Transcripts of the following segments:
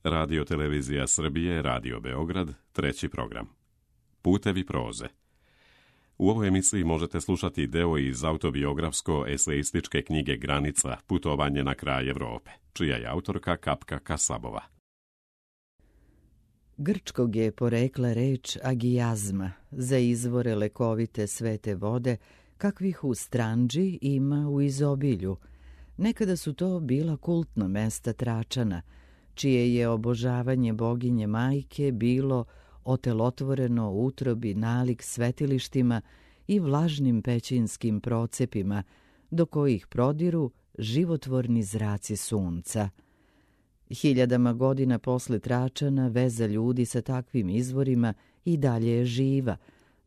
Radio Televizija Srbije, Radio Beograd, treći program. Putevi proze. U ovoj emisiji možete slušati deo iz autobiografsko-eseističke knjige Granica, putovanje na kraj Evrope, čija je autorka Kapka Kasabova. Grčkog je porekla reč agijazma za izvore lekovite svete vode, kakvih u Stranđi ima u izobilju. Nekada su to bila kultna mesta Tračana, čije je obožavanje boginje majke bilo otelotvoreno u utrobi nalik svetilištima i vlažnim pećinskim procepima, do kojih prodiru životvorni zraci sunca. Hiljadama godina posle Tračana veza ljudi sa takvim izvorima i dalje je živa,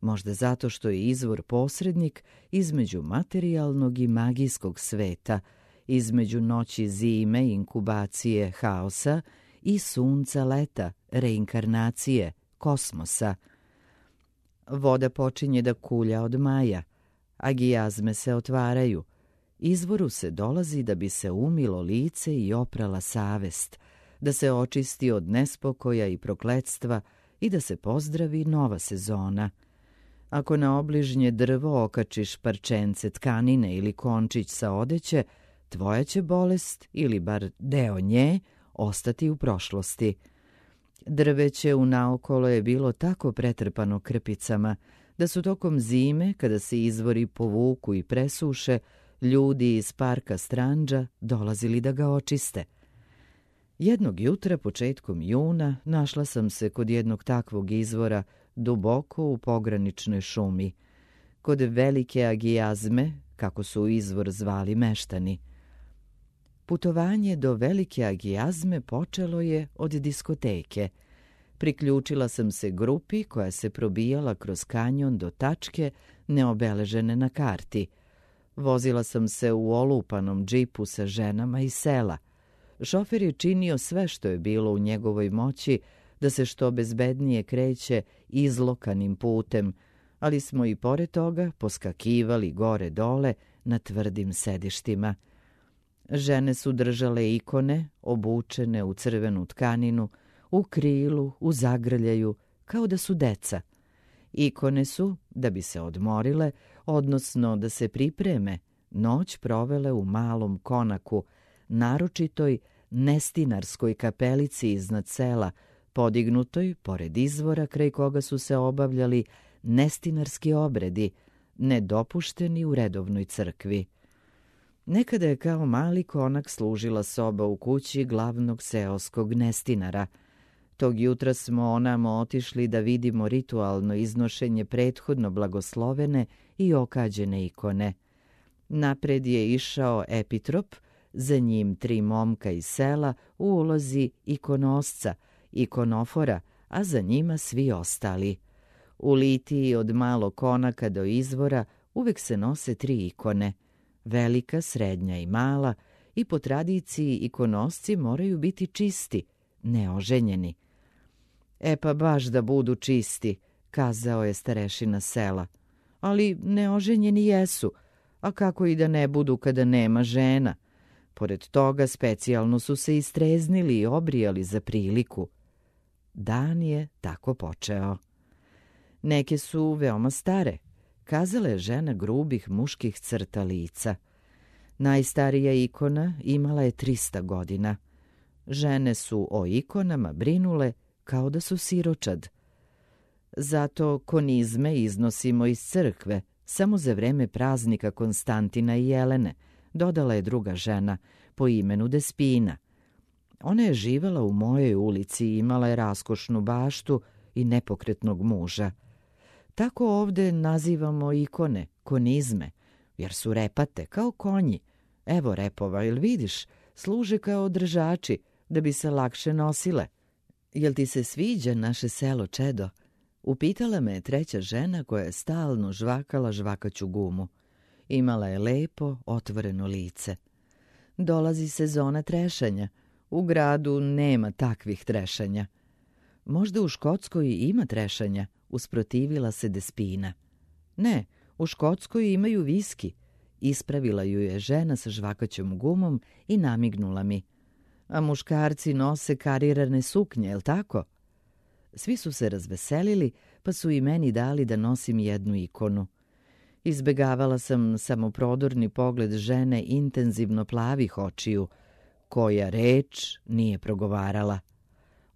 možda zato što je izvor posrednik između materijalnog i magijskog sveta, između noći zime, inkubacije, haosa i sunca leta, reinkarnacije, kosmosa. Voda počinje da kulja od maja, agijazme se otvaraju, izvoru se dolazi da bi se umilo lice i oprala savest, da se očisti od nespokoja i prokletstva i da se pozdravi nova sezona. Ako na obližnje drvo okačiš parčence tkanine ili končić sa odeće, tvoja će bolest, ili bar deo nje, ostati u prošlosti. Drveće unaokolo je bilo tako pretrpano krpicama, da su tokom zime, kada se izvori povuku i presuše, ljudi iz parka Stranđa dolazili da ga očiste. Jednog jutra, početkom juna, našla sam se kod jednog takvog izvora, duboko u pograničnoj šumi, kod velike agijazme, kako su izvor zvali meštani. Putovanje do velike agijazme počelo je od diskoteke. Priključila sam se grupi koja se probijala kroz kanjon do tačke neobeležene na karti. Vozila sam se u olupanom džipu sa ženama iz sela. Šofer je činio sve što je bilo u njegovoj moći da se što bezbednije kreće izlokanim putem, ali smo i pored toga poskakivali gore-dole na tvrdim sedištima. Žene su držale ikone, obučene u crvenu tkaninu, u krilu, u zagrljaju, kao da su deca. Ikone su, da bi se odmorile, odnosno da se pripreme, noć provele u malom konaku, naročitoj nestinarskoj kapelici iznad sela, podignutoj pored izvora kraj koga su se obavljali nestinarski obredi, nedopušteni u redovnoj crkvi. Nekada je kao mali konak služila soba u kući glavnog seoskog nestinara. Tog jutra smo onamo otišli da vidimo ritualno iznošenje prethodno blagoslovene i okađene ikone. Napred je išao epitrop, za njim 3 momka iz sela u ulozi ikonosca, ikonofora, a za njima svi ostali. U litiji od malog konaka do izvora uvek se nose 3 ikone, velika, srednja i mala, i po tradiciji ikonosci moraju biti čisti, neoženjeni. E pa baš da budu čisti, kazao je starešina sela. Ali neoženjeni jesu, a kako i da ne budu kada nema žena. Pored toga specijalno su se istreznili i obrijali za priliku. Dan je tako počeo. Neke su veoma stare, kazala je žena grubih muških crta lica. Najstarija ikona imala je 300 godina. Žene su o ikonama brinule kao da su siročad. Zato konizme iznosimo iz crkve, samo za vreme praznika Konstantina i Jelene, dodala je druga žena, po imenu Despina. Ona je živala u mojoj ulici i imala je raskošnu baštu i nepokretnog muža. Tako ovde nazivamo ikone, konizme, jer su repate kao konji. Evo repova, jel vidiš, služe kao držači da bi se lakše nosile. Jel ti se sviđa naše selo, čedo? Upitala me treća žena koja je stalno žvakala žvakaću gumu. Imala je lepo, otvoreno lice. Dolazi sezona trešanja. U gradu nema takvih trešanja. Možda u Škotskoj ima trešanja, usprotivila se Despina. Ne, u Škotskoj imaju viski. Ispravila ju je žena sa žvakaćom gumom i namignula mi. a muškarci nose karirane suknje, jel tako? Svi su se razveselili, pa su i meni dali da nosim jednu ikonu. Izbegavala sam samoprodorni pogled žene intenzivno plavih očiju, koja reč nije progovarala.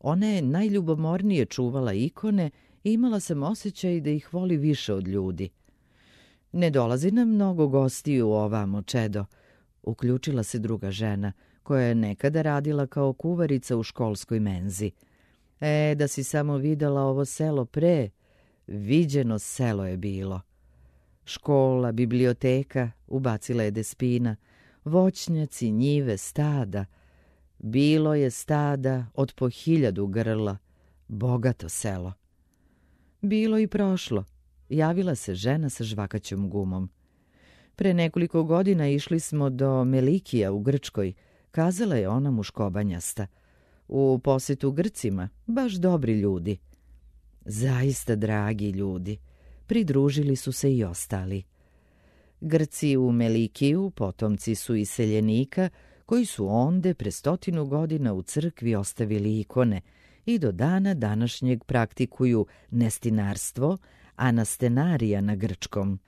Ona je najljubomornije čuvala ikone i imala sam osjećaj da ih voli više od ljudi. Ne dolazi nam mnogo gostiju ovamo, Čedo, uključila se druga žena, koja je nekada radila kao kuvarica u školskoj menzi. Da si samo videla ovo selo pre, viđeno selo je bilo. Škola, biblioteka, ubacila je Despina, voćnjaci, njive, stada. Bilo je stada od po 1000 grla, bogato selo. Bilo i prošlo, javila se žena sa žvakaćom gumom. Pre nekoliko godina išli smo do Melikija u Grčkoj, kazala je ona muškobanjasta. U posetu Grcima, baš dobri ljudi. Zaista dragi ljudi, pridružili su se i ostali. Grci u Melikiju potomci su iseljenika koji su onde pre 100 godina u crkvi ostavili ikone i do dana današnjeg praktikuju nestinarstvo, anastenarija na grčkom.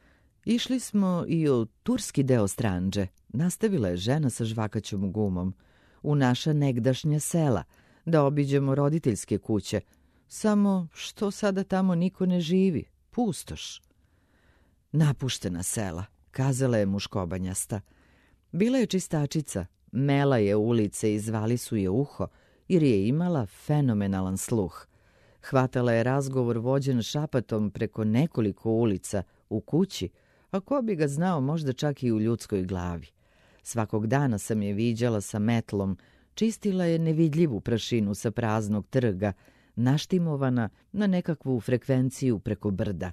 Išli smo i u turski deo Stranđe, nastavila je žena sa žvakaćom gumom, u naša negdašnja sela, da obiđemo roditeljske kuće. Samo što sada tamo niko ne živi, pustoš. Napuštena sela, kazala je muškobanjasta. Bila je čistačica, mela je ulice i zvali su je uho, jer je imala fenomenalan sluh. Hvatala je razgovor vođen šapatom preko nekoliko ulica u kući, a ko bi ga znao možda čak i u ljudskoj glavi. Svakog dana sam je viđala sa metlom, čistila je nevidljivu prašinu sa praznog trga, naštimovana na nekakvu frekvenciju preko brda.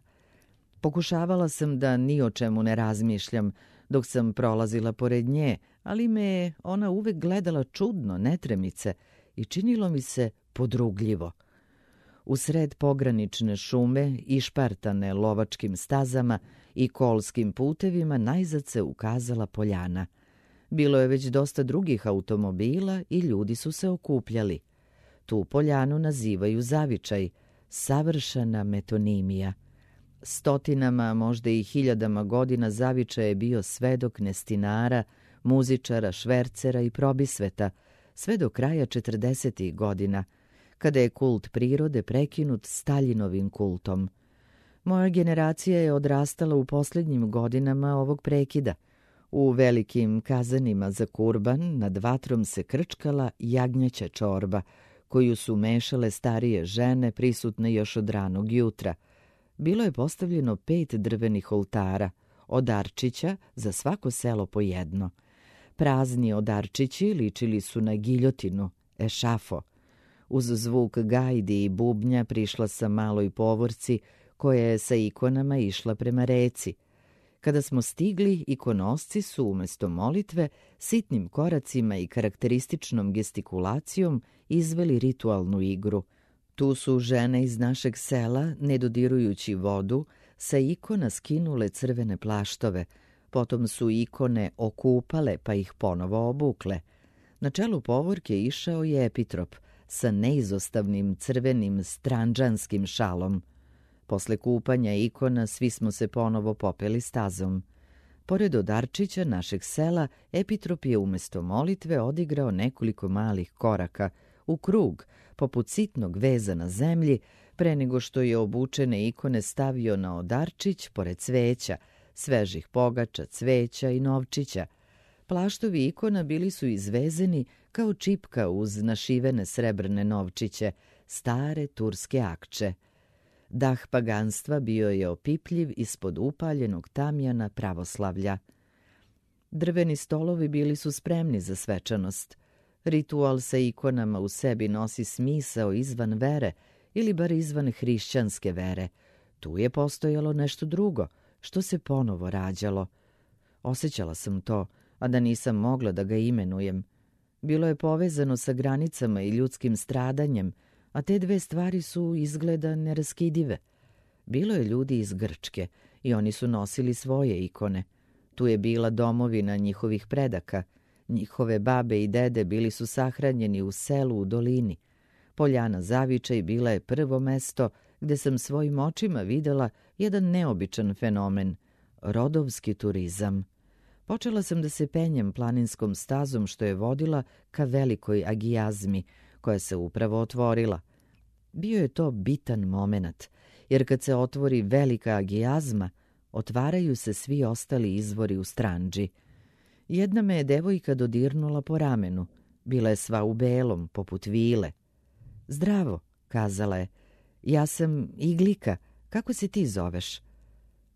Pokušavala sam da ni o čemu ne razmišljam dok sam prolazila pored nje, ali me je ona uvek gledala čudno, netremice, i činilo mi se podrugljivo. U sred pogranične šume, išpartane lovačkim stazama i kolskim putevima, najzad se ukazala poljana. Bilo je već dosta drugih automobila i ljudi su se okupljali. Tu poljanu nazivaju zavičaj, savršena metonimija. Stotinama, možda i 1000 godina zavičaj je bio svedok nestinara, muzičara, švercera i probisveta, sve do kraja 40. godina, kada je kult prirode prekinut Staljinovim kultom. Moja generacija je odrastala u posljednjim godinama ovog prekida. U velikim kazanima za kurban nad vatrom se krčkala jagnjeća čorba, koju su mešale starije žene prisutne još od ranog jutra. Bilo je postavljeno 5 drvenih oltara, odarčića za svako selo po jedno. Prazni odarčići ličili su na giljotinu, ešafo. Uz zvuk gajdi i bubnja prišla sam maloj povorci koja je sa ikonama išla prema reci. Kada smo stigli, ikonosci su umjesto molitve sitnim koracima i karakterističnom gestikulacijom izveli ritualnu igru. Tu su žene iz našeg sela, ne dodirujući vodu, sa ikona skinule crvene plaštove, potom su ikone okupale pa ih ponovo obukle. Na čelu povorke išao je epitrop sa neizostavnim crvenim stranđanskim šalom. Posle kupanja ikona svi smo se ponovo popeli stazom. Pored odarčića našeg sela, epitrop je umjesto molitve odigrao nekoliko malih koraka u krug, poput sitnog veza na zemlji, pre nego što je obučene ikone stavio na odarčić pored cveća, svežih pogača, cveća i novčića. Plaštovi ikona bili su izvezeni kao čipka uz našivene srebrne novčiće, stare turske akče. Dah paganstva bio je opipljiv ispod upaljenog tamjana pravoslavlja. Drveni stolovi bili su spremni za svečanost. Ritual sa ikonama u sebi nosi smisao izvan vere ili bar izvan hrišćanske vere. Tu je postojalo nešto drugo, što se ponovo rađalo. Osjećala sam to, a da nisam mogla da ga imenujem. Bilo je povezano sa granicama i ljudskim stradanjem, a te dve stvari su izgleda neraskidive. Bilo je ljudi iz Grčke i oni su nosili svoje ikone. Tu je bila domovina njihovih predaka. Njihove babe i dede bili su sahranjeni u selu u dolini. Poljana Zavičaj bila je prvo mesto gde sam svojim očima videla jedan neobičan fenomen – rodovski turizam. Počela sam da se penjem planinskom stazom što je vodila ka velikoj agijazmi, koja se upravo otvorila. Bio je to bitan momenat, jer kad se otvori velika agijazma, otvaraju se svi ostali izvori u Stranđi. Jedna me je devojka dodirnula po ramenu. Bila je sva u belom, poput vile. Zdravo, kazala je. Ja sam Iglika. Kako se ti zoveš?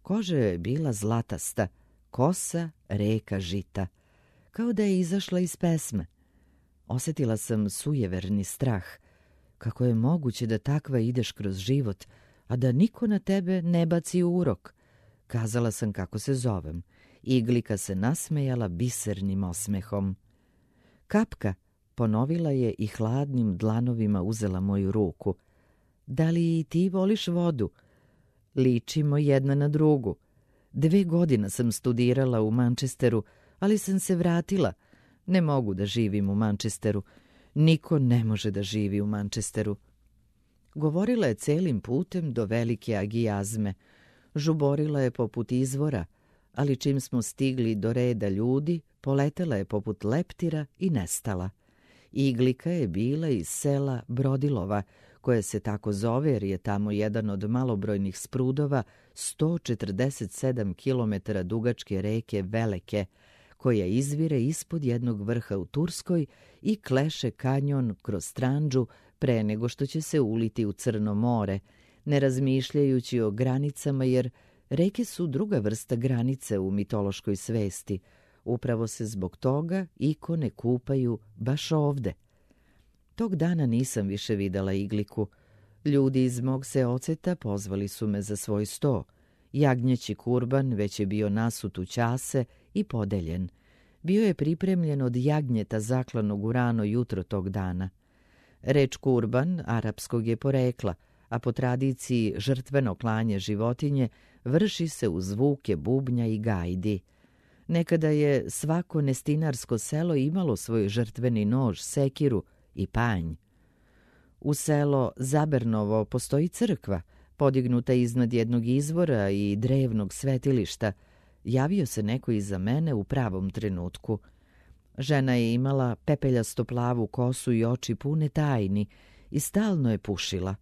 Koža je bila zlatasta, kosa reka žita. Kao da je izašla iz pesme. Osjetila sam sujeverni strah. Kako je moguće da takva ideš kroz život, a da niko na tebe ne baci urok? Kazala sam kako se zovem. Iglika se nasmejala bisernim osmehom. Kapka, ponovila je i hladnim dlanovima uzela moju ruku. Da li i ti voliš vodu? Ličimo jedna na drugu. 2 godine sam studirala u Manchesteru, ali sam se vratila. Ne mogu da živim u Manchesteru. Niko ne može da živi u Manchesteru. Govorila je celim putem do velike agijazme. Žuborila je poput izvora, ali čim smo stigli do reda ljudi, poletela je poput leptira i nestala. Iglika je bila iz sela Brodilova, koje se tako zove jer je tamo jedan od malobrojnih sprudova 147 km dugačke reke Veleke, koja izvire ispod jednog vrha u Turskoj i kleše kanjon kroz Stranđu pre nego što će se uliti u Crno more, ne razmišljajući o granicama jer reke su druga vrsta granice u mitološkoj svesti. Upravo se zbog toga ikone kupaju baš ovde. Tog dana nisam više videla Igliku. Ljudi iz mog seoceta pozvali su me za svoj sto. Jagnjeći kurban već je bio nasut u ćase i podeljen. Bio je pripremljen od jagnjeta zaklanog u rano jutro tog dana. Reč kurban arapskog je porekla, a po tradiciji žrtveno klanje životinje vrši se uz zvuke bubnja i gajdi. Nekada je svako nestinarsko selo imalo svoj žrtveni nož, sekiru i panj. U selo Zabernovo postoji crkva, podignuta iznad jednog izvora i drevnog svetilišta. Javio se neko iza mene u pravom trenutku. Žena je imala pepeljasto plavu kosu i oči pune tajni i stalno je pušila.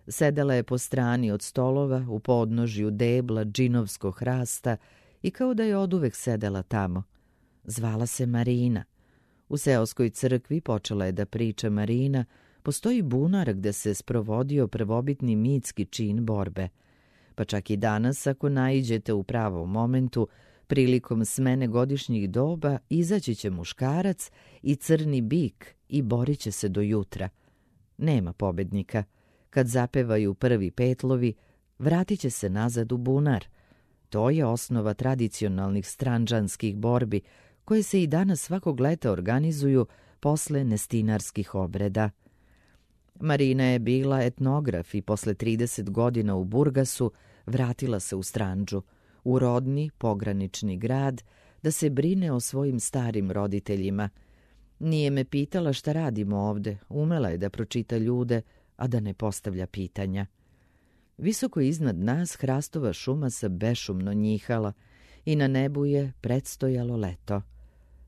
Sedela je po strani od stolova u podnožju debla džinovskog hrasta i kao da je oduvek sedela tamo. Zvala se Marina. U seoskoj crkvi počela je da priča Marina. Postoji bunar gde se sprovodio prvobitni mitski čin borbe. Pa čak i danas, ako naiđete u pravom momentu, prilikom smene godišnjih doba, izaći će muškarac i crni bik i borit će se do jutra. Nema pobednika. Kad zapevaju prvi petlovi, vratit će se nazad u bunar. To je osnova tradicionalnih stranđanskih borbi, koje se i danas svakog leta organizuju posle nestinarskih obreda. Marina je bila etnograf i posle 30 godina u Burgasu vratila se u Stranđu, u rodni pogranični grad, da se brine o svojim starim roditeljima. Nije me pitala šta radimo ovde, umela je da pročita ljude, a da ne postavlja pitanja. Visoko iznad nas hrastova šuma se bešumno njihala i na nebu je predstojalo leto.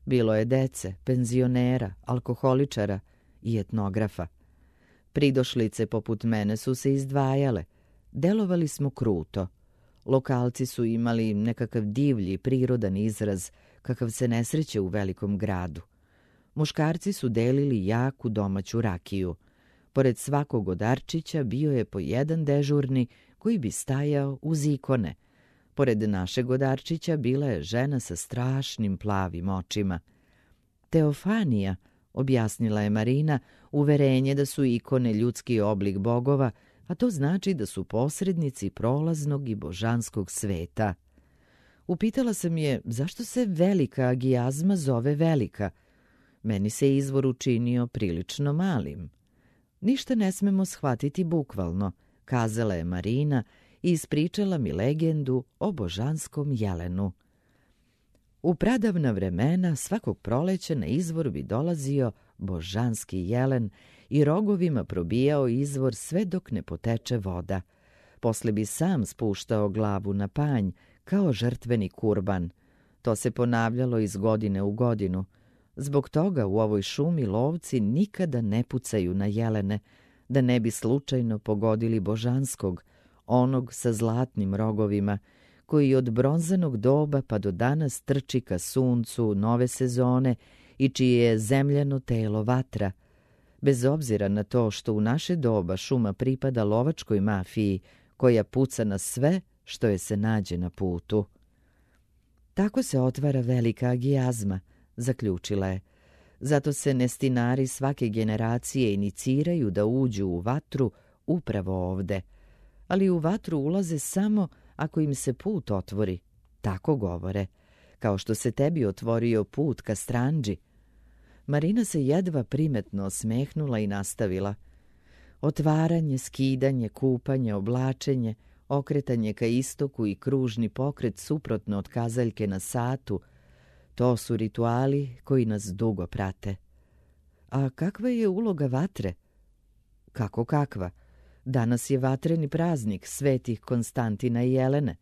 Bilo je dece, penzionera, alkoholičara i etnografa. Pridošlice poput mene su se izdvajale. Delovali smo kruto. Lokalci su imali nekakav divlji, prirodan izraz, kakav se ne sreće u velikom gradu. Muškarci su delili jaku domaću rakiju. Pored svakog odarčića bio je po jedan dežurni koji bi stajao uz ikone. Pored našeg odarčića bila je žena sa strašnim plavim očima. Teofanija, objasnila je Marina, uverenje da su ikone ljudski oblik bogova, a to znači da su posrednici prolaznog i božanskog sveta. Upitala sam je zašto se velika agijazma zove velika. Meni se izvor učinio prilično malim. Ništa ne smemo shvatiti bukvalno, kazala je Marina i ispričala mi legendu o božanskom jelenu. U pradavna vremena svakog proleća na izvor bi dolazio božanski jelen i rogovima probijao izvor sve dok ne poteče voda. Posle bi sam spuštao glavu na panj kao žrtveni kurban. To se ponavljalo iz godine u godinu. Zbog toga u ovoj šumi lovci nikada ne pucaju na jelene, da ne bi slučajno pogodili božanskog, onog sa zlatnim rogovima, koji od bronzanog doba pa do danas trči ka suncu nove sezone i čije je zemljano telo vatra. Bez obzira na to što u naše doba šuma pripada lovačkoj mafiji, koja puca na sve što je se nađe na putu. Tako se otvara velika agijazma, zaključila je. Zato se nestinari svake generacije iniciraju da uđu u vatru upravo ovde. Ali u vatru ulaze samo ako im se put otvori, tako govore, kao što se tebi otvorio put ka Stranđi. Marina se jedva primetno osmehnula i nastavila. Otvaranje, skidanje, kupanje, oblačenje, okretanje ka istoku i kružni pokret suprotno od kazaljke na satu, to su rituali koji nas dugo prate. A kakva je uloga vatre? Kako kakva? Danas je vatreni praznik svetih Konstantina i Jelene.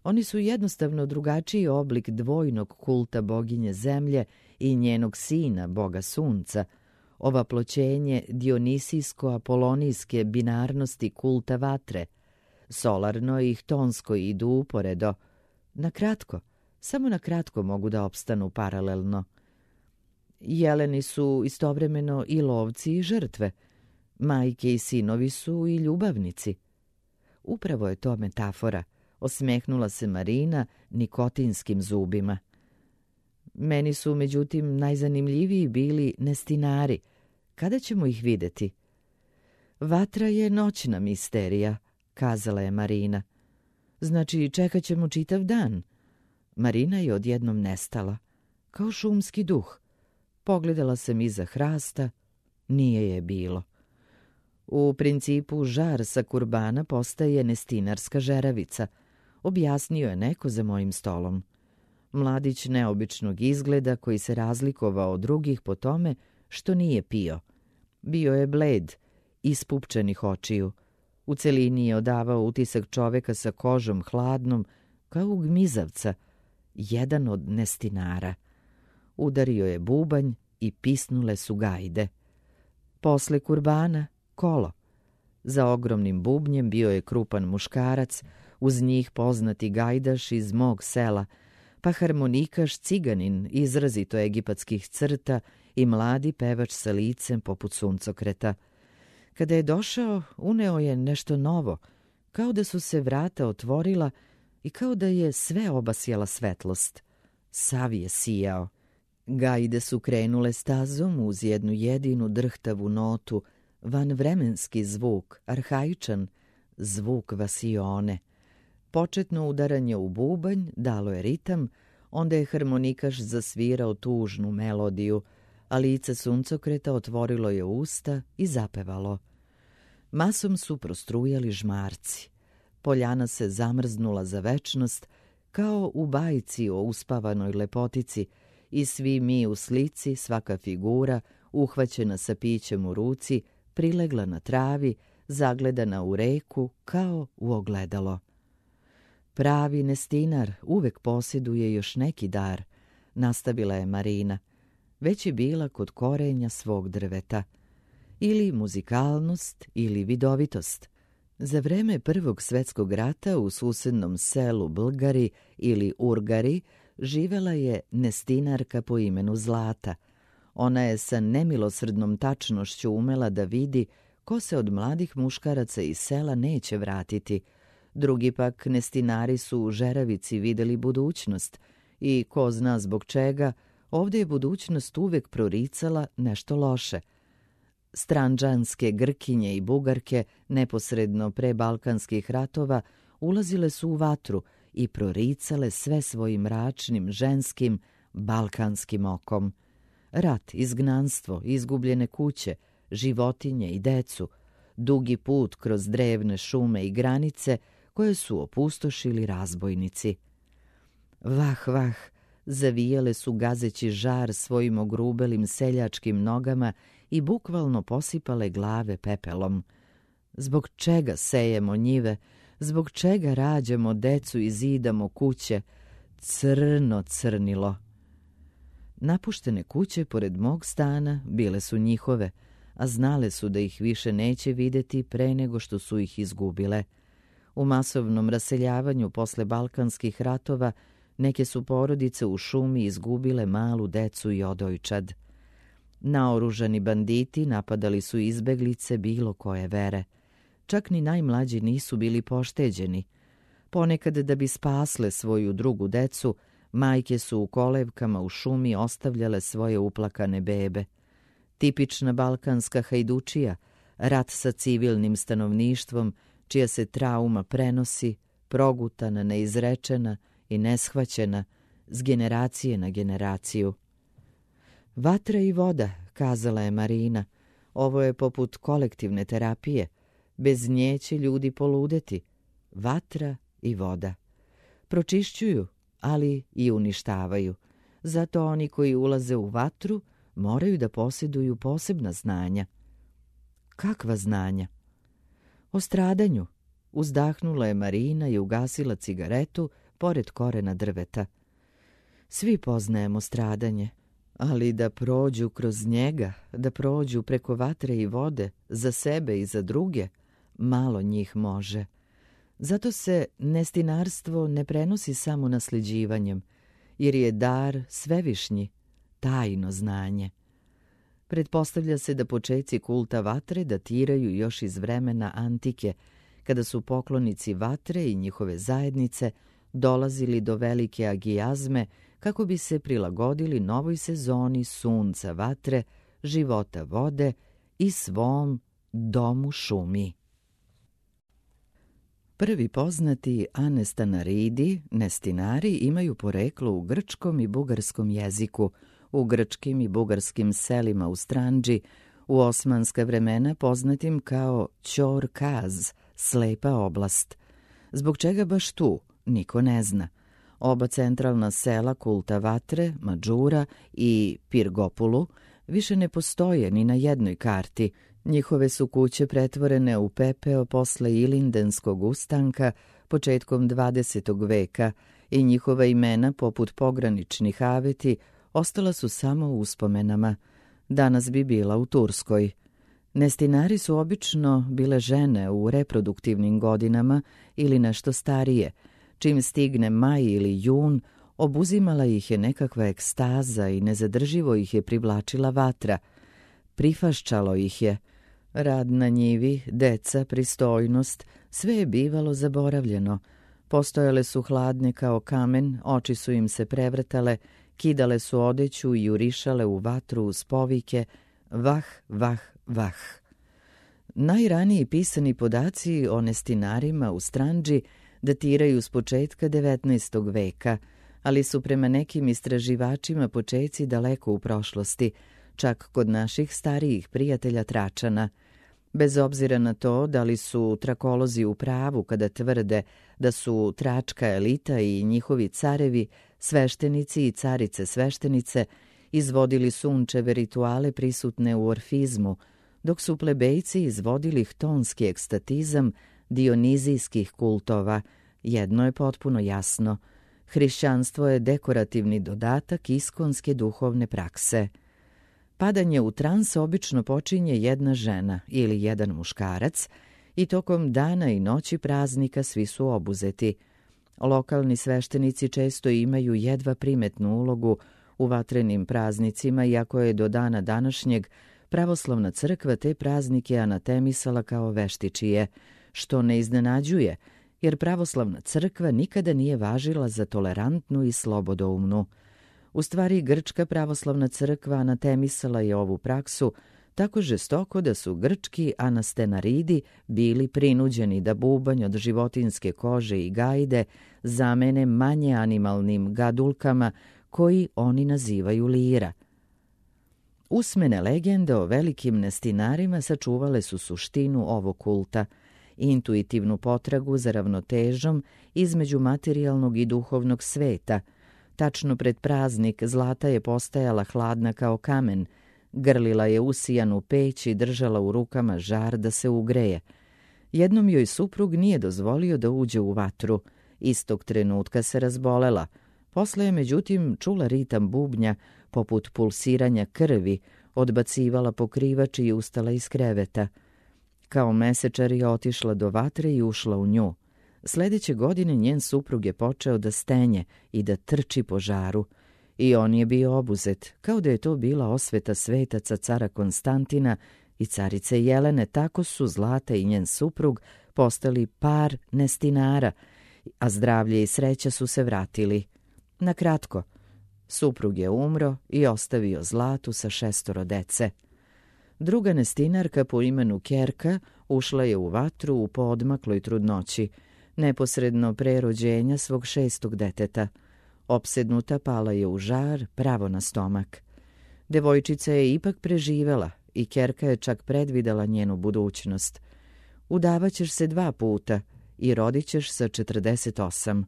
Oni su jednostavno drugačiji oblik dvojnog kulta boginje zemlje i njenog sina, boga sunca, ovaploćenje dionisijsko-apolonijske binarnosti kulta vatre. Solarno i htonsko idu uporedo. Na kratko, samo na kratko mogu da opstanu paralelno. Jeleni su istovremeno i lovci i žrtve. Majke i sinovi su i ljubavnici. Upravo je to metafora, osmehnula se Marina nikotinskim zubima. Meni su, međutim, najzanimljiviji bili nestinari. Kada ćemo ih videti? Vatra je noćna misterija, kazala je Marina. Znači, čekat ćemo čitav dan. Marina je odjednom nestala, kao šumski duh. Pogledala sam iza hrasta, nije je bilo. U principu žar sa kurbana postaje nestinarska žeravica, objasnio je neko za mojim stolom. Mladić neobičnog izgleda koji se razlikovao od drugih po tome što nije pio. Bio je bled, ispupčenih očiju. U celini je odavao utisak čoveka sa kožom hladnom, kao gmizavca, jedan od nestinara. Udario je bubanj i pisnule su gajde. Posle kurbana kolo. Za ogromnim bubnjem bio je krupan muškarac, uz njih poznati gajdaš iz mog sela, pa harmonikaš ciganin izrazito egipatskih crta i mladi pevač sa licem poput suncokreta. Kada je došao, uneo je nešto novo, kao da su se vrata otvorila i kao da je sve obasjala svetlost. Sav je sijao. Gajde su krenule stazom uz jednu jedinu drhtavu notu, vanvremenski zvuk, arhaičan, zvuk vasione. Početno udaranje u bubanj dalo je ritam, onda je harmonikaš zasvirao tužnu melodiju, a lice suncokreta otvorilo je usta i zapevalo. Masom su prostrujali žmarci. Poljana se zamrznula za večnost, kao u bajci o uspavanoj lepotici, i svi mi u slici, svaka figura, uhvaćena sa pićem u ruci, prilegla na travi, zagledana u reku kao u ogledalo. Pravi nestinar uvek posjeduje još neki dar, nastavila je Marina. Već je bila kod korenja svog drveta. Ili muzikalnost, ili vidovitost. Za vreme Prvog svetskog rata u susednom selu Blgari ili Urgari živela je nestinarka po imenu Zlata. Ona je sa nemilosrdnom tačnošću umela da vidi ko se od mladih muškaraca iz sela neće vratiti. Drugi pak nestinari su u žeravici videli budućnost i ko zna zbog čega, ovdje je budućnost uvek proricala nešto loše. Stranđanske Grkinje i Bugarke neposredno pre balkanskih ratova ulazile su u vatru i proricale sve svojim mračnim, ženskim, balkanskim okom. Rat, izgnanstvo, izgubljene kuće, životinje i decu, dugi put kroz drevne šume i granice koje su opustošili razbojnici. Vah, vah, zavijale su gazeći žar svojim ogrubelim seljačkim nogama i bukvalno posipale glave pepelom. Zbog čega sejemo njive, zbog čega rađamo decu i zidamo kuće, crno crnilo. Napuštene kuće pored mog stana bile su njihove, a znale su da ih više neće videti pre nego što su ih izgubile. U masovnom raseljavanju posle Balkanskih ratova neke su porodice u šumi izgubile malu decu i odojčad. Naoružani banditi napadali su izbeglice bilo koje vere. Čak ni najmlađi nisu bili pošteđeni. Ponekad da bi spasle svoju drugu decu, majke su u kolevkama u šumi ostavljale svoje uplakane bebe. Tipična balkanska hajdučija, rat sa civilnim stanovništvom, čija se trauma prenosi, progutana, neizrečena i neshvaćena, s generacije na generaciju. Vatra i voda, kazala je Marina, ovo je poput kolektivne terapije. Bez nje će ljudi poludeti. Vatra i voda. Pročišćuju, ali i uništavaju. Zato oni koji ulaze u vatru moraju da posjeduju posebna znanja. Kakva znanja? O stradanju. Uzdahnula je Marina i ugasila cigaretu pored korena drveta. Svi poznajemo stradanje, ali da prođu kroz njega, da prođu preko vatre i vode, za sebe i za druge, malo njih može. Zato se nestinarstvo ne prenosi samo nasljeđivanjem, jer je dar svevišnji, tajno znanje. Pretpostavlja se da počeci kulta vatre datiraju još iz vremena antike, kada su poklonici vatre i njihove zajednice dolazili do velike agijazme kako bi se prilagodili novoj sezoni sunca vatre, života vode i svom domu šumi. Prvi poznati anestanaridi, nestinari, imaju poreklo u grčkom i bugarskom jeziku, u grčkim i bugarskim selima u Stranđi, u osmanska vremena poznatim kao Ćor-Kaz, slepa oblast. Zbog čega baš tu, niko ne zna. Oba centralna sela kulta vatre, Mađura i Pirgopulu, više ne postoje ni na jednoj karti. Njihove su kuće pretvorene u pepeo posle Ilindenskog ustanka početkom 20. veka i njihova imena, poput pograničnih aveti, ostala su samo u uspomenama. Danas bi bila u Turskoj. Nestinari su obično bile žene u reproduktivnim godinama ili nešto starije. Čim stigne maj ili jun, obuzimala ih je nekakva ekstaza i nezadrživo ih je privlačila vatra. Prifaščalo ih je. Rad na njivi, deca, pristojnost, sve je bivalo zaboravljeno. Postojale su hladne kao kamen, oči su im se prevrtale, kidale su odeću i jurišale u vatru uz povike vah, vah, vah. Najraniji pisani podaci o nestinarima u Stranđi datiraju s početka 19. veka, ali su prema nekim istraživačima počeci daleko u prošlosti, čak kod naših starijih prijatelja Tračana. Bez obzira na to da li su trakolozi u pravu kada tvrde da su tračka elita i njihovi carevi, sveštenici i carice sveštenice, izvodili sunčeve rituale prisutne u orfizmu, dok su plebejci izvodili htonski ekstatizam dionizijskih kultova, jedno je potpuno jasno. Hrišćanstvo je dekorativni dodatak iskonske duhovne prakse. Padanje u trans obično počinje jedna žena ili jedan muškarac i tokom dana i noći praznika svi su obuzeti. Lokalni sveštenici često imaju jedva primetnu ulogu u vatrenim praznicima, iako je do dana današnjeg pravoslavna crkva te praznike anatemisala kao veštičije, što ne iznenađuje, jer pravoslavna crkva nikada nije važila za tolerantnu i slobodoumnu. U stvari, grčka pravoslavna crkva anatemisala je ovu praksu tako žestoko da su grčki anastenaridi bili prinuđeni da bubanj od životinjske kože i gajde zamene manje animalnim gadulkama koji oni nazivaju lira. Usmene legende o velikim nestinarima sačuvale su suštinu ovog kulta, intuitivnu potragu za ravnotežom između materijalnog i duhovnog sveta, Tačno pred praznik Zlata je postajala hladna kao kamen, grlila je usijanu peć i držala u rukama žar da se ugreje. Jednom joj suprug nije dozvolio da uđe u vatru. Istog trenutka se razbolela. Posle je međutim čula ritam bubnja poput pulsiranja krvi, odbacivala pokrivač i ustala iz kreveta. Kao mesečar je otišla do vatre i ušla u nju. Sledeće godine njen suprug je počeo da stenje i da trči po žaru. I on je bio obuzet, kao da je to bila osveta svetaca cara Konstantina i carice Jelene. Tako su Zlata i njen suprug postali par nestinara, a zdravlje i sreća su se vratili. Na kratko, suprug je umro i ostavio Zlatu sa 6 dece. Druga nestinarka po imenu Kerka ušla je u vatru u poodmakloj trudnoći, neposredno pre rođenja svog 6. deteta. Opsednuta pala je u žar pravo na stomak. Devojčica je ipak preživela i Kerka je čak predvidela njenu budućnost. Udavaćeš se 2 puta i rodit ćeš sa 48.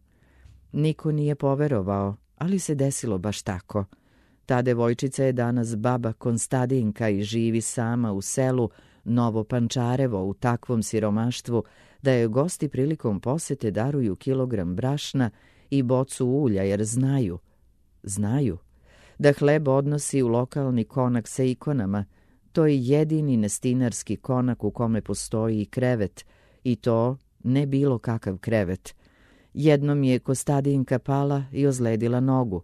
Niko nije poverovao, ali se desilo baš tako. Ta devojčica je danas baba Konstadinka i živi sama u selu Novo Pančarevo u takvom siromaštvu da je gosti prilikom posete daruju kilogram brašna i bocu ulja jer znaju da hleb odnosi u lokalni konak sa ikonama. To je jedini nestinarski konak u kome postoji i krevet, i to ne bilo kakav krevet. Jednom je Kostadinka pala i ozledila nogu.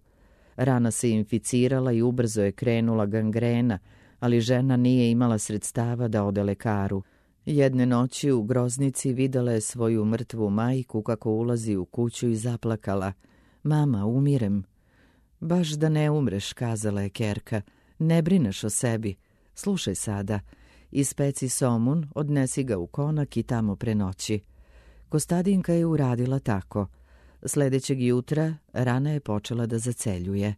Rana se inficirala i ubrzo je krenula gangrena, ali žena nije imala sredstava da ode lekaru. Jedne noći u groznici videla je svoju mrtvu majku kako ulazi u kuću i zaplakala. Mama, umirem. Baš da ne umreš, kazala je Kerka. Ne brineš o sebi. Slušaj sada. Ispeci somun, odnesi ga u konak i tamo prenoći. Kostadinka je uradila tako. Sledećeg jutra rana je počela da zaceljuje.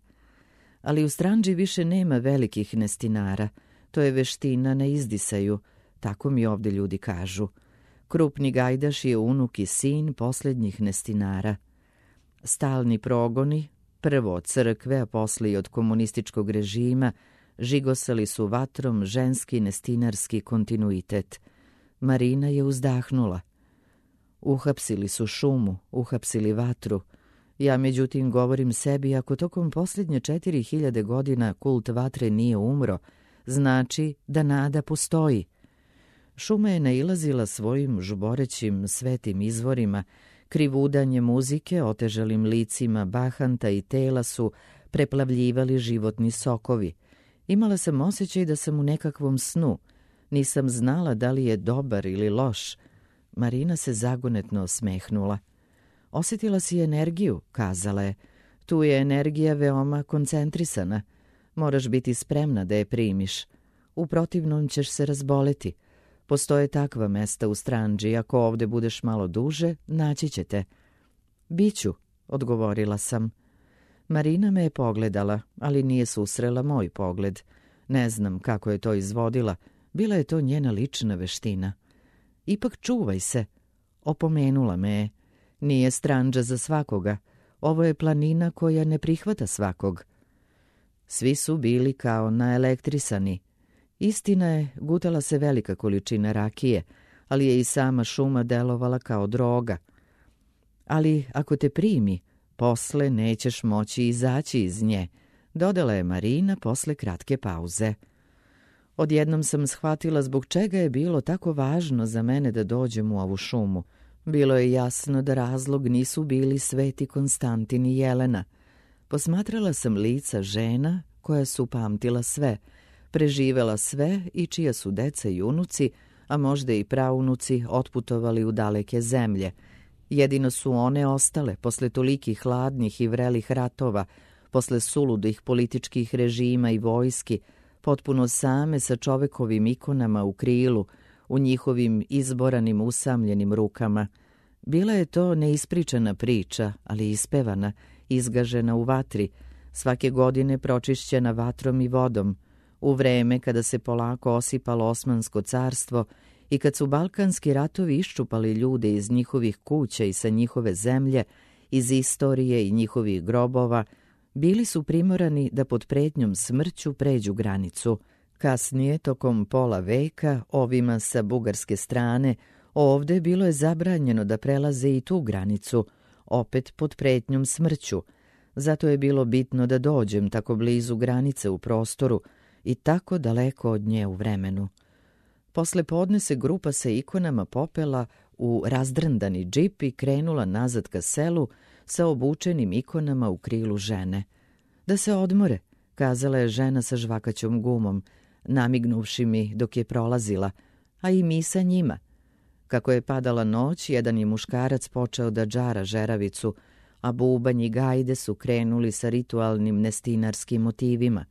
Ali u Stranđi više nema velikih nestinara. To je veština na izdisaju, tako mi ovde ljudi kažu. Krupni gajdaš je unuk i sin posljednjih nestinara. Stalni progoni, prvo od crkve, a posle i od komunističkog režima, žigosali su vatrom ženski nestinarski kontinuitet. Marina je uzdahnula. Uhapsili su šumu, uhapsili vatru. Ja međutim govorim sebi, ako tokom posljednje 4000 godina kult vatre nije umro, znači da nada postoji. Šuma je nailazila svojim žuborećim svetim izvorima, krivudanje muzike, otežalim licima bahanta i tela su preplavljivali životni sokovi. Imala sam osjećaj da sam u nekakvom snu. Nisam znala da li je dobar ili loš. Marina se zagonetno osmehnula. Osjetila si energiju, kazala je. Tu je energija veoma koncentrisana. Moraš biti spremna da je primiš. U protivnom ćeš se razboleti. Postoje takva mesta u Stranđi, ako ovde budeš malo duže, naći ćete. Biću, odgovorila sam. Marina me je pogledala, ali nije susrela moj pogled. Ne znam kako je to izvodila, bila je to njena lična veština. Ipak čuvaj se, opomenula me je. Nije Stranđa za svakoga, ovo je planina koja ne prihvata svakog. Svi su bili kao naelektrisani. Istina je, gutala se velika količina rakije, ali je i sama šuma delovala kao droga. Ali ako te primi, posle nećeš moći izaći iz nje, dodala je Marina posle kratke pauze. Odjednom sam shvatila zbog čega je bilo tako važno za mene da dođem u ovu šumu. Bilo je jasno da razlog nisu bili sveti Konstantin i Jelena. Posmatrala sam lica žena koja su pamtila sve, preživela sve i čija su deca i unuci, a možda i praunuci, otputovali u daleke zemlje. Jedino su one ostale posle tolikih hladnih i vrelih ratova, posle suludih političkih režima i vojski, potpuno same sa čovekovim ikonama u krilu, u njihovim izboranim usamljenim rukama. Bila je to neispričana priča, ali ispevana, izgažena u vatri, svake godine pročišćena vatrom i vodom, u vreme kada se polako osipalo Osmansko carstvo i kad su balkanski ratovi iščupali ljude iz njihovih kuća i sa njihove zemlje, iz istorije i njihovih grobova, bili su primorani da pod pretnjom smrću pređu granicu. Kasnije, tokom pola veka, ovima sa bugarske strane, ovde bilo je zabranjeno da prelaze i tu granicu, opet pod pretnjom smrću. Zato je bilo bitno da dođem tako blizu granice u prostoru i tako daleko od nje u vremenu. Posle podne se grupa sa ikonama popela u razdrndani džip i krenula nazad ka selu sa obučenim ikonama u krilu žene. Da se odmore, kazala je žena sa žvakaćom gumom, namignuvši mi dok je prolazila, a i mi sa njima. Kako je padala noć, jedan je muškarac počeo da džara žeravicu, a bubanj i gajde su krenuli sa ritualnim nestinarskim motivima.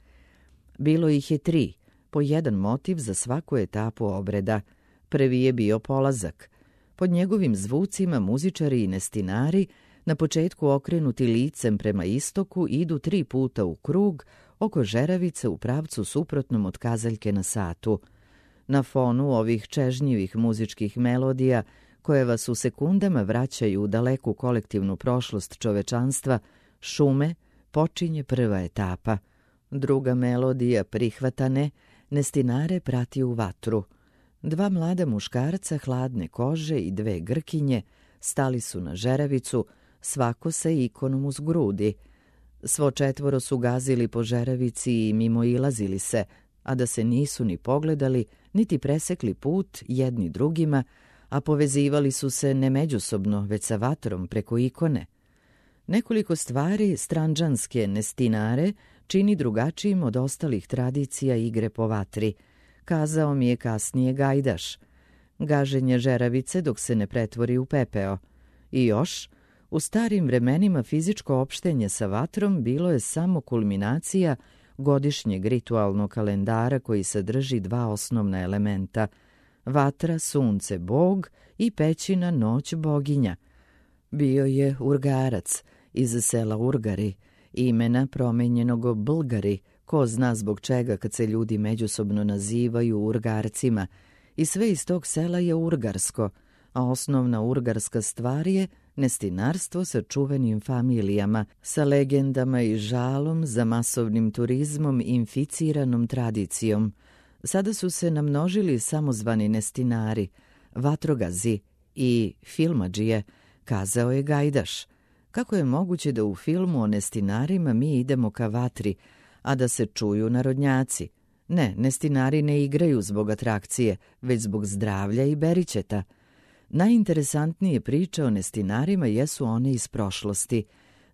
Bilo ih je 3, po jedan motiv za svaku etapu obreda. Prvi je bio polazak. Pod njegovim zvucima muzičari i nestinari, na početku okrenuti licem prema istoku, idu 3 puta u krug oko žeravice u pravcu suprotnom od kazaljke na satu. Na fonu ovih čežnjivih muzičkih melodija, koje vas u sekundama vraćaju u daleku kolektivnu prošlost čovečanstva, šume, počinje prva etapa. Druga melodija prihvatane, nestinare prati u vatru. 2 mlada muškarca hladne kože i 2 grkinje stali su na žeravicu, svako sa ikonom uz grudi. Svo 4 su gazili po žeravici i mimoilazili se, a da se nisu ni pogledali, niti presekli put jedni drugima, a povezivali su se ne međusobno, već sa vatrom preko ikone. Nekoliko stvari stranđanske nestinare čini drugačijim od ostalih tradicija igre po vatri, kazao mi je kasnije gajdaš. Gaženje žeravice dok se ne pretvori u pepeo. I još, u starim vremenima fizičko opštenje sa vatrom bilo je samo kulminacija godišnjeg ritualnog kalendara koji sadrži 2 osnovna elementa: vatra, sunce, bog i pećina, noć, boginja. Bio je Urgarac iz sela Urgari, imena promenjenog Bulgari, ko zna zbog čega kad se ljudi međusobno nazivaju Urgarcima, i sve iz tog sela je urgarsko, a osnovna urgarska stvar je nestinarstvo sa čuvenim familijama, sa legendama i žalom za masovnim turizmom i inficiranom tradicijom. Sada su se namnožili samozvani nestinari, vatrogazi i filmadžije, kazao je gajdaš. Kako je moguće da u filmu o nestinarima mi idemo ka vatri, a da se čuju narodnjaci? Ne, nestinari ne igraju zbog atrakcije, već zbog zdravlja i beričeta. Najinteresantnije priče o nestinarima jesu one iz prošlosti.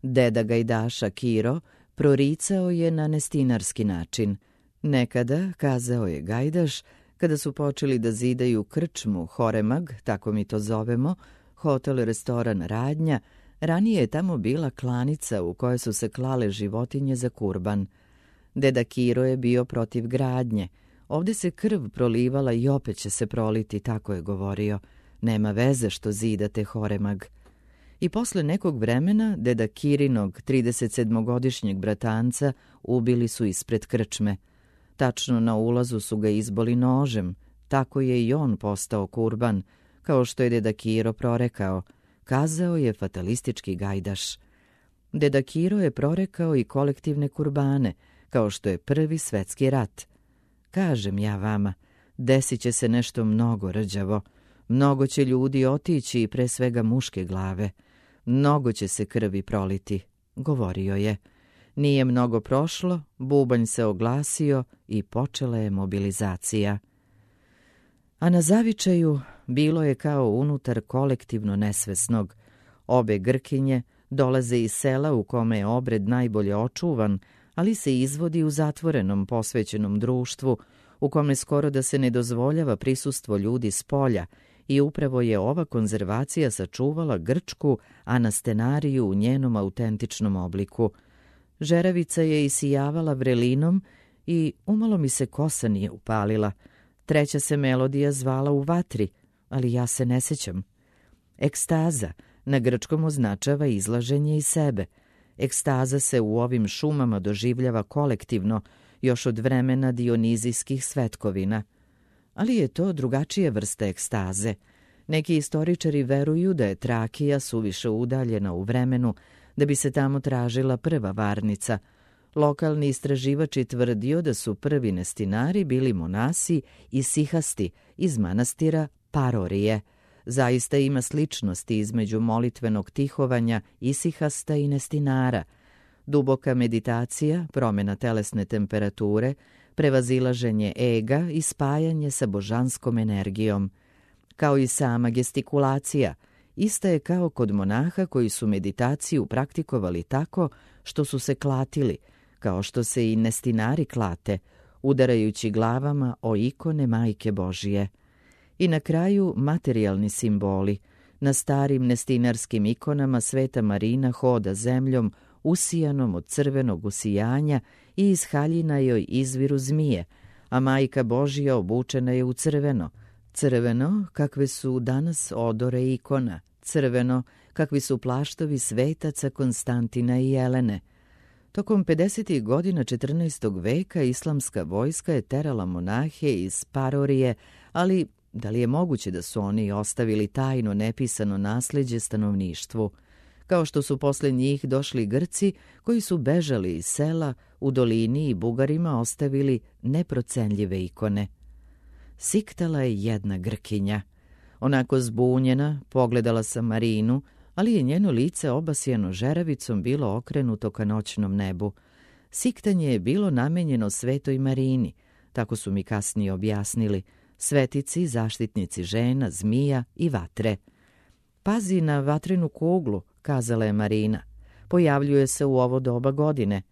Deda gajdaša Kiro proricao je na nestinarski način. Nekada, kazao je gajdaš, kada su počeli da zidaju krčmu Horemag, tako mi to zovemo, hotel-restoran Radnja, ranije je tamo bila klanica u kojoj su se klale životinje za kurban. Deda Kiro je bio protiv gradnje. Ovdje se krv prolivala i opet će se proliti, tako je govorio. Nema veze što zidate Horemag. I posle nekog vremena deda Kirinog 37-godišnjeg bratanca ubili su ispred krčme. Tačno na ulazu su ga izboli nožem, tako je i on postao kurban, kao što je deda Kiro prorekao, kazao je fatalistički gajdaš. Deda Kiro je prorekao i kolektivne kurbane, kao što je Prvi svetski rat. Kažem ja vama, desit će se nešto mnogo rđavo, mnogo će ljudi otići i pre svega muške glave, mnogo će se krvi proliti, govorio je. Nije mnogo prošlo, bubanj se oglasio i počela je mobilizacija. A na zavičaju bilo je kao unutar kolektivno nesvesnog. Obe Grkinje dolaze iz sela u kome je obred najbolje očuvan, ali se izvodi u zatvorenom, posvećenom društvu, u kome skoro da se ne dozvoljava prisustvo ljudi s polja, i upravo je ova konzervacija sačuvala grčku anastenariju u njenom autentičnom obliku. Žeravica je isijavala vrelinom i umalo mi se kosa nije upalila. Treća se melodija zvala u vatri, ali ja se ne sećam. Ekstaza na grčkom označava izlaženje iz sebe. Ekstaza se u ovim šumama doživljava kolektivno, još od vremena dionizijskih svetkovina. Ali je to drugačije vrste ekstaze. Neki istoričari veruju da je Trakija suviše udaljena u vremenu, da bi se tamo tražila prva varnica. Lokalni istraživač je tvrdio da su prvi nestinari bili monasi i sihasti iz manastira Parorije. Zaista ima sličnosti između molitvenog tihovanja isihasta i nestinara. Duboka meditacija, promjena telesne temperature, prevazilaženje ega i spajanje sa božanskom energijom. Kao i sama gestikulacija, ista je kao kod monaha koji su meditaciju praktikovali tako što su se klatili, kao što se i nestinari klate, udarajući glavama o ikone Majke Božije. I na kraju materijalni simboli. Na starim nestinarskim ikonama Sveta Marina hoda zemljom usijanom od crvenog usijanja i iz haljina joj izviru zmije, a Majka Božija obučena je u crveno. Crveno kakve su danas odore ikona, crveno kakvi su plaštovi svetaca Konstantina i Jelene. Tokom 50. godina 14. veka islamska vojska je terala monahe iz Parorije, ali da li je moguće da su oni ostavili tajno nepisano nasljeđe stanovništvu? Kao što su posle njih došli Grci koji su bežali iz sela u dolini i Bugarima ostavili neprocenljive ikone. Siktala je jedna Grkinja. Onako zbunjena, pogledala sam Marinu, ali je njeno lice obasjano žeravicom bilo okrenuto ka noćnom nebu. Siktanje je bilo namenjeno Svetoj Marini, tako su mi kasnije objasnili, svetici, zaštitnici žena, zmija i vatre. Pazi na vatrenu kuglu, kazala je Marina. Pojavljuje se u ovo doba godine.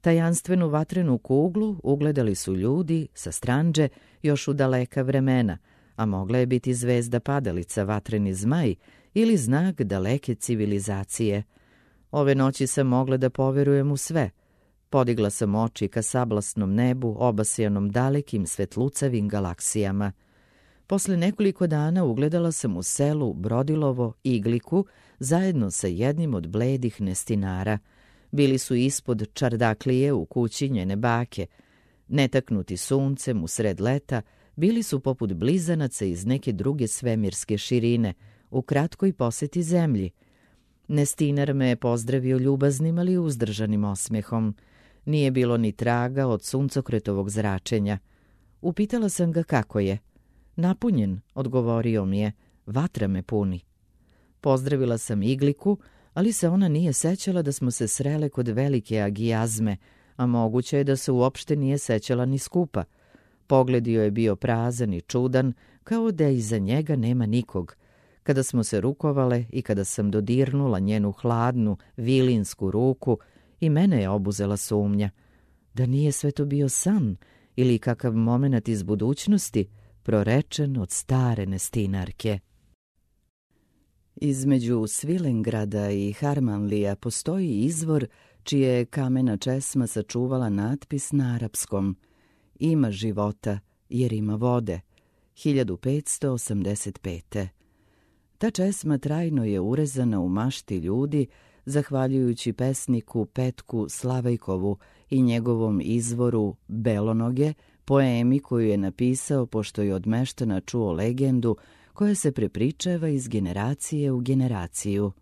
Tajanstvenu vatrenu kuglu ugledali su ljudi sa Stranđe još u daleka vremena, a mogla je biti zvezda padalica, vatreni zmaj ili znak daleke civilizacije. Ove noći sam mogla da poverujem u sve. Podigla sam oči ka sablasnom nebu, obasjanom dalekim svetlucavim galaksijama. Posle nekoliko dana ugledala sam u selu Brodilovo Igliku zajedno sa jednim od bledih nestinara. Bili su ispod čardaklije u kući njene bake. Netaknuti suncem u sred leta, bili su poput blizanaca iz neke druge svemirske širine, u kratkoj poseti zemlji. Nestinar me je pozdravio ljubaznim, ali uzdržanim osmehom. Nije bilo ni traga od suncokretovog zračenja. Upitala sam ga kako je. Napunjen, odgovorio mi je, vatra me puni. Pozdravila sam Igliku, ali se ona nije sećala da smo se srele kod velike Agijazme, a moguće je da se uopšte nije sećala ni skupa. Pogled joj je bio prazan i čudan, kao da iza njega nema nikog. Kada smo se rukovale i kada sam dodirnula njenu hladnu, vilinsku ruku, i mene je obuzela sumnja. Da nije sve to bio san ili kakav momenat iz budućnosti, prorečen od stare nestinarke. Između Svilengrada i Harmanlija postoji izvor čije je kamena česma sačuvala natpis na arapskom. Ima života jer ima vode. 1585. Ta česma trajno je urezana u mašti ljudi zahvaljujući pesniku Petku Slavejkovu i njegovom izvoru Belonoge, poemi koju je napisao pošto je od meštana čuo legendu koja se prepričava iz generacije u generaciju.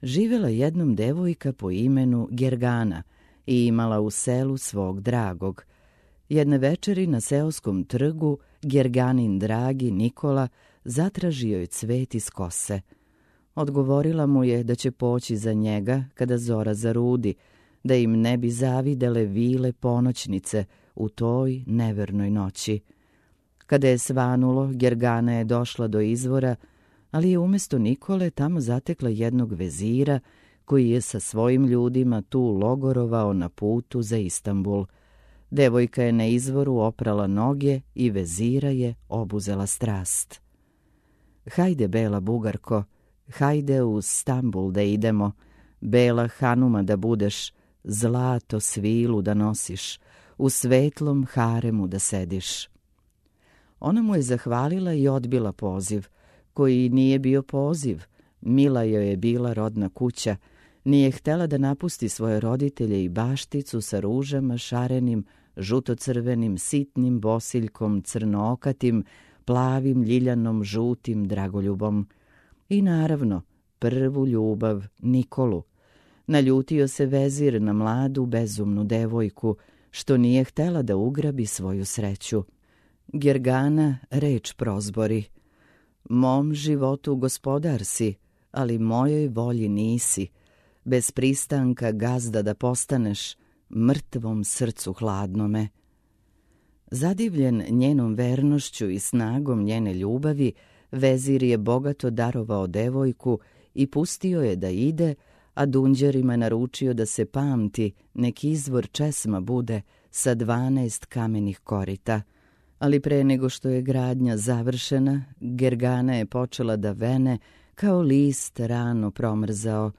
Živela jednom devojka po imenu Gergana i imala u selu svog dragog. Jedne večeri na seoskom trgu Gerganin dragi Nikola zatražio je cvet iz kose. Odgovorila mu je da će poći za njega kada zora zarudi, da im ne bi zavidele vile ponoćnice u toj nevernoj noći. Kada je svanulo, Gergana je došla do izvora, ali je umjesto Nikole tamo zatekla jednog vezira koji je sa svojim ljudima tu logorovao na putu za Istanbul. Devojka je na izvoru oprala noge i vezira je obuzela strast. Hajde, bela Bugarko, hajde u Stambul da idemo, bela Hanuma da budeš, zlato svilu da nosiš, u svetlom haremu da sediš. Ona mu je zahvalila i odbila poziv, koji nije bio poziv. Mila joj je bila rodna kuća, nije htela da napusti svoje roditelje i bašticu sa ružama, šarenim, žutocrvenim, sitnim bosiljkom, crnookatim, plavim, ljiljanom, žutim dragoljubom. I naravno, prvu ljubav, Nikolu. Naljutio se vezir na mladu, bezumnu devojku, što nije htela da ugrabi svoju sreću. Gergana reč prozbori: mom životu gospodar si, ali mojoj volji nisi. Bez pristanka gazda da postaneš, mrtvom srcu hladnome. Zadivljen njenom vernošću i snagom njene ljubavi, vezir je bogato darovao devojku i pustio je da ide, a dunđerima naručio da se pamti, nek izvor česma bude sa 12 kamenih korita. Ali pre nego što je gradnja završena, Gergana je počela da vene kao list rano promrzao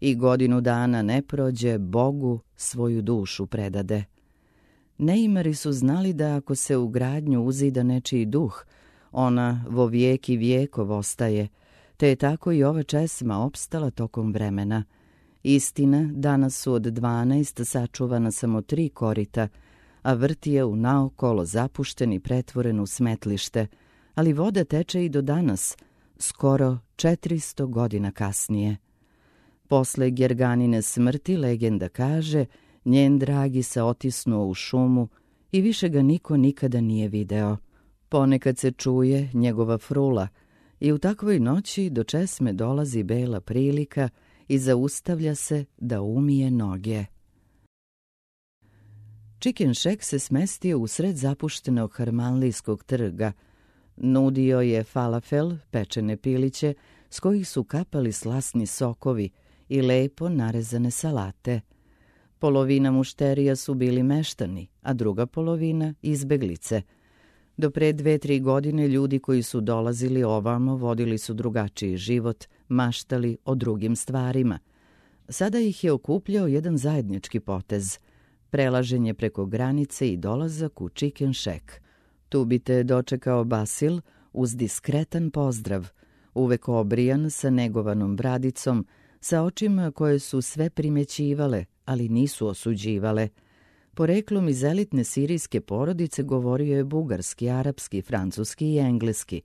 i godinu dana ne prođe, Bogu svoju dušu predade. Neimari su znali da ako se u gradnju uzida nečiji duh, ona vo vijek i vijekov ostaje, te je tako i ova česma opstala tokom vremena. Istina, danas su od 12 sačuvana samo 3 korita, a vrt je u naokolo zapušten i pretvoren u smetlište, ali voda teče i do danas, skoro 400 godina kasnije. Posle Gerganine smrti, legenda kaže, njen dragi se otisnuo u šumu i više ga niko nikada nije video. Ponekad se čuje njegova frula i u takvoj noći do česme dolazi bela prilika i zaustavlja se da umije noge. Chicken Shack se smestio u sred zapuštenog Harmanlijskog trga. Nudio je falafel, pečene piliće, s kojih su kapali slasni sokovi i lepo narezane salate. Polovina mušterija su bili meštani, a druga polovina izbeglice. Do pre 2-3 godine ljudi koji su dolazili ovamo vodili su drugačiji život, maštali o drugim stvarima. Sada ih je okupljao jedan zajednički potez – prelaženje preko granice i dolazak u Chicken Shack. Tu bi te dočekao Basil uz diskretan pozdrav, uvek obrijan sa negovanom bradicom, sa očima koje su sve primećivale, ali nisu osuđivale. Poreklom iz elitne sirijske porodice govorio je bugarski, arapski, francuski i engleski.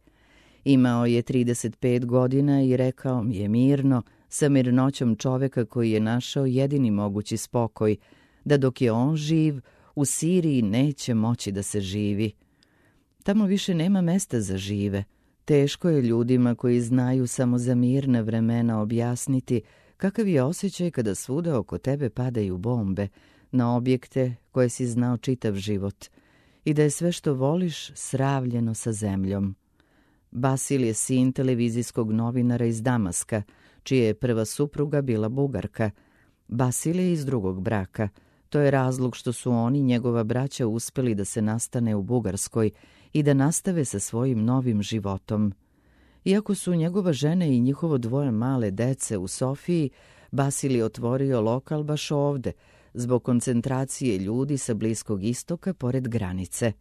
Imao je 35 godina i rekao mi je mirno, sa mirnoćom čoveka koji je našao jedini mogući spokoj, da dok je on živ, u Siriji neće moći da se živi. Tamo više nema mesta za žive. Teško je ljudima koji znaju samo za mirna vremena objasniti kakav je osjećaj kada svuda oko tebe padaju bombe na objekte koje si znao čitav život i da je sve što voliš sravljeno sa zemljom. Basil je sin televizijskog novinara iz Damaska, čija je prva supruga bila Bugarka. Basil je iz drugog braka. To je razlog što su oni, njegova braća, uspeli da se nastane u Bugarskoj i da nastave sa svojim novim životom. Iako su njegova žena i njihovo 2 male dece u Sofiji, Basil je otvorio lokal baš ovde, zbog koncentracije ljudi sa Bliskog istoka pored granice.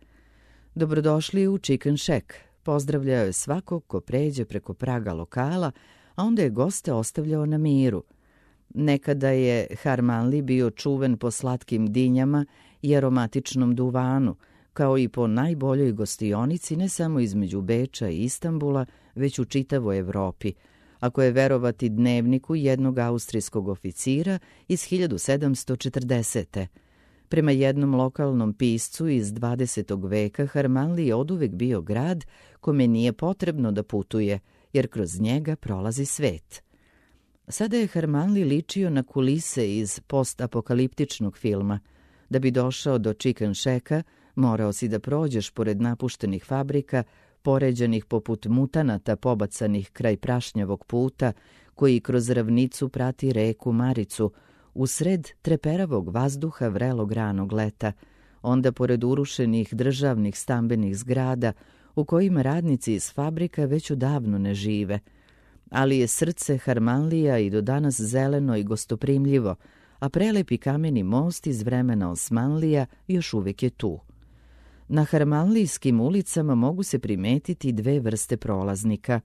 Dobrodošli u Chicken Shack. Pozdravljao je svakog ko pređe preko praga lokala, a onda je goste ostavljao na miru. Nekada je Harmanli bio čuven po slatkim dinjama i aromatičnom duvanu, kao i po najboljoj gostionici ne samo između Beča i Istanbula, već u čitavoj Evropi, ako je verovati dnevniku jednog austrijskog oficira iz 1740. Prema jednom lokalnom piscu iz 20. veka, Harmanli je oduvek bio grad kome nije potrebno da putuje, jer kroz njega prolazi svet. Sada je Harmanli ličio na kulise iz postapokaliptičnog filma. Da bi došao do Chicken Shacka, morao si da prođeš pored napuštenih fabrika, poređanih poput mutanata pobacanih kraj prašnjavog puta, koji kroz ravnicu prati reku Maricu, usred treperavog vazduha vrelog ranog leta, onda pored urušenih državnih stambenih zgrada, u kojima radnici iz fabrika već odavno ne žive. Ali je srce Harmanlija i do danas zeleno i gostoprimljivo, a prelepi kameni most iz vremena Osmanlija još uvijek je tu. Na harmanlijskim ulicama mogu se primetiti 2 vrste prolaznika.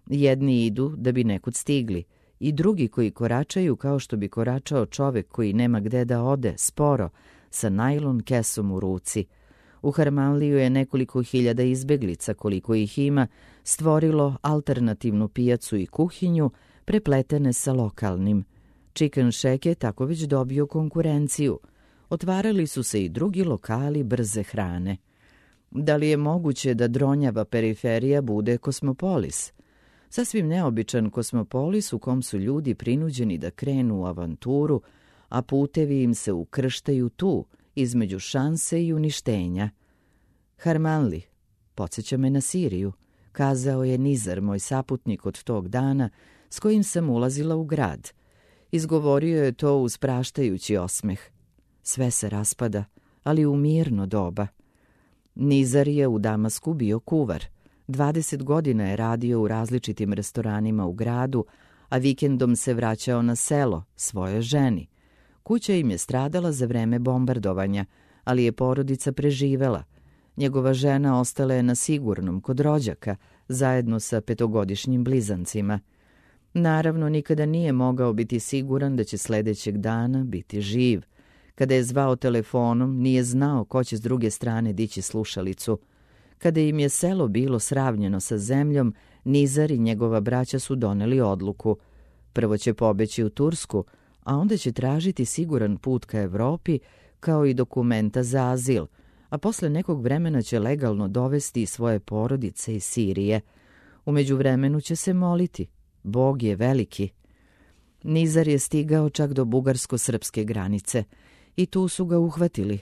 Jedni idu da bi nekud stigli i drugi koji koračaju kao što bi koračao čovek koji nema gde da ode, sporo, sa najlon kesom u ruci. U Harmanliju je nekoliko hiljada izbeglica, koliko ih ima, stvorilo alternativnu pijacu i kuhinju, prepletene sa lokalnim. Chicken Shack je tako već dobio konkurenciju. Otvarali su se i drugi lokali brze hrane. Da li je moguće da dronjava periferija bude kosmopolis? Sasvim neobičan kosmopolis u kom su ljudi prinuđeni da krenu u avanturu, a putevi im se ukrštaju tu, između šanse i uništenja. Harmanli, podsjeća me na Siriju, kazao je Nizar, moj saputnik od tog dana, s kojim sam ulazila u grad. Izgovorio je to uz praštajući osmeh. Sve se raspada, ali u mirno doba. Nizar je u Damasku bio kuvar. 20 godina je radio u različitim restoranima u gradu, a vikendom se vraćao na selo, svojoj ženi. Kuća im je stradala za vreme bombardovanja, ali je porodica preživela. Njegova žena ostala je na sigurnom kod rođaka, zajedno sa 5-godišnjim blizancima. Naravno, nikada nije mogao biti siguran da će sledećeg dana biti živ. Kada je zvao telefonom, nije znao ko će s druge strane dići slušalicu. Kada im je selo bilo sravnjeno sa zemljom, Nizar i njegova braća su doneli odluku. Prvo će pobeći u Tursku, a onda će tražiti siguran put ka Evropi, kao i dokumenta za azil, a posle nekog vremena će legalno dovesti svoje porodice iz Sirije. U međuvremenu će se moliti. Bog je veliki. Nizar je stigao čak do bugarsko-srpske granice i tu su ga uhvatili.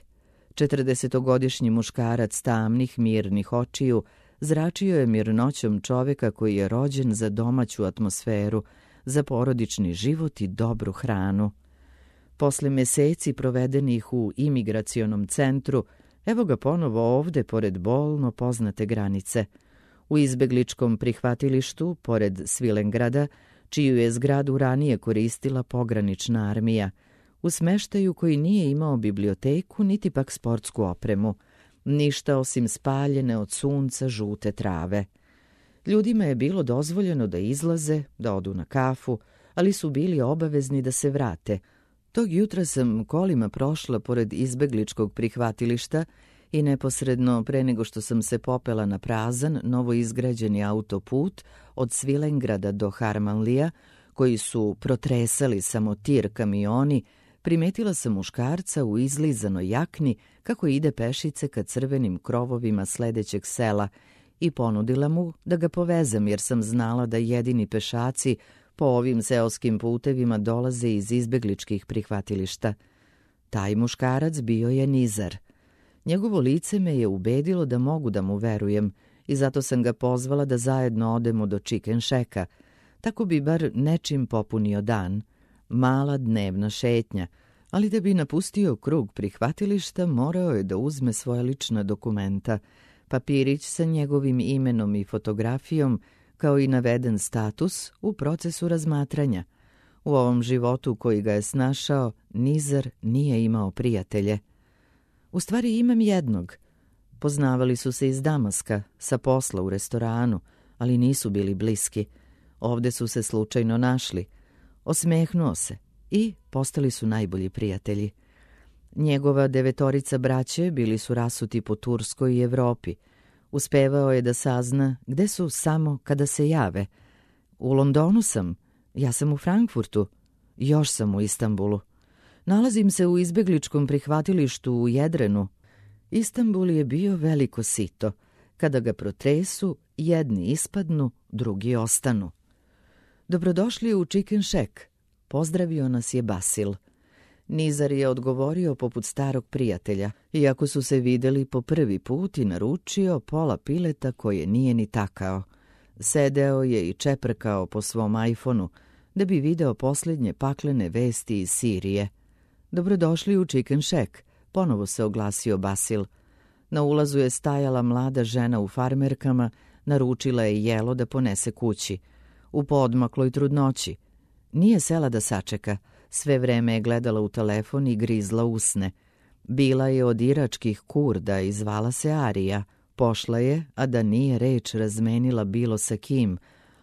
40-godišnji muškarac tamnih, mirnih očiju zračio je mirnoćom čoveka koji je rođen za domaću atmosferu, za porodični život i dobru hranu. Posle meseci provedenih u imigracionom centru, evo ga ponovo ovde pored bolno poznate granice. U izbegličkom prihvatilištu, pored Svilengrada, čiju je zgradu ranije koristila pogranična armija, u smeštaju koji nije imao biblioteku niti pak sportsku opremu, ništa osim spaljene od sunca žute trave. Ljudima je bilo dozvoljeno da izlaze, da odu na kafu, ali su bili obavezni da se vrate. Tog jutra sam kolima prošla pored izbegličkog prihvatilišta i neposredno pre nego što sam se popela na prazan, novoizgrađeni autoput od Svilengrada do Harmanlija, koji su protresali samo tir kamioni, primetila sam muškarca u izlizanoj jakni kako ide pešice ka crvenim krovovima sledećeg sela i ponudila mu da ga povezam jer sam znala da jedini pešaci po ovim seoskim putevima dolaze iz izbegličkih prihvatilišta. Taj muškarac bio je Nizar. Njegovo lice me je ubedilo da mogu da mu verujem i zato sam ga pozvala da zajedno odemo do Chicken Shacka. Tako bi bar nečim popunio dan. Mala dnevna šetnja, ali da bi napustio krug prihvatilišta morao je da uzme svoja lična dokumenta, papirić sa njegovim imenom i fotografijom, kao i naveden status u procesu razmatranja. U ovom životu koji ga je snašao, Nizar nije imao prijatelje. U stvari imam jednog. Poznavali su se iz Damaska, sa posla u restoranu, ali nisu bili bliski. Ovde su se slučajno našli. Osmehnuo se i postali su najbolji prijatelji. Njegova 9 braće bili su rasuti po Turskoj i Evropi. Uspevao je da sazna gde su samo kada se jave. U Londonu sam, ja sam u Frankfurtu, još sam u Istanbulu. Nalazim se u izbegličkom prihvatilištu u Jedrenu. Istanbul je bio veliko sito. Kada ga protresu, jedni ispadnu, drugi ostanu. Dobrodošli u Chicken Shack. Pozdravio nas je Basil. Nizar je odgovorio poput starog prijatelja, iako su se videli po prvi put i naručio pola pileta koje nije ni takao. Sedeo je i čeprkao po svom iPhoneu da bi video posljednje paklene vesti iz Sirije. Dobrodošli u Chicken Shack, ponovo se oglasio Basil. Na ulazu je stajala mlada žena u farmerkama, naručila je jelo da ponese kući. U poodmakloj trudnoći. Nije sela da sačeka, sve vreme je gledala u telefon i grizla usne. Bila je od iračkih Kurda i zvala se Arija. Pošla je, a da nije reč razmenila bilo sa kim,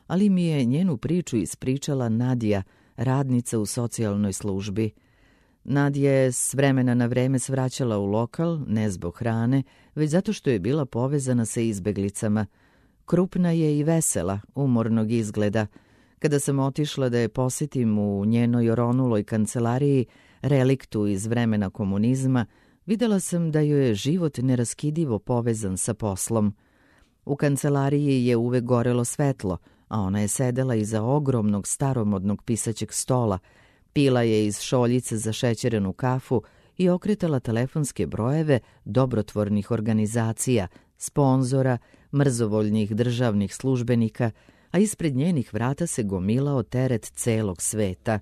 ali mi je njenu priču ispričala Nadija, radnica u socijalnoj službi. Nadija je s vremena na vreme svraćala u lokal, ne zbog hrane, već zato što je bila povezana sa izbeglicama. Krupna je i vesela, umornog izgleda. Kada sam otišla da je posjetim u njenoj oronuloj kancelariji, reliktu iz vremena komunizma, videla sam da joj je život neraskidivo povezan sa poslom. U kancelariji je uvek gorelo svetlo, a ona je sedela iza ogromnog staromodnog pisaćeg stola, pila je iz šoljice za šećerenu kafu i okretala telefonske brojeve dobrotvornih organizacija, sponzora, mrzovoljnih državnih službenika, a ispred njenih vrata se gomilao teret celog sveta.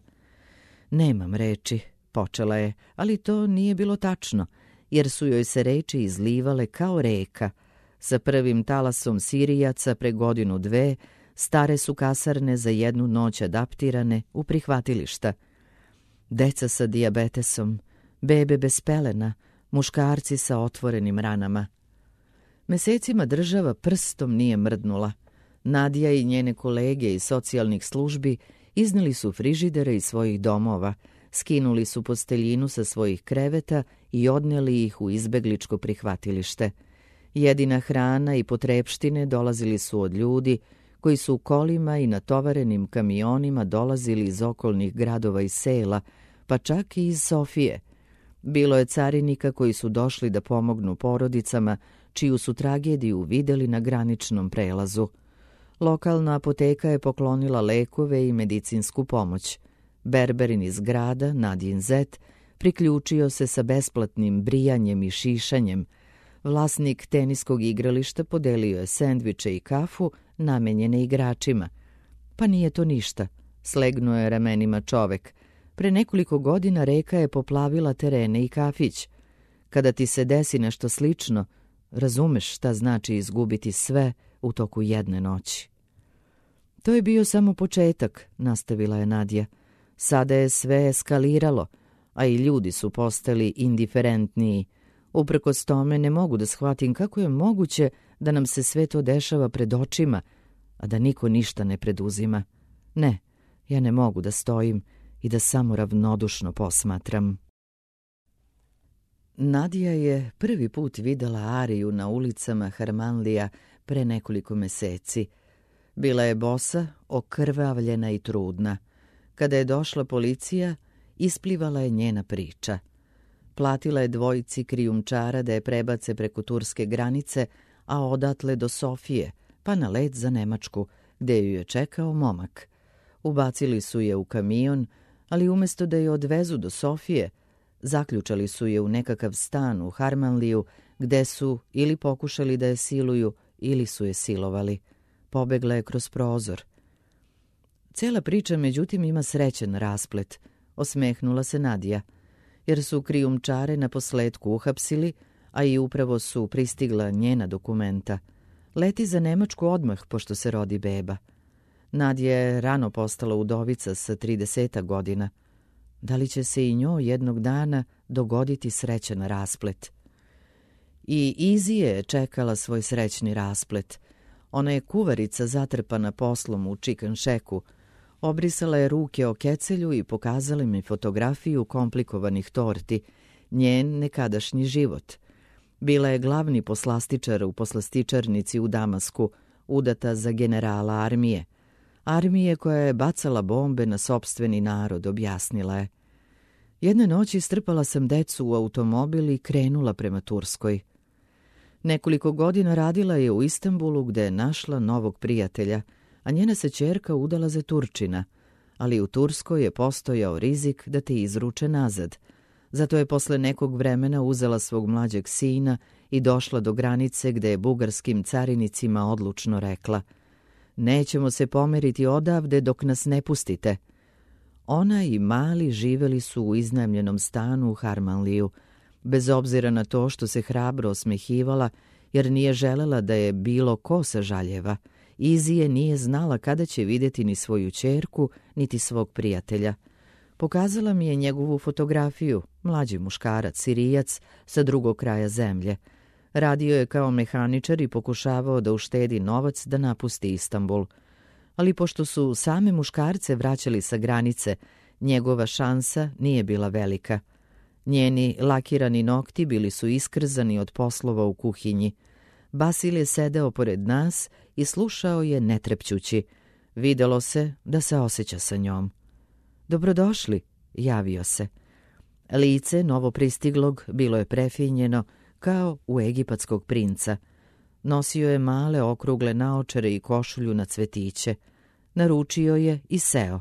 Nemam reči, počela je, ali to nije bilo tačno, jer su joj se reči izlivale kao reka. Sa prvim talasom Sirijaca pre 1-2 stare su kasarne za 1 noć adaptirane u prihvatilišta. Deca sa dijabetesom, bebe bez pelena, muškarci sa otvorenim ranama. Mesecima država prstom nije mrdnula. Nadija i njene kolege iz socijalnih službi izneli su frižidere iz svojih domova, skinuli su posteljinu sa svojih kreveta i odneli ih u izbegličko prihvatilište. Jedina hrana i potrepštine dolazili su od ljudi koji su u kolima i natovarenim kamionima dolazili iz okolnih gradova i sela, pa čak i iz Sofije. Bilo je carinika koji su došli da pomognu porodicama, čiju su tragediju videli na graničnom prelazu. Lokalna apoteka je poklonila lekove i medicinsku pomoć. Berberin iz grada, Nadjin zet, priključio se sa besplatnim brijanjem i šišanjem. Vlasnik teniskog igrališta podelio je sendviče i kafu namenjene igračima. Pa nije to ništa, slegnuo je ramenima čovek. Pre nekoliko godina reka je poplavila terene i kafić. Kada ti se desi nešto slično, razumeš šta znači izgubiti sve u toku jedne noći. To je bio samo početak, nastavila je Nadja. Sada je sve eskaliralo, a i ljudi su postali indiferentniji. Uprkos tome ne mogu da shvatim kako je moguće da nam se sve to dešava pred očima, a da niko ništa ne preduzima. Ne, ja ne mogu da stojim i da samo ravnodušno posmatram. Nadija je prvi put videla Ariju na ulicama Harmanlija pre nekoliko meseci. Bila je bosa, okrvavljena i trudna. Kada je došla policija, isplivala je njena priča. Platila je 2 krijumčara da je prebace preko turske granice, a odatle do Sofije, pa na let za Nemačku, gde ju je čekao momak. Ubacili su je u kamion, ali umesto da je odvezu do Sofije, zaključali su je u nekakav stan u Harmanliju, gde su ili pokušali da je siluju, ili su je silovali. Pobegla je kroz prozor. Cela priča, međutim, ima srećen rasplet, osmehnula se Nadija, jer su krijumčare na posledku uhapsili, a i upravo su pristigla njena dokumenta. Leti za Nemačku odmah pošto se rodi beba. Nadja je rano postala udovica sa 30 godina. Da li će se i njoj jednog dana dogoditi srećan rasplet? I Izije je čekala svoj srećni rasplet. Ona je kuvarica zatrpana poslom u Čikanšeku. Obrisala je ruke o kecelju i pokazala mi fotografiju komplikovanih torti, njen nekadašnji život. Bila je glavni poslastičar u poslastičarnici u Damasku, udata za generala armije. Armije koja je bacala bombe na sopstveni narod, objasnila je. Jedne noći strpala sam decu u automobil i krenula prema Turskoj. Nekoliko godina radila je u Istanbulu gde je našla novog prijatelja, a njena se ćerka udala za Turčina, ali u Turskoj je postojao rizik da te izruče nazad. Zato je posle nekog vremena uzela svog mlađeg sina i došla do granice gde je bugarskim carinicima odlučno rekla: nećemo se pomeriti odavde dok nas ne pustite. Ona i mali živeli su u iznajmljenom stanu u Harmanliju, bez obzira na to što se hrabro osmehivala, jer nije želela da je bilo ko sažaljeva. Izije nije znala kada će vidjeti ni svoju ćerku, niti svog prijatelja. Pokazala mi je njegovu fotografiju, mlađi muškarac, Sirijac, sa drugog kraja zemlje. Radio je kao mehaničar i pokušavao da uštedi novac da napusti Istanbul. Ali pošto su same muškarce vraćali sa granice, njegova šansa nije bila velika. Njeni lakirani nokti bili su iskrzani od poslova u kuhinji. Basil je sedeo pored nas i slušao je netrepćući. Videlo se da se osjeća sa njom. Dobrodošli, javio se. Lice novopristiglog bilo je prefinjeno kao u egipatskog princa. Nosio je male okrugle naočare i košulju na cvetiće. Naručio je i seo.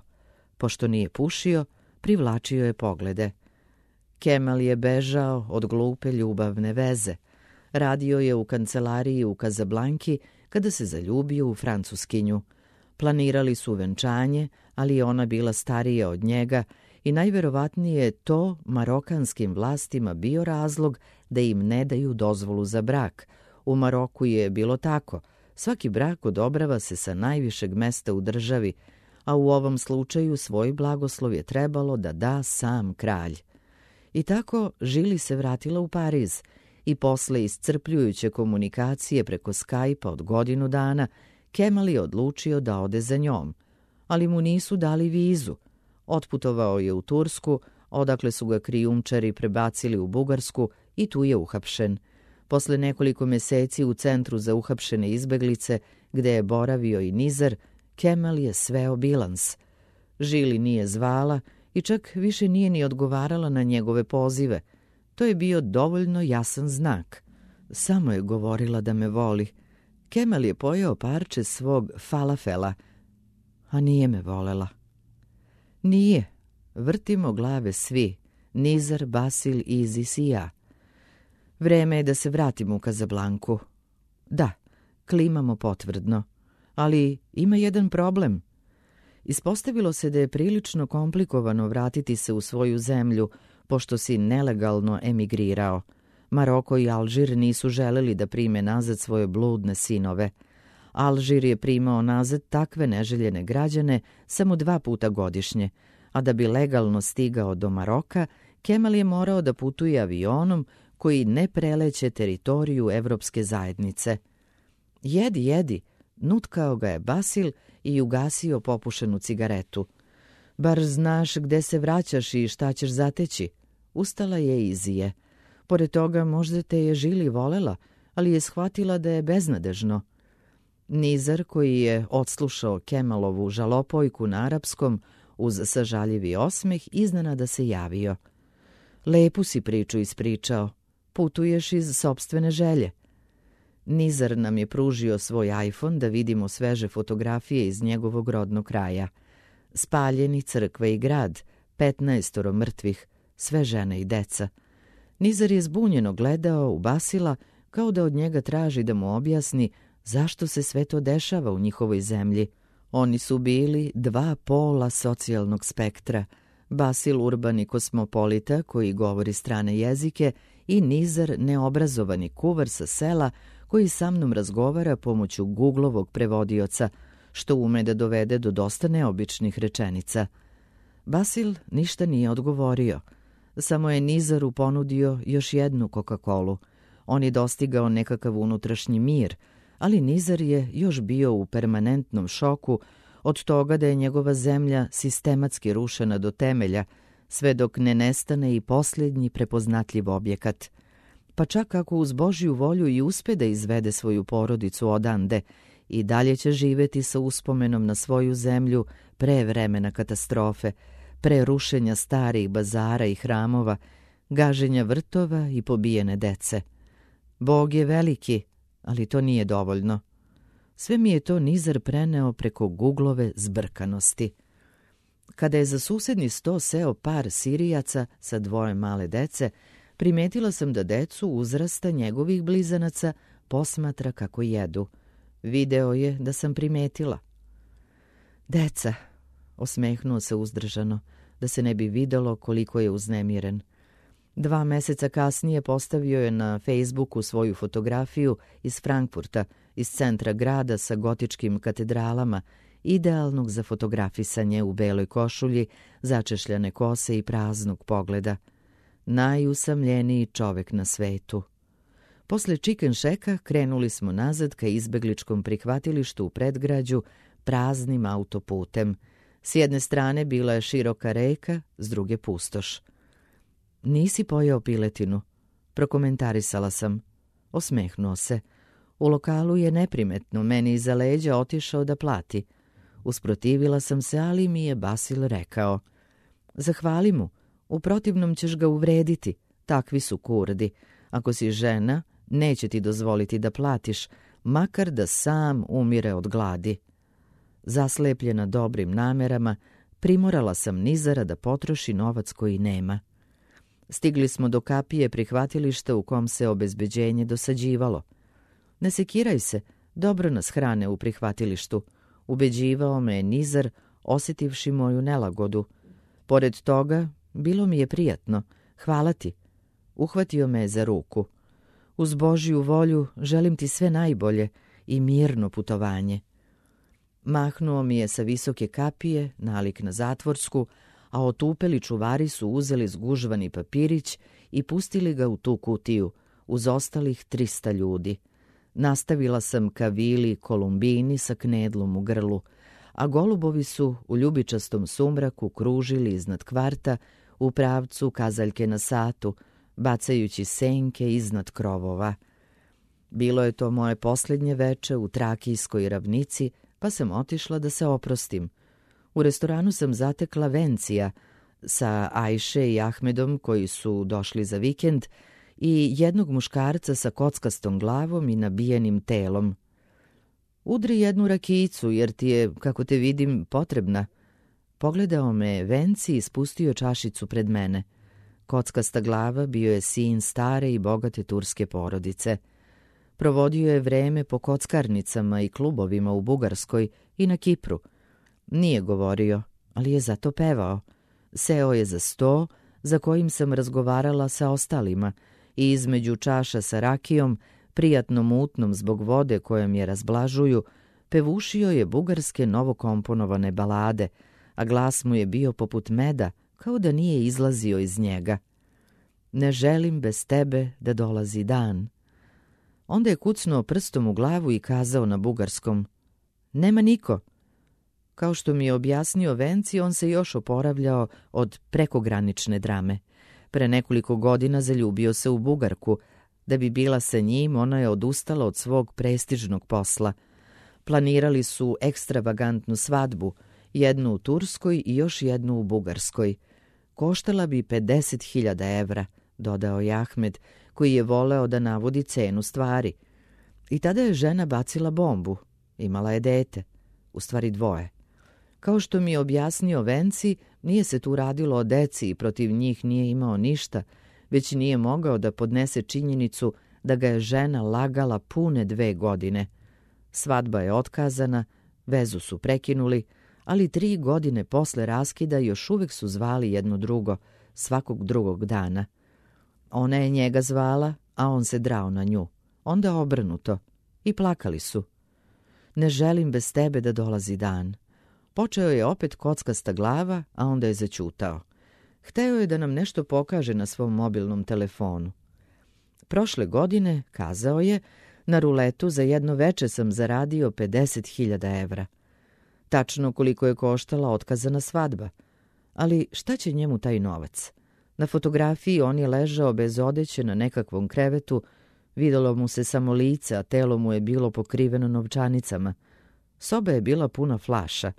Pošto nije pušio, privlačio je poglede. Kemal je bežao od glupe ljubavne veze. Radio je u kancelariji u Kazablanki kada se zaljubio u Francuskinju. Planirali su venčanje, ali je ona bila starija od njega i najverovatnije je to marokanskim vlastima bio razlog da im ne daju dozvolu za brak. U Maroku je bilo tako. Svaki brak odobrava se sa najvišeg mesta u državi, a u ovom slučaju svoj blagoslov je trebalo da da sam kralj. I tako Žili se vratila u Pariz i posle iscrpljujuće komunikacije preko Skype-a od godinu dana, Kemal je odlučio da ode za njom, ali mu nisu dali vizu. Otputovao je u Tursku, odakle su ga krijumčari prebacili u Bugarsku i tu je uhapšen. Posle nekoliko meseci u centru za uhapšene izbeglice, gde je boravio i Nizar, Kemal je sveo bilans. Žili nije zvala i čak više nije ni odgovarala na njegove pozive. To je bio dovoljno jasan znak. Samo je govorila da me voli. Kemal je pojeo parče svog falafela, a nije me volela. Nije. Vrtimo glave svi. Nizar, Basil, Izis i ja. Vreme je da se vratimo u Kazablanku. Da, klimamo potvrdno. Ali ima jedan problem. Ispostavilo se da je prilično komplikovano vratiti se u svoju zemlju, pošto si nelegalno emigrirao. Maroko i Alžir nisu želeli da prime nazad svoje bludne sinove. Alžir je primao nazad takve neželjene građane samo 2 puta godišnje, a da bi legalno stigao do Maroka, Kemal je morao da putuje avionom koji ne preleće teritoriju Evropske zajednice. Jedi, jedi, nutkao ga je Basil i ugasio popušenu cigaretu. Bar znaš gde se vraćaš i šta ćeš zateći. Ustala je Izije. Pored toga možda te je Žili volela, ali je shvatila da je beznadežno. Nizar, koji je odslušao Kemalovu žalopojku na arapskom, uz sažaljivi osmeh, iznenada se javio. Lepu si priču ispričao. Putuješ iz sopstvene želje. Nizar nam je pružio svoj iPhone da vidimo sveže fotografije iz njegovog rodnog kraja. Spaljeni crkve i grad, 15 mrtvih, sve žene i deca. Nizar je zbunjeno gledao u Basila kao da od njega traži da mu objasni zašto se sve to dešava u njihovoj zemlji. Oni su bili 2 pola socijalnog spektra. Basil urbani kosmopolita koji govori strane jezike i Nizar neobrazovani kuvar sa sela koji sa mnom razgovara pomoću Googlovog prevodioca, što ume da dovede do dosta neobičnih rečenica. Basil ništa nije odgovorio. Samo je Nizaru ponudio još jednu Coca-Colu. On je dostigao nekakav unutrašnji mir, ali Nizar je još bio u permanentnom šoku od toga da je njegova zemlja sistematski rušena do temelja, sve dok ne nestane i posljednji prepoznatljiv objekat. Pa čak ako uz Božju volju i uspe da izvede svoju porodicu odande, i dalje će živeti sa uspomenom na svoju zemlju pre vremena katastrofe, pre rušenja starih bazara i hramova, gaženja vrtova i pobijene dece. Bog je veliki, ali to nije dovoljno. Sve mi je to Nizar preneo preko Googlove zbrkanosti. Kada je za susedni sto seo par Sirijaca sa 2 male dece, primetila sam da decu uzrasta njegovih blizanaca posmatra kako jedu. Video je da sam primetila. Deca, osmehnuo se uzdržano, da se ne bi videlo koliko je uznemiren. 2 meseca kasnije postavio je na Facebooku svoju fotografiju iz Frankfurta, iz centra grada sa gotičkim katedralama, idealnog za fotografisanje u beloj košulji, začešljane kose i praznog pogleda. Najusamljeniji čovek na svetu. Posle chicken shacka krenuli smo nazad ka izbegličkom prihvatilištu u predgrađu praznim autoputem. S jedne strane bila je široka reka, s druge pustoš. Nisi pojeo piletinu, prokomentarisala sam. Osmehnuo se. U lokalu je neprimetno, meni iza leđa otišao da plati. Usprotivila sam se, ali mi je Basil rekao: zahvali mu, u protivnom ćeš ga uvrediti, takvi su Kurdi. Ako si žena, neće ti dozvoliti da platiš, makar da sam umire od gladi. Zaslepljena dobrim namerama, primorala sam Nizara da potroši novac koji nema. Stigli smo do kapije prihvatilišta u kom se obezbeđenje dosađivalo. Ne sekiraj se, dobro nas hrane u prihvatilištu, ubeđivao me je Nizar, osjetivši moju nelagodu. Pored toga, bilo mi je prijatno, hvala ti. Uhvatio me je za ruku. Uz Božju volju želim ti sve najbolje i mirno putovanje. Mahnuo mi je sa visoke kapije, nalik na zatvorsku, a otupeli čuvari su uzeli zgužvani papirić i pustili ga u tu kutiju, uz ostalih 300 ljudi. Nastavila sam ka vili Kolumbini sa knedlom u grlu, a golubovi su u ljubičastom sumraku kružili iznad kvarta u pravcu kazaljke na satu, bacajući senke iznad krovova. Bilo je to moje posljednje veče u Trakijskoj ravnici, pa sam otišla da se oprostim. U restoranu sam zatekla Vencija sa Ajše i Ahmedom koji su došli za vikend i jednog muškarca sa kockastom glavom i nabijenim telom. Udri jednu rakijicu jer ti je, kako te vidim, potrebna. Pogledao me Venci i spustio čašicu pred mene. Kockasta glava bio je sin stare i bogate turske porodice. Provodio je vreme po kockarnicama i klubovima u Bugarskoj i na Kipru. Nije govorio, ali je zato pevao. Seo je za sto za kojim sam razgovarala sa ostalima i između čaša sa rakijom, prijatno mutnom zbog vode kojom je razblažuju, pevušio je bugarske novokomponovane balade, a glas mu je bio poput meda, kao da nije izlazio iz njega. Ne želim bez tebe da dolazi dan. Onda je kucnuo prstom u glavu i kazao na bugarskom: nema niko. Kao što mi je objasnio Venci, on se još oporavljao od prekogranične drame. Pre nekoliko godina zaljubio se u Bugarku. Da bi bila sa njim, ona je odustala od svog prestižnog posla. Planirali su ekstravagantnu svadbu, jednu u Turskoj i još jednu u Bugarskoj. Koštala bi 50.000 evra, dodao je Ahmed, koji je voleo da navodi cenu stvari. I tada je žena bacila bombu. Imala je dete, u stvari 2. Kao što mi je objasnio Venci, nije se tu radilo o deci i protiv njih nije imao ništa, već nije mogao da podnese činjenicu da ga je žena lagala pune 2 godine. Svadba je otkazana, vezu su prekinuli, ali 3 godine posle raskida još uvek su zvali jedno drugo, svakog drugog dana. Ona je njega zvala, a on se drao na nju. Onda obrnuto. I plakali su. Ne želim bez tebe da dolazi dan. Počeo je opet kockasta glava, a onda je zaćutao. Hteo je da nam nešto pokaže na svom mobilnom telefonu. Prošle godine, kazao je, na ruletu za jedno veče sam zaradio 50.000 evra. Tačno koliko je koštala otkazana svadba. Ali šta će njemu taj novac? Na fotografiji on je ležao bez odeće na nekakvom krevetu, videlo mu se samo lice, a telo mu je bilo pokriveno novčanicama. Soba je bila puna flaša.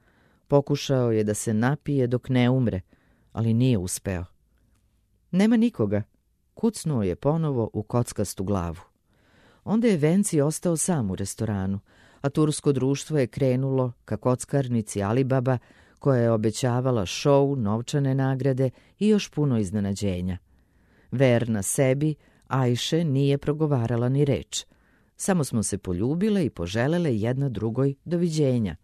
Pokušao je da se napije dok ne umre, ali nije uspeo. Nema nikoga. Kucnuo je ponovo u kockastu glavu. Onda je Venci ostao sam u restoranu, a tursko društvo je krenulo ka kockarnici Alibaba, koja je obećavala šou, novčane nagrade i još puno iznenađenja. Verna sebi, Ajše nije progovarala ni reč. Samo smo se poljubile i poželele jedna drugoj doviđenja.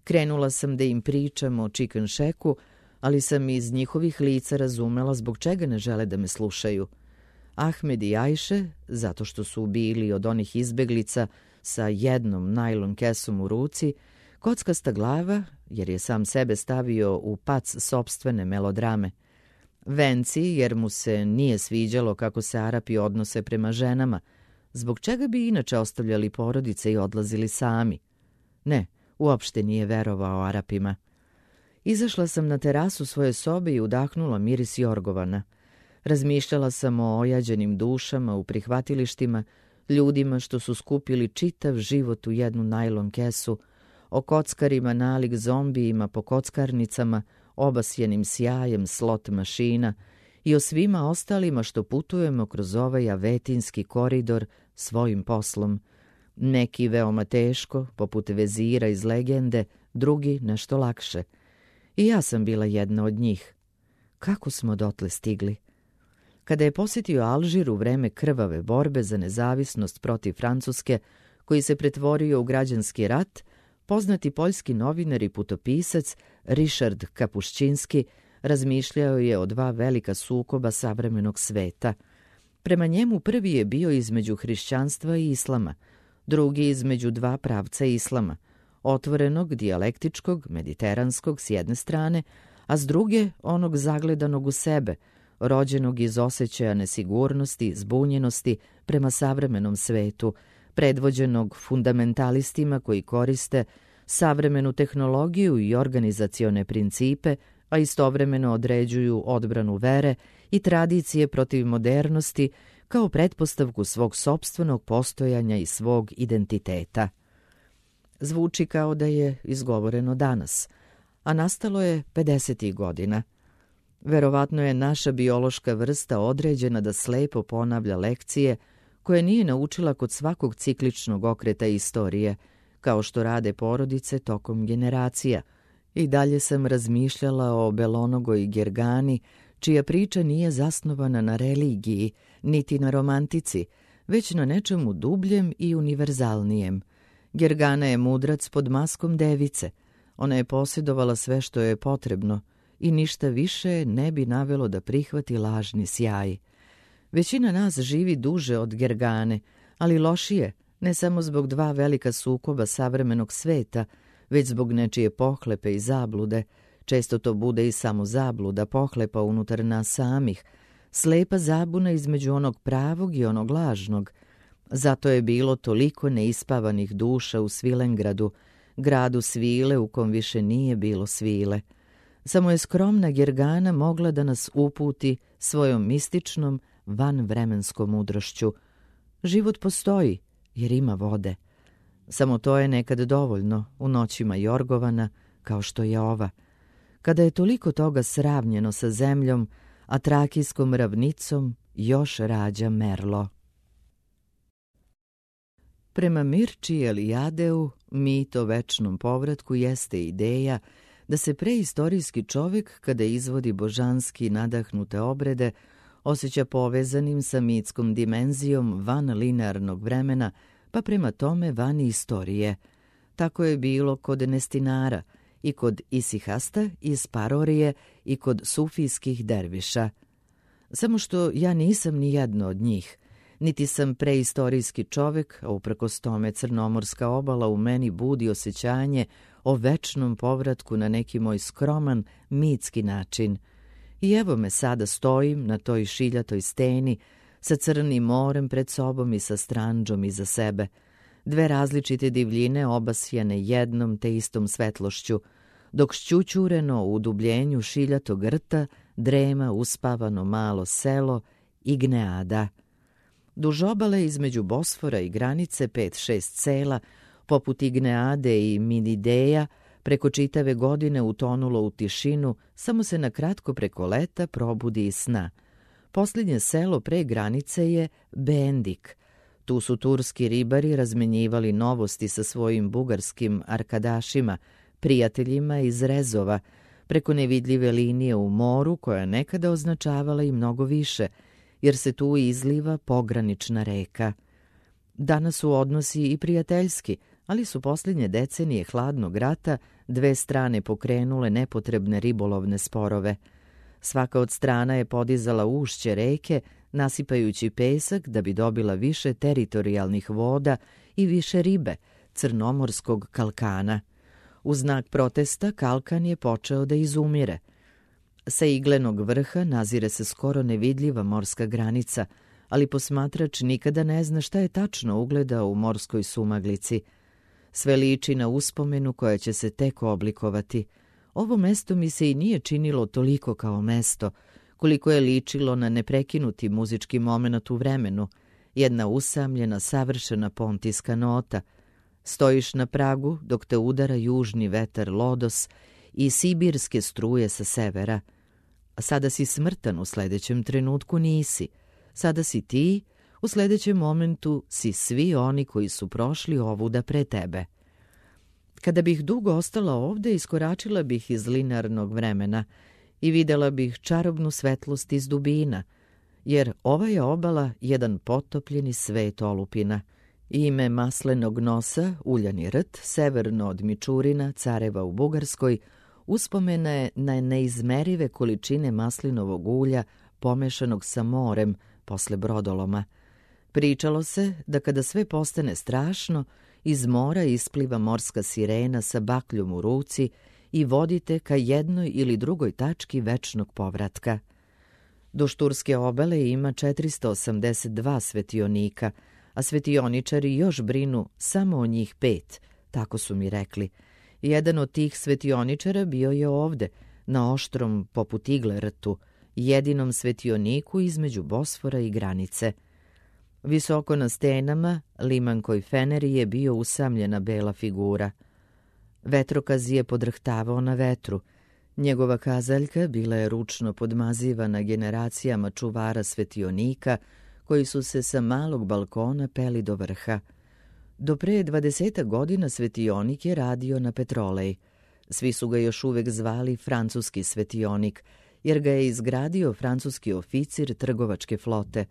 Krenula sam da im pričam o chicken shacku, ali sam iz njihovih lica razumela zbog čega ne žele da me slušaju. Ahmed i Ajše, zato što su bili od onih izbeglica sa jednom najlon kesom u ruci, kockasta glava, jer je sam sebe stavio u pac sopstvene melodrame. Venci, jer mu se nije sviđalo kako se Arapi odnose prema ženama, zbog čega bi inače ostavljali porodice i odlazili sami. Ne, uopšte nije verovao Arapima. Izašla sam na terasu svoje sobe i udahnula miris jorgovana. Razmišljala sam o ojađenim dušama u prihvatilištima, ljudima što su skupili čitav život u jednu najlon kesu, o kockarima nalik zombijima po kockarnicama, obasjenim sjajem slot mašina i o svima ostalima što putujemo kroz ovaj avetinski koridor svojim poslom. Neki veoma teško, poput vezira iz legende, drugi nešto lakše. I ja sam bila jedna od njih. Kako smo dotle stigli? Kada je posjetio Alžir u vreme krvave borbe za nezavisnost protiv Francuske, koji se pretvorio u građanski rat, poznati poljski novinar i putopisac Ryszard Kapuščinski razmišljao je o dva velika sukoba savremenog sveta. Prema njemu prvi je bio između hrišćanstva i islama, drugi između dva pravca islama, otvorenog, dijalektičkog, mediteranskog s jedne strane, a s druge onog zagledanog u sebe, rođenog iz osjećaja nesigurnosti, zbunjenosti prema savremenom svetu, predvođenog fundamentalistima koji koriste savremenu tehnologiju i organizacione principe, a istovremeno određuju odbranu vere i tradicije protiv modernosti kao pretpostavku svog sopstvenog postojanja i svog identiteta. Zvuči kao da je izgovoreno danas, a nastalo je 50. godina. Verovatno je naša biološka vrsta određena da slepo ponavlja lekcije koje nije naučila kod svakog cikličnog okreta istorije, kao što rade porodice tokom generacija. I dalje sam razmišljala o belonogoj Gergani, čija priča nije zasnovana na religiji, niti na romantici, već na nečemu dubljem i univerzalnijem. Gergana je mudrac pod maskom device. Ona je posjedovala sve što je potrebno i ništa više ne bi navelo da prihvati lažni sjaj. Većina nas živi duže od Gergane, ali lošije, ne samo zbog dva velika sukoba savremenog sveta, već zbog nečije pohlepe i zablude. Često to bude i samo zabluda, pohlepa unutar nas samih, slepa zabuna između onog pravog i onog lažnog. Zato je bilo toliko neispavanih duša u Svilengradu, gradu svile u kom više nije bilo svile. Samo je skromna Gergana mogla da nas uputi svojom mističnom, vanvremenskom mudrošću. Život postoji, jer ima vode. Samo to je nekad dovoljno u noćima Jorgovana, kao što je ova, kada je toliko toga sravnjeno sa zemljom, a Trakijskom ravnicom još rađa merlo. Prema Mirči Elijadeu, mit o večnom povratku jeste ideja da se preistorijski čovjek, kada izvodi božanski nadahnute obrede, osjeća povezanim sa mitskom dimenzijom van linearnog vremena, pa prema tome van istorije. Tako je bilo kod Nestinara i kod Isihasta iz Parorije i kod sufijskih derviša. Samo što ja nisam ni jedno od njih, niti sam preistorijski čovjek, a uprkos tome crnomorska obala u meni budi osjećanje o večnom povratku na neki moj skroman, mitski način. I evo me sada stojim na toj šiljatoj steni, sa crnim morem pred sobom i sa stranđom iza sebe. Dve različite divljine obasjane jednom te istom svetlošću, dok šćućureno u udubljenju šiljatog rta drema uspavano malo selo Igneada. Duž obale između Bosfora i granice 5-6 sela, poput Igneade i Minideja, preko čitave godine utonulo u tišinu, samo se na kratko preko leta probudi iz sna. Posljednje selo pre granice je Bendik. Tu su turski ribari razmenjivali novosti sa svojim bugarskim arkadašima, prijateljima iz Rezova, preko nevidljive linije u moru koja nekada označavala i mnogo više, jer se tu izliva pogranična reka. Danas su odnosi i prijateljski, ali su posljednje decenije hladnog rata dve strane pokrenule nepotrebne ribolovne sporove. Svaka od strana je podizala ušće reke, nasipajući pesak da bi dobila više teritorijalnih voda i više ribe, crnomorskog kalkana. U znak protesta kalkan je počeo da izumire. Sa iglenog vrha nazire se skoro nevidljiva morska granica, ali posmatrač nikada ne zna šta je tačno ugledao u morskoj sumaglici. Sve liči na uspomenu koja će se tek oblikovati. Ovo mesto mi se i nije činilo toliko kao mesto, koliko je ličilo na neprekinuti muzički moment u vremenu, jedna usamljena, savršena pontijska nota. Stojiš na pragu dok te udara južni vetar lodos i sibirske struje sa severa. A sada si smrtan, u sljedećem trenutku nisi. Sada si ti, u sljedećem momentu si svi oni koji su prošli ovuda pre tebe. Kada bih dugo ostala ovde, iskoračila bih iz linearnog vremena i videla bih čarobnu svetlost iz dubina, jer ova je obala jedan potopljeni svet olupina. Ime maslenog nosa, uljani rt, severno od Mičurina, careva u Bugarskoj, uspomena je na neizmerive količine maslinovog ulja pomešanog sa morem posle brodoloma. Pričalo se da kada sve postane strašno, iz mora ispliva morska sirena sa bakljom u ruci i vodite ka jednoj ili drugoj tački večnog povratka. Do Šturske obale ima 482 svetionika, a svetioničari još brinu samo o njih 5, tako su mi rekli. Jedan od tih svetioničara bio je ovde, na oštrom poput igle rtu, jedinom svetioniku između Bosfora i granice. Visoko na stenama, limankoj feneri je bio usamljena bela figura. Vetrokaz je podrhtavao na vetru. Njegova kazaljka bila je ručno podmazivana generacijama čuvara svetionika, koji su se sa malog balkona peli do vrha. Do pre 20 godina svetionik je radio na Petrolej. Svi su ga još uvek zvali francuski svetionik, jer ga je izgradio francuski oficir trgovačke flote.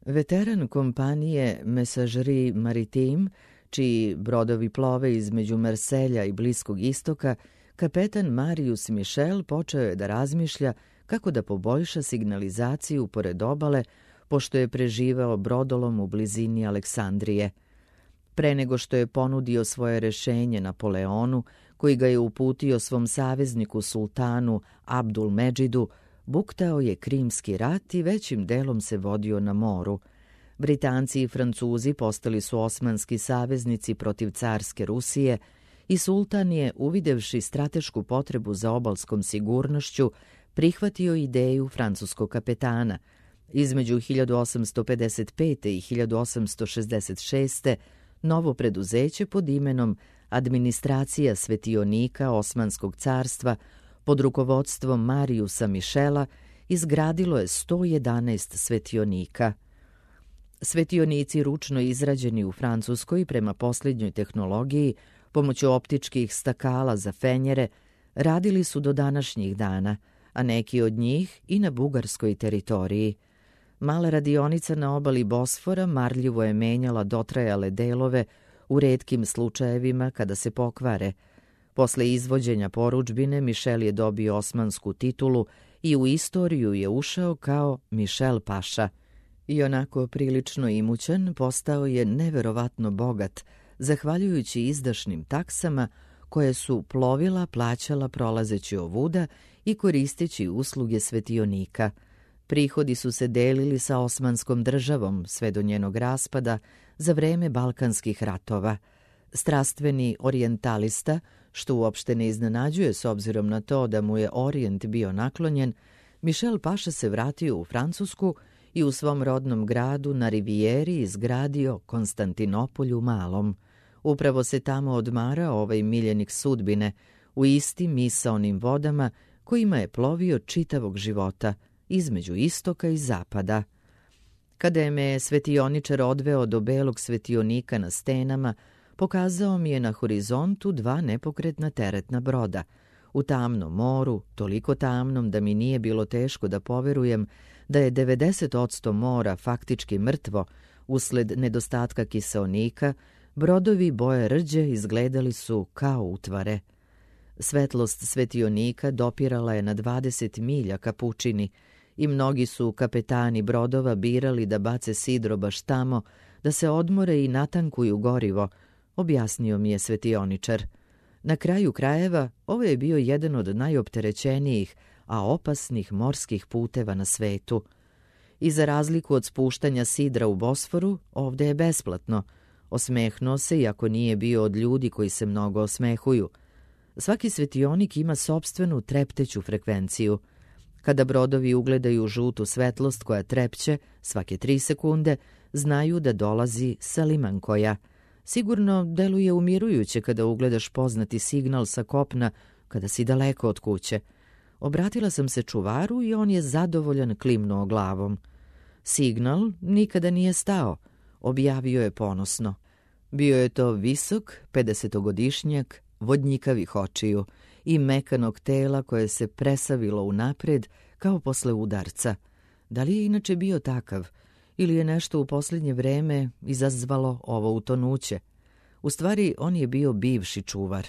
Veteran kompanije Messageries Maritimes, čiji brodovi plove između Marselja i Bliskog istoka, kapetan Marius Michel počeo je da razmišlja kako da poboljša signalizaciju pored obale, pošto je preživao brodolom u blizini Aleksandrije. Pre nego što je ponudio svoje rešenje Napoleonu, koji ga je uputio svom savezniku sultanu Abdul Medžidu, buktao je Krimski rat i većim delom se vodio na moru. Britanci i Francuzi postali su osmanski saveznici protiv carske Rusije i sultan je, uvidevši stratešku potrebu za obalskom sigurnošću, prihvatio ideju francuskog kapetana. Između 1855. i 1866. novo preduzeće pod imenom Administracija svetionika Osmanskog carstva pod rukovodstvom Mariusa Michela izgradilo je 111 svetionika. Svetionici ručno izrađeni u Francuskoj prema posljednjoj tehnologiji, pomoću optičkih stakala za fenjere, radili su do današnjih dana, a neki od njih i na bugarskoj teritoriji. Mala radionica na obali Bosfora marljivo je menjala dotrajale delove u retkim slučajevima kada se pokvare. Posle izvođenja porudžbine Mišel je dobio osmansku titulu i u istoriju je ušao kao Mišel Paša. I onako prilično imućan postao je neverovatno bogat, zahvaljujući izdašnim taksama koje su plovila plaćala prolazeći ovuda i koristeći usluge svetionika. Prihodi su se delili sa Osmanskom državom sve do njenog raspada za vreme Balkanskih ratova. Strastveni orijentalista, što uopšte ne iznenađuje s obzirom na to da mu je Orijent bio naklonjen, Mišel Paša se vratio u Francusku i u svom rodnom gradu na Rivijeri izgradio Konstantinopolj u Malom. Upravo se tamo odmarao ovaj miljenik sudbine u istim misaonim vodama kojima je plovio čitavog života, između istoka i zapada. Kada je me svetioničar odveo do belog svetionika na stenama, pokazao mi je na horizontu 2 nepokretna teretna broda. U tamnom moru, toliko tamnom da mi nije bilo teško da poverujem da je 90% mora faktički mrtvo usled nedostatka kiseonika, brodovi boje rđe izgledali su kao utvare. Svetlost svetionika dopirala je na 20 milja ka pučini i mnogi su kapetani brodova birali da bace sidro baš tamo, da se odmore i natankuju gorivo, objasnio mi je svetioničar. Na kraju krajeva, ovo je bio jedan od najopterećenijih, a opasnih morskih puteva na svetu. I za razliku od spuštanja sidra u Bosforu, ovde je besplatno. Osmehnuo se, iako nije bio od ljudi koji se mnogo osmehuju. Svaki svetionik ima sopstvenu trepteću frekvenciju. Kada brodovi ugledaju žutu svetlost koja trepće svake 3 sekunde, znaju da dolazi sa limankoja. Sigurno deluje umirujuće kada ugledaš poznati signal sa kopna kada si daleko od kuće. Obratila sam se čuvaru i on je zadovoljan klimnuo glavom. Signal nikada nije stao, objavio je ponosno. Bio je to visok, 50-godišnjak, vodnjikavih očiju i mekanog tela koje se presavilo unapred kao posle udarca. Da li je inače bio takav ili je nešto u posljednje vreme izazvalo ovo utonuće? U stvari, on je bio bivši čuvar.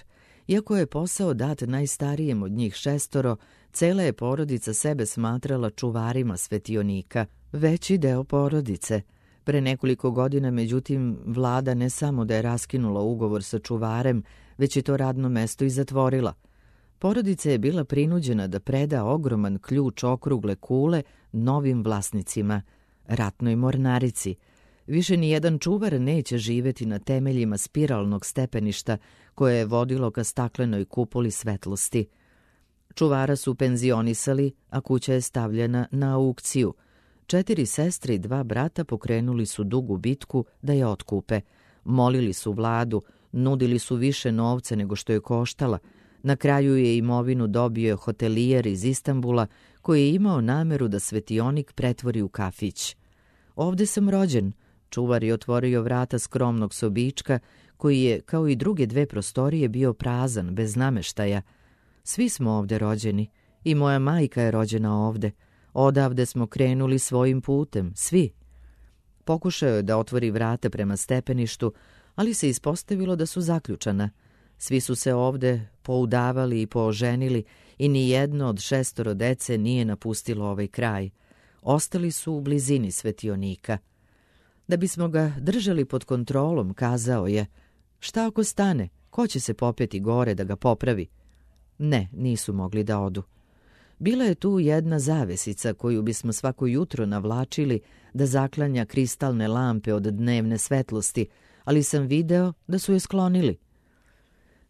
Iako je posao dat najstarijem od njih 6, cela je porodica sebe smatrala čuvarima svetionika. Veći deo porodice. Pre nekoliko godina, međutim, vlada ne samo da je raskinula ugovor sa čuvarem, već je to radno mesto i zatvorila. Porodica je bila prinuđena da preda ogroman ključ okrugle kule novim vlasnicima, ratnoj mornarici. Više ni jedan čuvar neće živeti na temeljima spiralnog stepeništa koje je vodilo ka staklenoj kupoli svetlosti. Čuvara su penzionisali, a kuća je stavljena na aukciju. 4 sestre i 2 brata pokrenuli su dugu bitku da je otkupe. Molili su vladu, nudili su više novca nego što je koštala. Na kraju je imovinu dobio hotelijer iz Istanbula koji je imao nameru da svetionik pretvori u kafić. Ovde sam rođen. Čuvar je otvorio vrata skromnog sobička koji je, kao i druge 2 prostorije, bio prazan, bez nameštaja. Svi smo ovde rođeni. I moja majka je rođena ovde. Odavde smo krenuli svojim putem, svi. Pokušao je da otvori vrata prema stepeništu, ali se ispostavilo da su zaključana. Svi su se ovde poudavali i pooženili i ni jedno od 6 dece nije napustilo ovaj kraj. Ostali su u blizini svetionika. Da bismo ga držali pod kontrolom, kazao je: šta ako stane, ko će se popeti gore da ga popravi? Ne, nisu mogli da odu. Bila je tu jedna zavesica koju bismo svako jutro navlačili da zaklanja kristalne lampe od dnevne svetlosti, ali sam video da su je sklonili.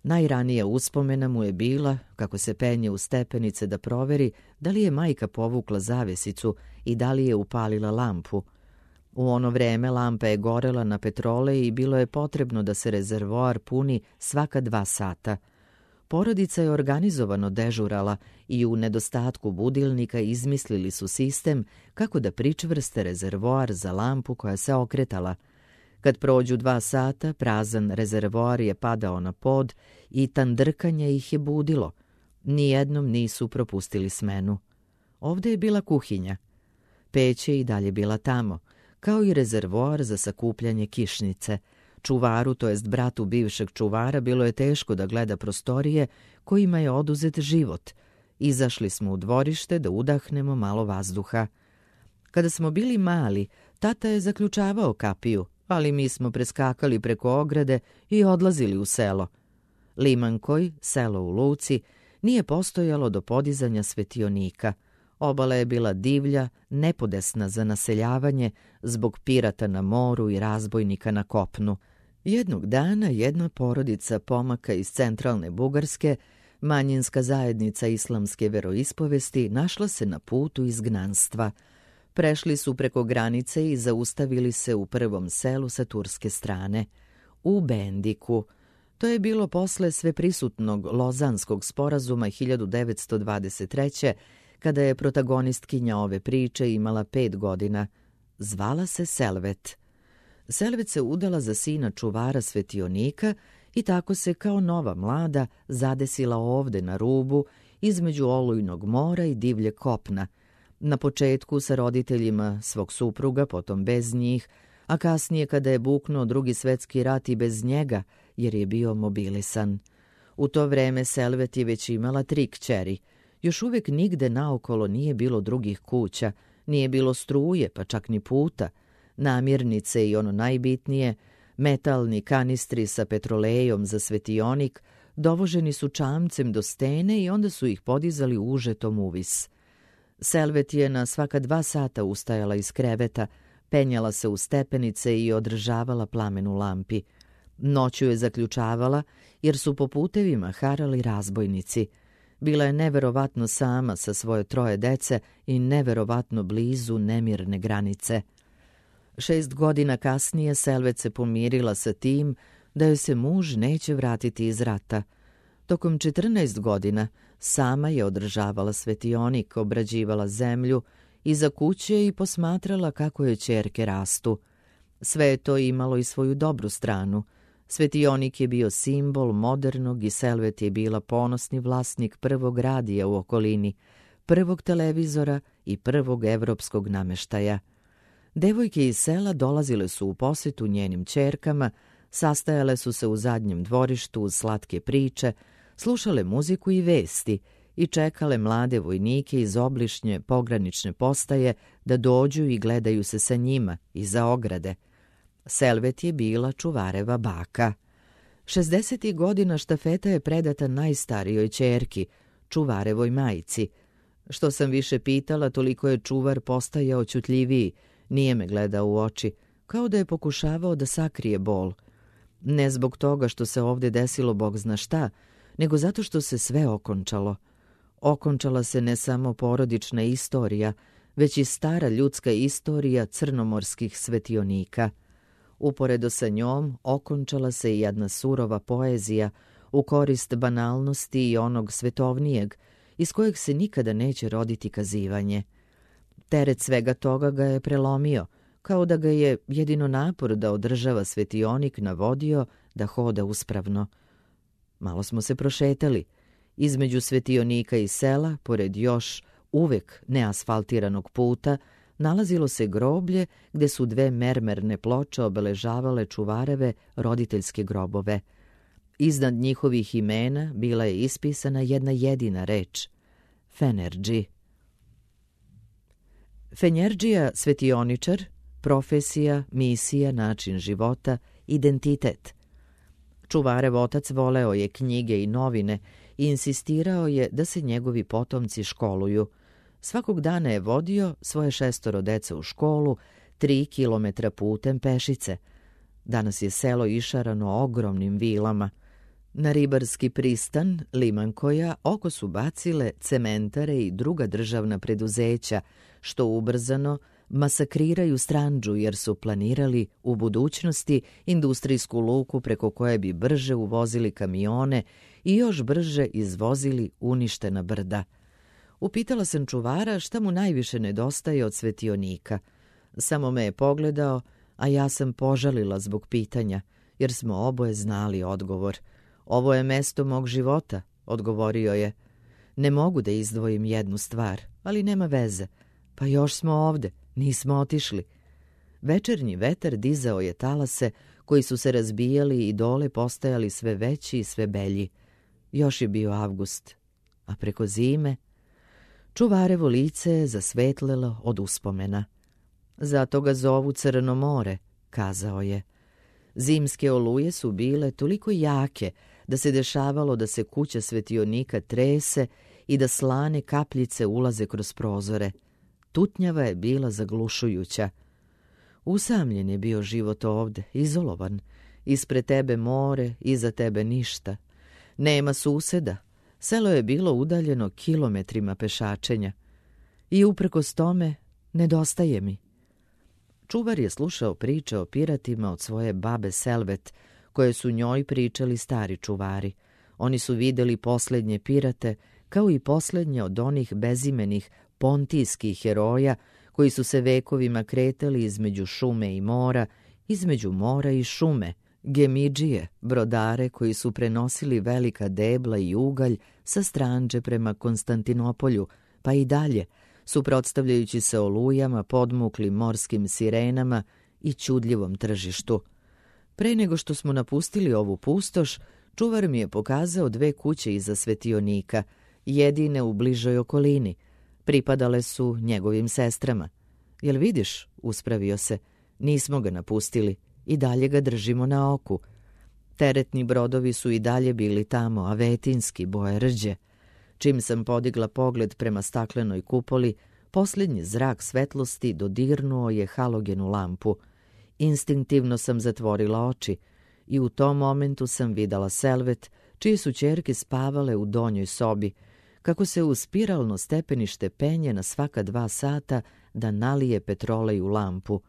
Najranija uspomena mu je bila kako se penje u stepenice da proveri da li je majka povukla zavesicu i da li je upalila lampu. U ono vreme lampa je gorela na petrole i bilo je potrebno da se rezervoar puni svaka 2 sata. Porodica je organizovano dežurala i u nedostatku budilnika izmislili su sistem kako da pričvrste rezervoar za lampu koja se okretala. Kad prođu 2 sata, prazan rezervoar je padao na pod i tandrkanje ih je budilo. Nijednom nisu propustili smenu. Ovde je bila kuhinja. Peć je i dalje bila tamo, kao i rezervoar za sakupljanje kišnice. Čuvaru, to jest bratu bivšeg čuvara, bilo je teško da gleda prostorije kojima je oduzet život. Izašli smo u dvorište da udahnemo malo vazduha. Kada smo bili mali, tata je zaključavao kapiju, ali mi smo preskakali preko ograde i odlazili u selo. Limankoj, selo u luci, nije postojalo do podizanja svetionika. Obala je bila divlja, nepodesna za naseljavanje zbog pirata na moru i razbojnika na kopnu. Jednog dana jedna porodica pomaka iz centralne Bugarske, manjinska zajednica islamske veroispovesti, našla se na putu izgnanstva. Prešli su preko granice i zaustavili se u prvom selu sa turske strane, u Bendiku. To je bilo posle sveprisutnog Lozanskog sporazuma 1923. kada je protagonistkinja ove priče imala 5 godina. Zvala se Selvet. Selvet se udala za sina čuvara svetionika i tako se kao nova mlada zadesila ovde na rubu između olujnog mora i divlje kopna. Na početku sa roditeljima svog supruga, potom bez njih, a kasnije kada je buknuo Drugi svetski rat i bez njega, jer je bio mobilisan. U to vreme Selvet je već imala 3 kćeri. Još uvek nigde naokolo nije bilo drugih kuća, nije bilo struje, pa čak ni puta. Namirnice i ono najbitnije, metalni kanistri sa petrolejom za svetionik, dovoženi su čamcem do stene i onda su ih podizali užetom uvis. Selvet je na svaka 2 sata ustajala iz kreveta, penjala se u stepenice i održavala plamen u lampi. Noću je zaključavala jer su po putevima harali razbojnici. Bila je neverovatno sama sa svoje 3 dece i neverovatno blizu nemirne granice. 6 godina kasnije Selvet se pomirila sa tim da joj se muž neće vratiti iz rata. Tokom 14 godina sama je održavala svetionik, obrađivala zemlju, iza kuće i posmatrala kako joj ćerke rastu. Sve je to imalo i svoju dobru stranu. Svetionik je bio simbol modernog i Selvet je bila ponosni vlasnik prvog radija u okolini, prvog televizora i prvog evropskog nameštaja. Devojke iz sela dolazile su u posjetu njenim ćerkama, sastajale su se u zadnjem dvorištu uz slatke priče, slušale muziku i vesti i čekale mlade vojnike iz obližnje pogranične postaje da dođu i gledaju se sa njima iza ograde. Selvet je bila čuvareva baka. 60. godina štafeta je predata najstarijoj ćerki, čuvarevoj majci. Što sam više pitala, toliko je čuvar postajao ćutljiviji, nije me gledao u oči, kao da je pokušavao da sakrije bol. Ne zbog toga što se ovdje desilo bog zna šta, nego zato što se sve okončalo. Okončala se ne samo porodična istorija, već i stara ljudska istorija crnomorskih svetionika. Uporedo sa njom okončala se i jedna surova poezija u korist banalnosti i onog svetovnijeg, iz kojeg se nikada neće roditi kazivanje. Teret svega toga ga je prelomio, kao da ga je jedino napor da održava svetionik navodio da hoda uspravno. Malo smo se prošetali. Između svetionika i sela, pored još uvek neasfaltiranog puta, nalazilo se groblje gde su dve mermerne ploče obeležavale čuvareve roditeljske grobove. Iznad njihovih imena bila je ispisana jedna jedina reč – Fenerđi. Fenjerđija svetioničar, profesija, misija, način života, identitet. Čuvarev otac voleo je knjige i novine i insistirao je da se njegovi potomci školuju. Svakog dana je vodio svoje 6 dece u školu, 3 kilometra putem pešice. Danas je selo išarano ogromnim vilama. Na ribarski pristan Limankoja oko su bacile cementare i druga državna preduzeća, što ubrzano masakriraju Stranđu jer su planirali u budućnosti industrijsku luku preko koje bi brže uvozili kamione i još brže izvozili uništena brda. Upitala sam čuvara šta mu najviše nedostaje od svetionika. Samo me je pogledao, a ja sam požalila zbog pitanja, jer smo oboje znali odgovor. Ovo je mesto mog života, odgovorio je. Ne mogu da izdvojim jednu stvar, ali nema veze. Pa još smo ovde, nismo otišli. Večernji vetar dizao je talase koji su se razbijali i dole postajali sve veći i sve belji. Još je bio avgust, a preko zime čuvarevo lice je zasvetlelo od uspomena. Zato ga zovu Crno more, kazao je. Zimske oluje su bile toliko jake da se dešavalo da se kuća svetionika trese i da slane kapljice ulaze kroz prozore. Tutnjava je bila zaglušujuća. Usamljen je bio život ovde, izolovan. Ispred tebe more, iza tebe ništa. Nema suseda. Selo je bilo udaljeno kilometrima pešačenja. I uprkos tome nedostaje mi. Čuvar je slušao priče o piratima od svoje babe Selvet, koje su njoj pričali stari čuvari. Oni su videli posljednje pirate, kao i posljednje od onih bezimenih pontijskih heroja koji su se vekovima kretali između šume i mora, između mora i šume, gemidžije, brodare koji su prenosili velika debla i ugalj sa Stranđe prema Konstantinopolju, pa i dalje, suprotstavljajući se olujama, podmuklim morskim sirenama i čudljivom tržištu. Pre nego što smo napustili ovu pustoš, čuvar mi je pokazao 2 kuće iza svetionika, jedine u bližoj okolini. Pripadale su njegovim sestrama. Jel vidiš, uspravio se, nismo ga napustili, i dalje ga držimo na oku. Teretni brodovi su i dalje bili tamo, a vetinski boje rđe. Čim sam podigla pogled prema staklenoj kupoli, posljednji zrak svetlosti dodirnuo je halogenu lampu. Instinktivno sam zatvorila oči i u tom momentu sam videla Selvet, čije su ćerke spavale u donjoj sobi, kako se u spiralno stepenište penje na svaka 2 sata da nalije petrolej u lampu.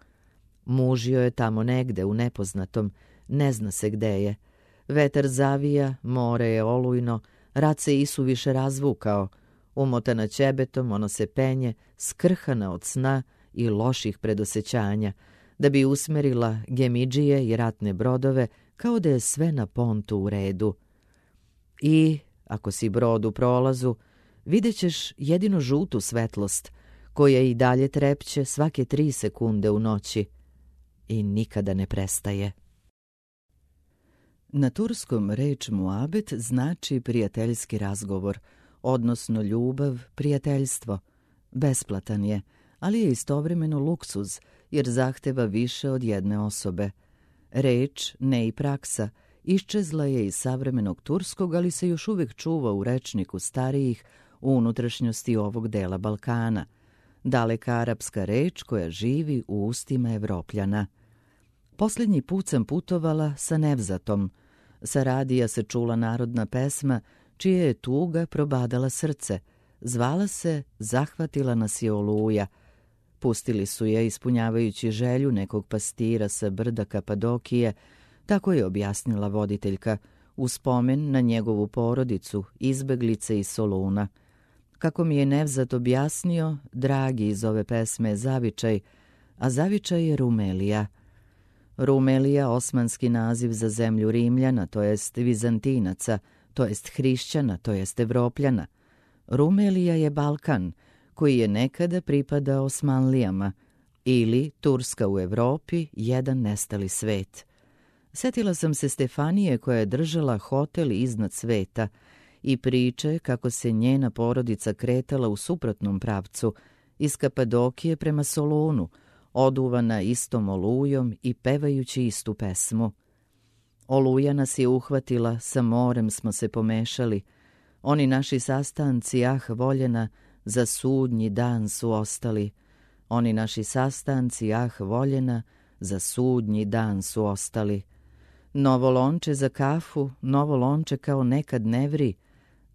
Muž joj je tamo negde u nepoznatom, ne zna se gde je. Vetar zavija, more je olujno, rat se isuviše razvukao. Umotana ćebetom, ono se penje, skrhana od sna i loših predosećanja, da bi usmerila gemidžije i ratne brodove kao da je sve na pontu u redu. I, ako si brod u prolazu, vidjet ćeš jedino žutu svetlost, koja i dalje trepće svake 3 sekunde u noći i nikada ne prestaje. Na turskom reč muabet znači prijateljski razgovor, odnosno ljubav, prijateljstvo. Besplatan je, ali je istovremeno luksuz, jer zahteva više od jedne osobe. Reč, ne i praksa, iščezla je iz savremenog turskog, ali se još uvijek čuva u rečniku starijih u unutrašnjosti ovog dela Balkana. Daleka arapska reč koja živi u ustima Evropljana. Posljednji put sam putovala sa Nevzatom. Sa radija se čula narodna pesma čija je tuga probadala srce. Zvala se Zahvatila nas je oluja. Pustili su je ispunjavajući želju nekog pastira sa brda Kapadokije, tako je objasnila voditeljka, u spomen na njegovu porodicu, izbeglice iz Soluna. Kako mi je Nevzat objasnio, dragi iz ove pesme je zavičaj, a zavičaj je Rumelija. Rumelija, osmanski naziv za zemlju Rimljana, to jest Vizantinaca, to jest hrišćana, to jest Evropljana. Rumelija je Balkan, koji je nekada pripadao Osmanlijama, ili Turska u Evropi, jedan nestali svet. Sjetila sam se Stefanije koja je držala hotel iznad sveta i priče kako se njena porodica kretala u suprotnom pravcu, iz Kapadokije prema Solunu, oduvana istom olujom i pevajući istu pesmu. Oluja nas je uhvatila, sa morem smo se pomešali. Oni naši sastanci, ah voljena, za sudnji dan su ostali. Oni naši sastanci, ah voljena, za sudnji dan su ostali. Novo lonče za kafu, novo lonče kao nekad ne vri.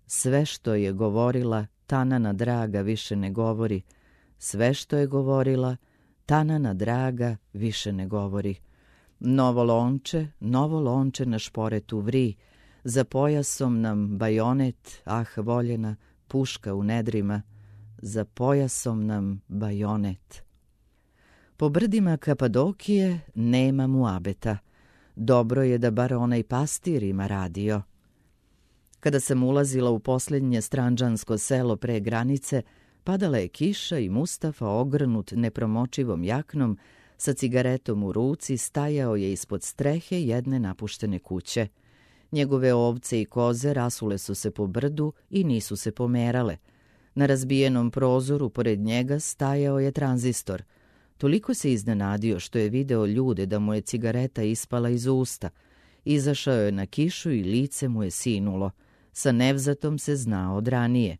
Sve što je govorila, Tanana draga više ne govori. Sve što je govorila, Tanana draga više ne govori. Novo lonče na šporetu vri. Za pojasom nam bajonet, ah voljena, puška u nedrima. Za pojasom nam bajonet. Po brdima Kapadokije nema muabeta. Dobro je da bar onaj pastir ima radio. Kada sam ulazila u posljednje stranđansko selo pre granice, padala je kiša i Mustafa, ogrnut nepromočivom jaknom, sa cigaretom u ruci, stajao je ispod strehe jedne napuštene kuće. Njegove ovce i koze rasule su se po brdu i nisu se pomerale. Na razbijenom prozoru pored njega stajao je tranzistor. Toliko se iznenadio što je video ljude da mu je cigareta ispala iz usta. Izašao je na kišu i lice mu je sinulo. Sa Nevzatom se znao od ranije.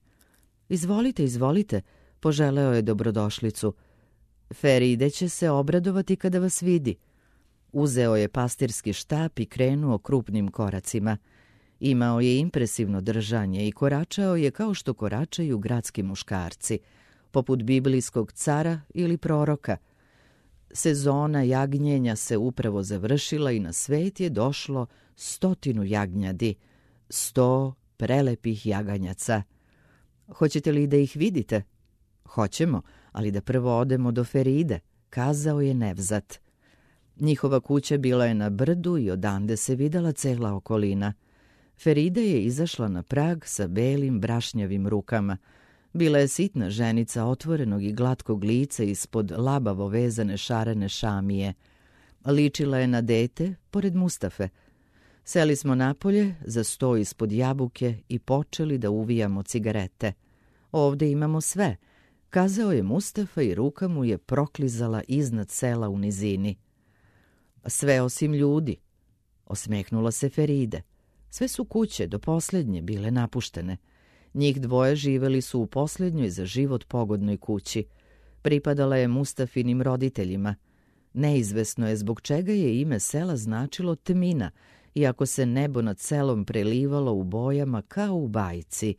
Izvolite, izvolite, poželeo je dobrodošlicu. Feride će se obradovati kada vas vidi. Uzeo je pastirski štap i krenuo krupnim koracima. Imao je impresivno držanje i koračao je kao što koračaju gradski muškarci, poput biblijskog cara ili proroka. Sezona jagnjenja se upravo završila i na svet je došlo 100 jagnjadi, 100 prelepih jaganjaca. Hoćete li da ih vidite? Hoćemo, ali da prvo odemo do Feride, kazao je Nevzat. Njihova kuća bila je na brdu i odande se videla cela okolina. Feride je izašla na prag sa belim brašnjavim rukama. Bila je sitna ženica otvorenog i glatkog lica ispod labavo vezane šarene šamije. Ličila je na dete pored Mustafe. Seli smo napolje za sto ispod jabuke i počeli da uvijamo cigarete. Ovde imamo sve, kazao je Mustafa i ruka mu je proklizala iznad sela u nizini. Sve osim ljudi, osmehnula se Feride. Sve su kuće do posljednje bile napuštene. Njih dvoje živeli su u posljednjoj za život pogodnoj kući. Pripadala je Mustafinim roditeljima. Neizvesno je zbog čega je ime sela značilo Tmina, iako se nebo nad selom prelivalo u bojama kao u bajci.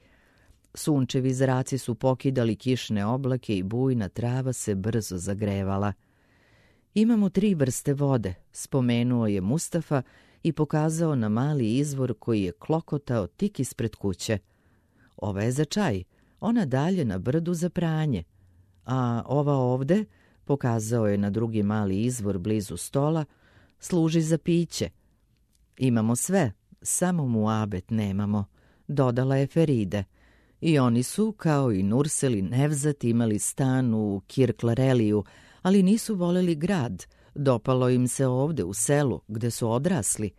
Sunčevi zraci su pokidali kišne oblake i bujna trava se brzo zagrevala. Imamo 3 vrste vode, spomenuo je Mustafa i pokazao na mali izvor koji je klokotao tik ispred kuće. Ova je za čaj, ona dalje na brdu za pranje. A ova ovde, pokazao je na drugi mali izvor blizu stola, služi za piće. Imamo sve, samo muabet nemamo, dodala je Feride. I oni su, kao i Nursel i Nevzat, imali stan u Kirklareliju, ali nisu voleli grad. Dopalo im se ovde u selu, gde su odrasli.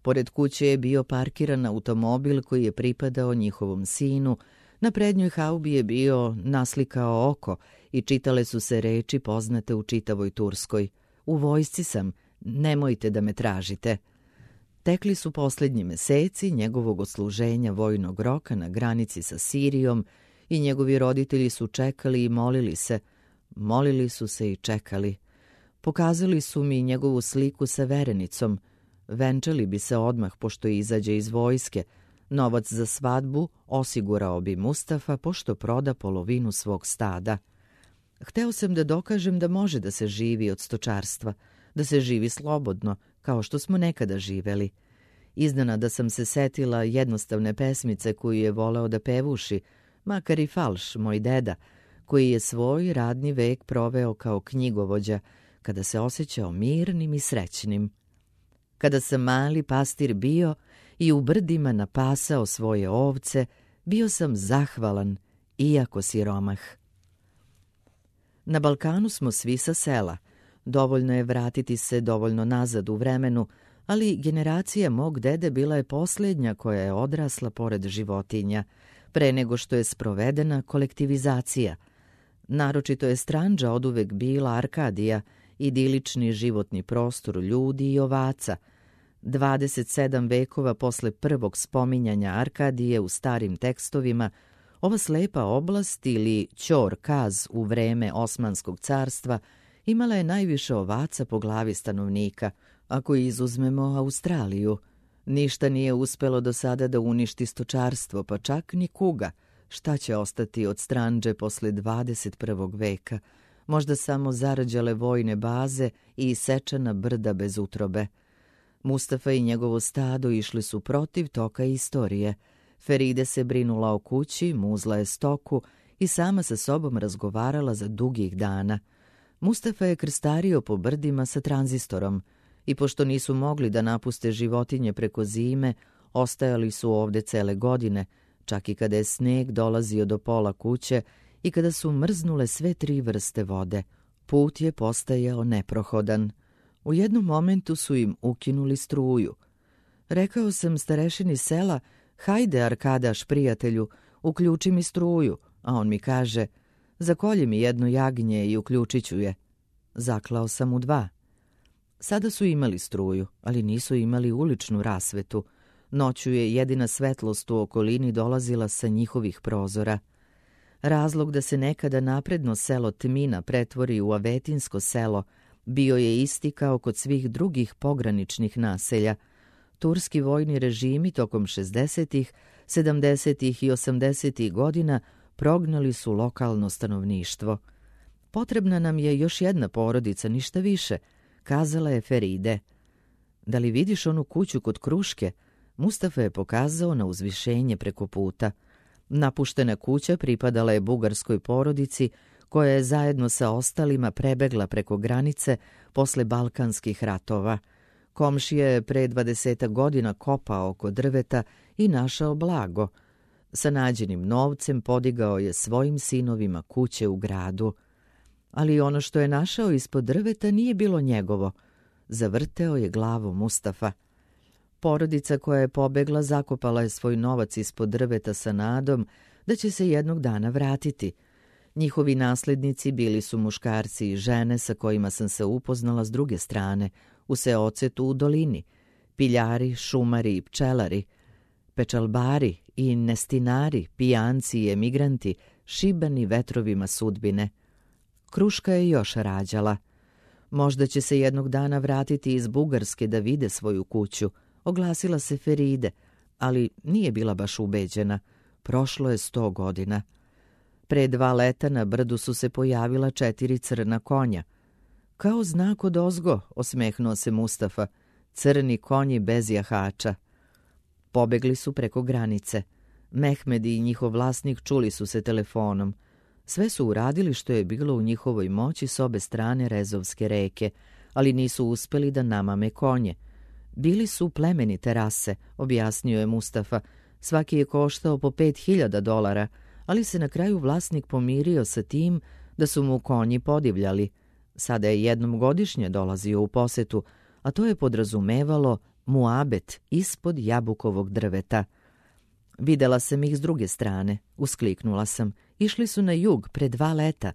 Pored kuće je bio parkiran automobil koji je pripadao njihovom sinu. Na prednjoj haubi je bio naslikao oko i čitale su se reči poznate u čitavoj Turskoj. U vojsci sam, nemojte da me tražite. Tekli su posljednji meseci njegovog odsluženja vojnog roka na granici sa Sirijom i njegovi roditelji su čekali i molili se. Molili su se i čekali. Pokazali su mi njegovu sliku sa verenicom. Venčali bi se odmah pošto izađe iz vojske. Novac za svadbu osigurao bi Mustafa pošto proda polovinu svog stada. Hteo sam da dokažem da može da se živi od stočarstva, da se živi slobodno, kao što smo nekada živeli. Iznenada sam se setila jednostavne pesmice koju je voleo da pevuši, makar i falš, moj deda, koji je svoj radni vek proveo kao knjigovođa, kada se osjećao mirnim i srećnim. Kada sam mali pastir bio i u brdima napasao svoje ovce, bio sam zahvalan, iako siromah. Na Balkanu smo svi sa sela. Dovoljno je vratiti se dovoljno nazad u vremenu, ali generacija mog dede bila je posljednja koja je odrasla pored životinja, pre nego što je sprovedena kolektivizacija. Naročito je Stranđa oduvek bila Arkadija, idilični životni prostor ljudi i ovaca. 27 vekova posle prvog spominjanja Arkadije u starim tekstovima, ova slepa oblast ili Ćor Kaz u vreme Osmanskog carstva imala je najviše ovaca po glavi stanovnika. Ako izuzmemo Australiju, ništa nije uspelo do sada da uništi stočarstvo, pa čak ni kuga. Šta će ostati od Stranđe posle 21. veka? Možda samo zarađale vojne baze i isečena brda bez utrobe. Mustafa i njegovo stado išli su protiv toka istorije. Feride se brinula o kući, muzla je stoku i sama sa sobom razgovarala za dugih dana. Mustafa je krstario po brdima sa tranzistorom i pošto nisu mogli da napuste životinje preko zime, ostajali su ovde cele godine, čak i kada je sneg dolazio do pola kuće i kada su mrznule sve 3 vrste vode. Put je postajao neprohodan. U jednom momentu su im ukinuli struju. Rekao sam starešini sela, hajde Arkadaš, prijatelju, uključi mi struju, a on mi kaže, zakolji mi jedno jagnje i uključit ću je. Zaklao sam mu 2. Sada su imali struju, ali nisu imali uličnu rasvetu. Noću je jedina svetlost u okolini dolazila sa njihovih prozora. Razlog da se nekada napredno selo Tmina pretvori u avetinsko selo bio je isti kao kod svih drugih pograničnih naselja. Turski vojni režimi tokom 60., 70. i 80. godina prognali su lokalno stanovništvo. Potrebna nam je još jedna porodica, ništa više, kazala je Feride. Da li vidiš onu kuću kod Kruške? Mustafa je pokazao na uzvišenje preko puta. Napuštena kuća pripadala je bugarskoj porodici koja je zajedno sa ostalima prebegla preko granice posle Balkanskih ratova. Komšija je pre 20 godina kopao oko drveta i našao blago. Sa nađenim novcem podigao je svojim sinovima kuće u gradu. Ali ono što je našao ispod drveta nije bilo njegovo. Zavrteo je glavu Mustafa. Porodica koja je pobegla zakopala je svoj novac ispod drveta sa nadom da će se jednog dana vratiti. Njihovi naslednici bili su muškarci i žene sa kojima sam se upoznala s druge strane, u seocetu u dolini, piljari, šumari i pčelari, pečalbari i nestinari, pijanci i emigranti, šibani vetrovima sudbine. Kruška je još rađala. Možda će se jednog dana vratiti iz Bugarske da vide svoju kuću, oglasila se Feride, ali nije bila baš ubeđena. Prošlo je 100 godina. Pre 2 leta na brdu su se pojavila 4 crna konja. Kao znak odozgo, osmehnuo se Mustafa, crni konji bez jahača. Pobegli su preko granice. Mehmed i njihov vlasnik čuli su se telefonom. Sve su uradili što je bilo u njihovoj moći s obe strane Rezovske reke, ali nisu uspeli da namame konje. Bili su plemenite rase, objasnio je Mustafa. Svaki je koštao po $5.000, ali se na kraju vlasnik pomirio sa tim da su mu konji podivljali. Sada je jednom godišnje dolazio u posetu, a to je podrazumevalo muabet ispod jabukovog drveta. Videla sam ih s druge strane, uskliknula sam. Išli su na jug pre 2 leta.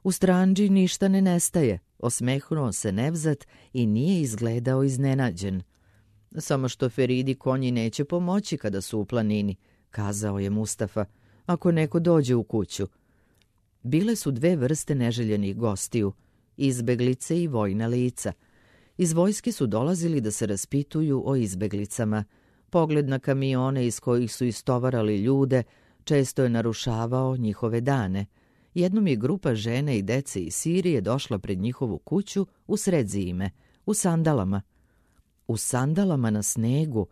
U Strandži ništa ne nestaje, osmehnuo se Nevzat i nije izgledao iznenađen. Samo što Feridi konji neće pomoći kada su u planini, kazao je Mustafa, ako neko dođe u kuću. Bile su 2 vrste neželjenih gostiju, izbeglice i vojna lica. Iz vojske su dolazili da se raspituju o izbeglicama. Pogled na kamione iz kojih su istovarali ljude često je narušavao njihove dane. Jednom je grupa žene i dece iz Sirije došla pred njihovu kuću u sred zime, u sandalama. U sandalama na snegu,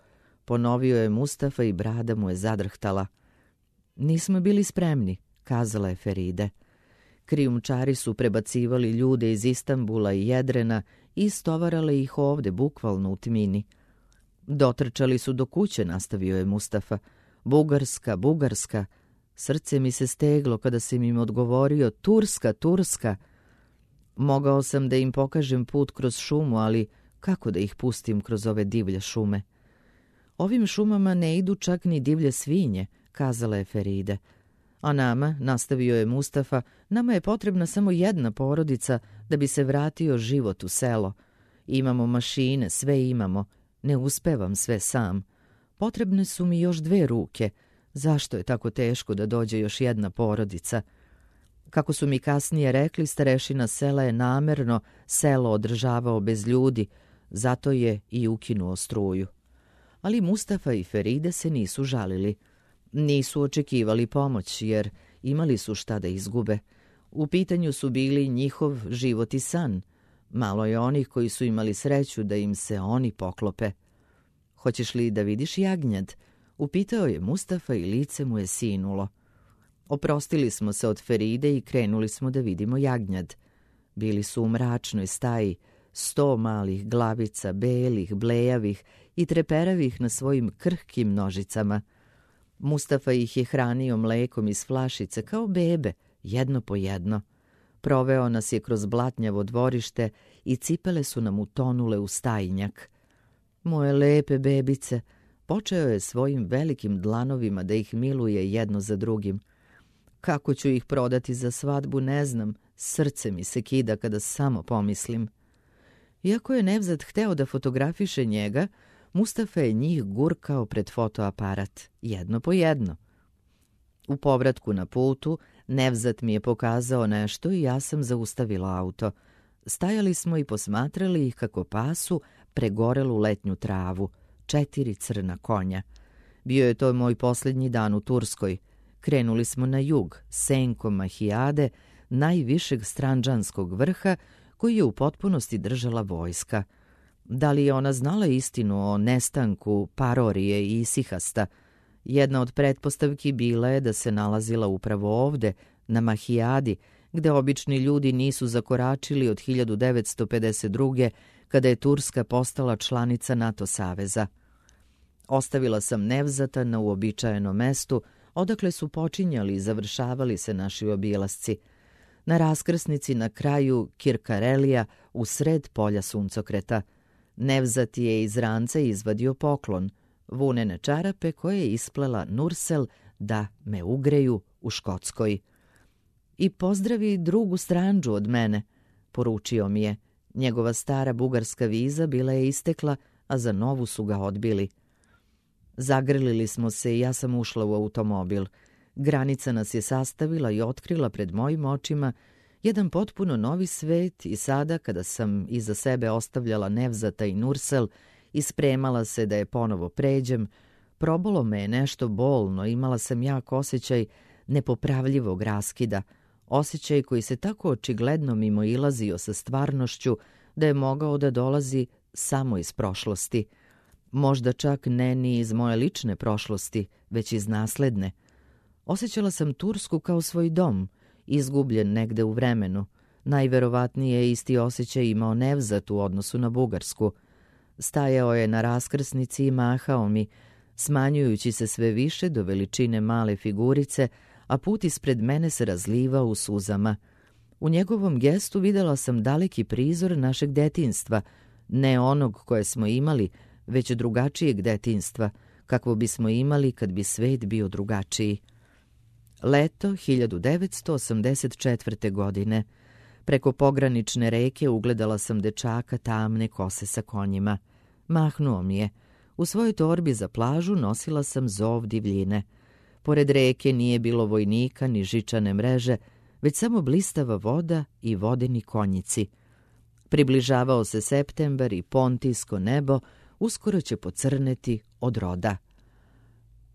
ponovio je Mustafa i brada mu je zadrhtala. Nismo bili spremni, kazala je Feride. Krijumčari su prebacivali ljude iz Istanbula i Jedrena i istovarale ih ovde, bukvalno u tmini. Dotrčali su do kuće, nastavio je Mustafa. Bugarska, Bugarska. Srce mi se steglo kada sam im odgovorio Turska, Turska. Mogao sam da im pokažem put kroz šumu, ali kako da ih pustim kroz ove divlje šume? Ovim šumama ne idu čak ni divlje svinje, kazala je Feride. A nama, nastavio je Mustafa, nama je potrebna samo jedna porodica da bi se vratio život u selo. Imamo mašine, sve imamo. Ne uspevam sve sam. Potrebne su mi još 2 ruke. Zašto je tako teško da dođe još jedna porodica? Kako su mi kasnije rekli, starešina sela je namerno selo održavao bez ljudi, zato je i ukinuo struju. Ali Mustafa i Feride se nisu žalili. Nisu očekivali pomoć, jer imali su šta da izgube. U pitanju su bili njihov život i san. Malo je onih koji su imali sreću da im se oni poklope. Hoćeš li da vidiš jagnjad? Upitao je Mustafa i lice mu je sinulo. Oprostili smo se od Feride i krenuli smo da vidimo jagnjad. Bili su u mračnoj staji, 100 malih glavica, belih, blejavih i treperavih na svojim krhkim nožicama. Mustafa ih je hranio mlekom iz flašice kao bebe, jedno po jedno. Proveo nas je kroz blatnjavo dvorište i cipele su nam utonule u stajnjak. Moje lepe bebice, počeo je svojim velikim dlanovima da ih miluje jedno za drugim. Kako ću ih prodati za svadbu, ne znam, srce mi se kida kada samo pomislim. Iako je Nevzat hteo da fotografiše njega, Mustafa je njih gurkao pred fotoaparat, jedno po jedno. U povratku na putu, Nevzat mi je pokazao nešto i ja sam zaustavila auto. Stajali smo i posmatrali ih kako pasu pregorelu letnju travu, 4 crna konja. Bio je to moj posljednji dan u Turskoj. Krenuli smo na jug, senkom Mahijade, najvišeg strandžanskog vrha koji je u potpunosti držala vojska. Da li je ona znala istinu o nestanku Parorije i Sihasta? Jedna od pretpostavki bila je da se nalazila upravo ovde, na Mahijadi, gde obični ljudi nisu zakoračili od 1952. kada je Turska postala članica NATO saveza. Ostavila sam Nevzata na uobičajenom mestu, odakle su počinjali i završavali se naši obilasci. Na raskrsnici na kraju Kirkarelija, u sred polja suncokreta. Nevzat je iz ranca izvadio poklon, vunene čarape koje je isplela Nursel da me ugreju u Škotskoj. I pozdravi drugu Strandžu od mene, poručio mi je. Njegova stara bugarska viza bila je istekla, a za novu su ga odbili. Zagrlili smo se i ja sam ušla u automobil. Granica nas je sastavila i otkrila pred mojim očima jedan potpuno novi svet i sada, kada sam iza sebe ostavljala Nevzata i Nursel i spremala se da je ponovo pređem, probalo me je nešto bolno, imala sam jak osjećaj nepopravljivog raskida, osjećaj koji se tako očigledno mimoilazio sa stvarnošću da je mogao da dolazi samo iz prošlosti. Možda čak ne ni iz moje lične prošlosti, već iz nasledne. Osjećala sam Tursku kao svoj dom, izgubljen negde u vremenu. Najverovatnije je isti osjećaj imao Nevzat u odnosu na Bugarsku. Stajao je na raskrsnici i mahao mi, smanjujući se sve više do veličine male figurice, a put ispred mene se razlivao u suzama. U njegovom gestu videla sam daleki prizor našeg detinjstva, ne onog koje smo imali, već drugačijeg detinjstva, kakvo bismo imali kad bi svet bio drugačiji. Leto 1984. godine. Preko pogranične reke ugledala sam dečaka tamne kose sa konjima. Mahnuo mi je. U svojoj torbi za plažu nosila sam zov divljine. Pored reke nije bilo vojnika ni žičane mreže, već samo blistava voda i vodeni konjici. Približavao se septembar i pontijsko nebo uskoro će pocrneti od roda.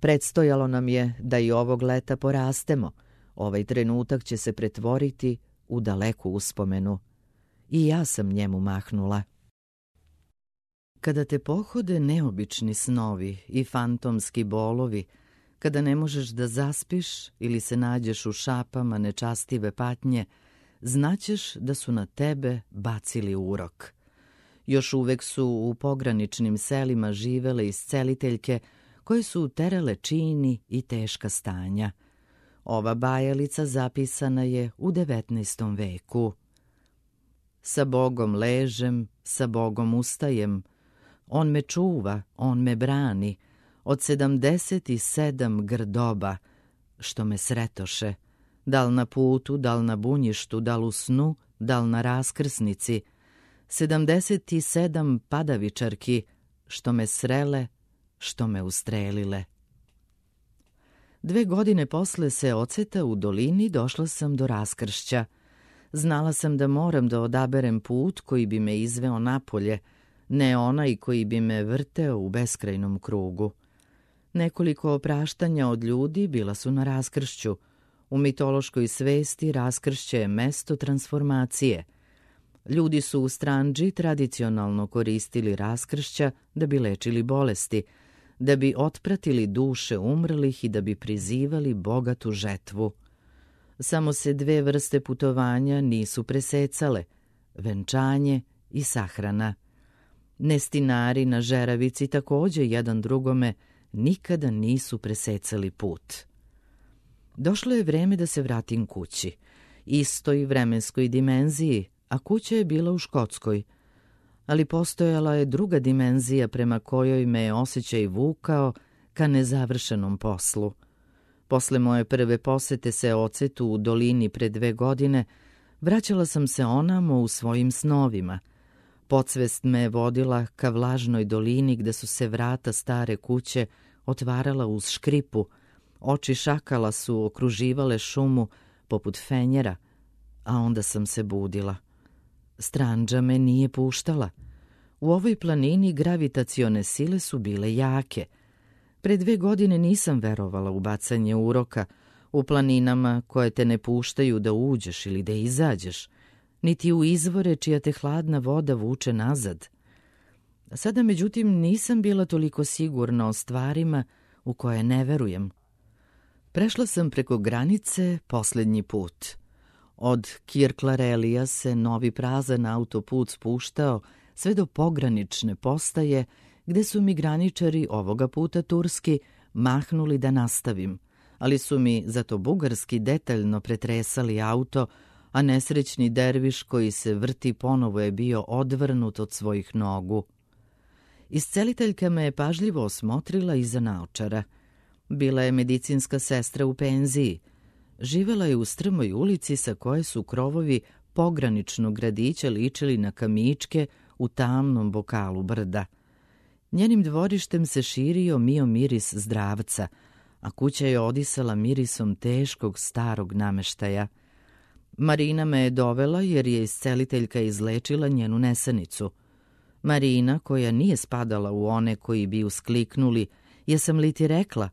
Predstojalo nam je da i ovog leta porastemo. Ovaj trenutak će se pretvoriti u daleku uspomenu. I ja sam njemu mahnula. Kada te pohode neobični snovi i fantomski bolovi, kada ne možeš da zaspiš ili se nađeš u šapama nečastive patnje, znaćeš da su na tebe bacili urok. Još uvek su u pograničnim selima živele isceliteljke koje su uterale čini i teška stanja. Ova bajalica zapisana je u 19. veku. Sa Bogom ležem, sa Bogom ustajem, on me čuva, on me brani, od 77 grdoba, što me sretoše, dal na putu, dal na bunjištu, dal u snu, dal na raskrsnici, 77 padavičarki, što me srele, što me ustrelile. 2 godine posle Seoceta u dolini došla sam do raskršća. Znala sam da moram da odaberem put koji bi me izveo napolje, ne onaj koji bi me vrteo u beskrajnom krugu. Nekoliko opraštanja od ljudi bila su na raskršću. U mitološkoj svesti raskršće je mesto transformacije. Ljudi su u Stranđi tradicionalno koristili raskršća da bi lečili bolesti, da bi otpratili duše umrlih i da bi prizivali bogatu žetvu. Samo se 2 vrste putovanja nisu presecale, venčanje i sahrana. Nestinari na žeravici takođe jedan drugome nikada nisu presecali put. Došlo je vreme da se vratim kući, istoj vremenskoj dimenziji, a kuća je bila u Škotskoj. Ali postojala je druga dimenzija prema kojoj me je osjećaj vukao ka nezavršenom poslu. Posle moje prve posete Seocetu u dolini pre 2 godine, vraćala sam se onamo u svojim snovima. Podsvest me je vodila ka vlažnoj dolini gde su se vrata stare kuće otvarala uz škripu, oči šakala su okruživale šumu poput fenjera, a onda sam se budila. Stranđa me nije puštala. U ovoj planini gravitacione sile su bile jake. Pre 2 godine nisam verovala u bacanje uroka, u planinama koje te ne puštaju da uđeš ili da izađeš, niti u izvore čija te hladna voda vuče nazad. Sada, međutim, nisam bila toliko sigurna o stvarima u koje ne verujem. Prešla sam preko granice poslednji put. Od Kirklarelija se novi prazan autoput spuštao sve do pogranične postaje, gde su mi graničari, ovoga puta turski, mahnuli da nastavim, ali su mi zato bugarski detaljno pretresali auto, a nesrećni derviš koji se vrti ponovo je bio odvrnut od svojih nogu. Isceliteljka me je pažljivo osmotrila iza naočara. Bila je medicinska sestra u penziji. Živela je u strmoj ulici sa koje su krovovi pograničnog gradića ličili na kamičke u tamnom bokalu brda. Njenim dvorištem se širio mio miris zdravca, a kuća je odisala mirisom teškog starog nameštaja. Marina me je dovela jer je isceliteljka izlečila njenu nesanicu. Marina, koja nije spadala u one koji bi uskliknuli, jesam li ti rekla,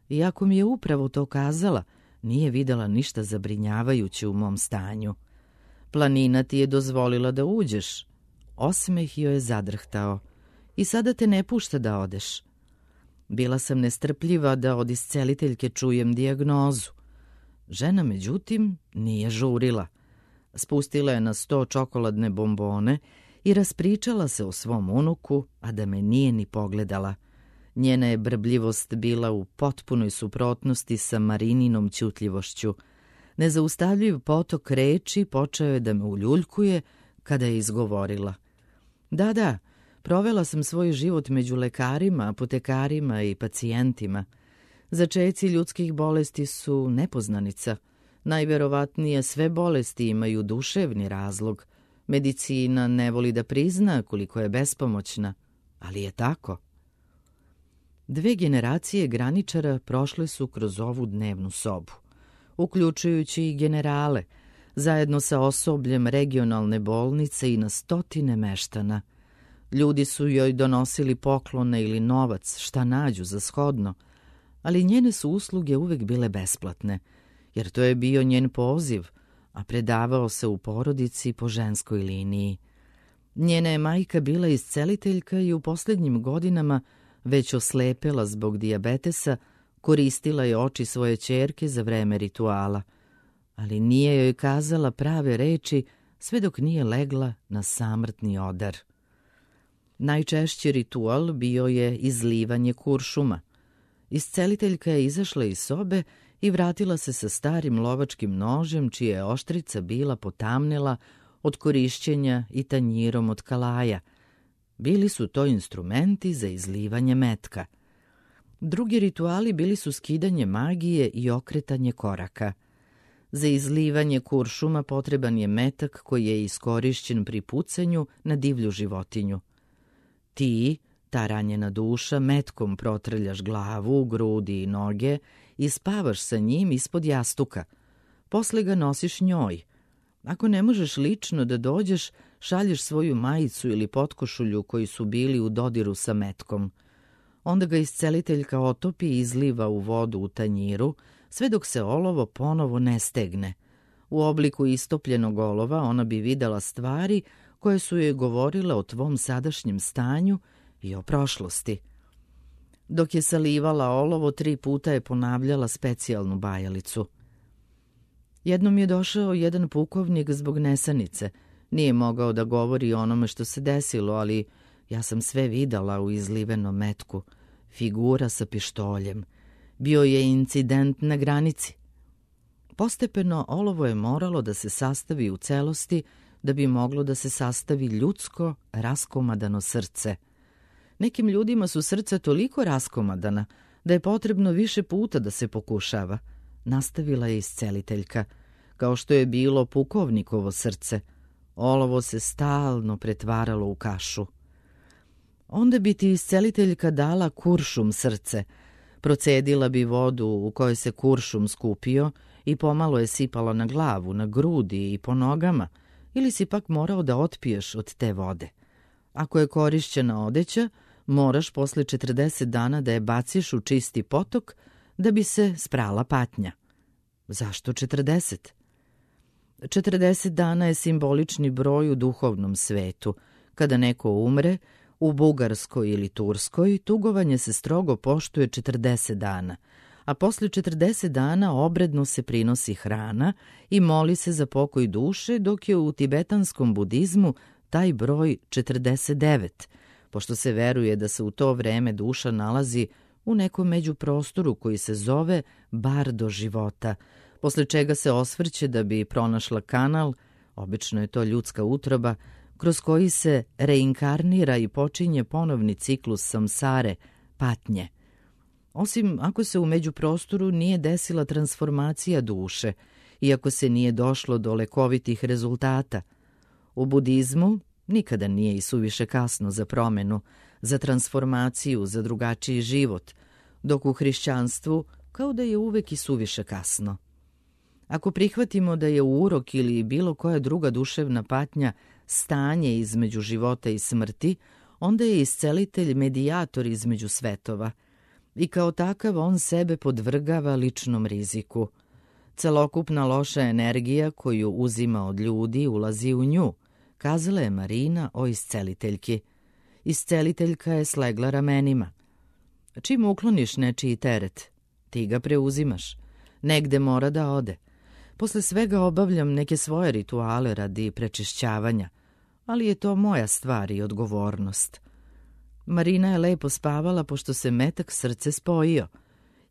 iako mi je upravo to kazala, nije videla ništa zabrinjavajuće u mom stanju. Planina ti je dozvolila da uđeš. Osmeh joj je zadrhtao. I sada te ne pušta da odeš. Bila sam nestrpljiva da od isceliteljke čujem dijagnozu. Žena, međutim, nije žurila. Spustila je na sto čokoladne bombone i raspričala se o svom unuku, a da me nije ni pogledala. Njena je brbljivost bila u potpunoj suprotnosti sa Marininom ćutljivošću. Nezaustavljiv potok reči počeo je da me uljuljkuje kada je izgovorila. Da, provela sam svoj život među lekarima, apotekarima i pacijentima. Začeci ljudskih bolesti su nepoznanica. Najverovatnije sve bolesti imaju duševni razlog. Medicina ne voli da prizna koliko je bespomoćna, ali je tako. 2 generacije graničara prošle su kroz ovu dnevnu sobu, uključujući i generale, zajedno sa osobljem regionalne bolnice i na stotine meštana. Ljudi su joj donosili poklone ili novac, šta nađu za shodno, ali njene su usluge uvek bile besplatne, jer to je bio njen poziv, a predavao se u porodici po ženskoj liniji. Njena je majka bila isceliteljka i u posljednjim godinama već oslepela zbog dijabetesa, koristila je oči svoje ćerke za vreme rituala, ali nije joj kazala prave reči sve dok nije legla na samrtni odar. Najčešći ritual bio je izlivanje kuršuma. Isceliteljka je izašla iz sobe i vratila se sa starim lovačkim nožem, čija je oštrica bila potamnela od korišćenja i tanjirom od kalaja. Bili su to instrumenti za izlivanje metka. Drugi rituali bili su skidanje magije i okretanje koraka. Za izlivanje kuršuma potreban je metak koji je iskorišćen pri pucanju na divlju životinju. Ti, ta ranjena duša, metkom protrljaš glavu, grudi i noge i spavaš sa njim ispod jastuka. Posle ga nosiš njoj. Ako ne možeš lično da dođeš, šalješ svoju majicu ili potkošulju koji su bili u dodiru sa metkom. Onda ga isceliteljka otopi i izliva u vodu u tanjiru, sve dok se olovo ponovo ne stegne. U obliku istopljenog olova ona bi videla stvari koje su joj govorile o tvom sadašnjem stanju i o prošlosti. Dok je salivala olovo, 3 puta je ponavljala specijalnu bajalicu. Jednom je došao jedan pukovnik zbog nesanice. Nije mogao da govori o onome što se desilo, ali ja sam sve videla u izlivenom metku. Figura sa pištoljem. Bio je incident na granici. Postepeno olovo je moralo da se sastavi u celosti da bi moglo da se sastavi ljudsko, raskomadano srce. Nekim ljudima su srca toliko raskomadana da je potrebno više puta da se pokušava, nastavila je isceliteljka. Kao što je bilo pukovnikovo srce, olovo se stalno pretvaralo u kašu. Onda bi ti isceliteljka dala kuršum srce, procedila bi vodu u kojoj se kuršum skupio i pomalo je sipala na glavu, na grudi i po nogama, ili si pak morao da otpiješ od te vode. Ako je korišćena odeća, moraš posle 40 dana da je baciš u čisti potok da bi se sprala patnja. Zašto 40? 40 dana je simbolični broj u duhovnom svetu. Kada neko umre, u Bugarskoj ili Turskoj, tugovanje se strogo poštuje 40 dana, a posle 40 dana obredno se prinosi hrana i moli se za pokoj duše, dok je u tibetanskom budizmu taj broj 49, pošto se veruje da se u to vreme duša nalazi u nekom međuprostoru koji se zove bardo života, posle čega se osvrće da bi pronašla kanal, obično je to ljudska utroba, kroz koji se reinkarnira i počinje ponovni ciklus samsare, patnje. Osim ako se u međuprostoru nije desila transformacija duše i ako se nije došlo do lekovitih rezultata. U budizmu nikada nije i suviše kasno za promenu, za transformaciju, za drugačiji život, dok u hrišćanstvu kao da je uvek i suviše kasno. Ako prihvatimo da je urok ili bilo koja druga duševna patnja stanje između života i smrti, onda je iscelitelj medijator između svetova i kao takav on sebe podvrgava ličnom riziku. Celokupna loša energija koju uzima od ljudi ulazi u nju, kazala je Marina o isceliteljki. Isceliteljka je slegla ramenima. Čim ukloniš nečiji teret, ti ga preuzimaš. Negde mora da ode. Posle svega obavljam neke svoje rituale radi prečišćavanja, ali je to moja stvar i odgovornost. Marina je lepo spavala pošto se metak srce spojio.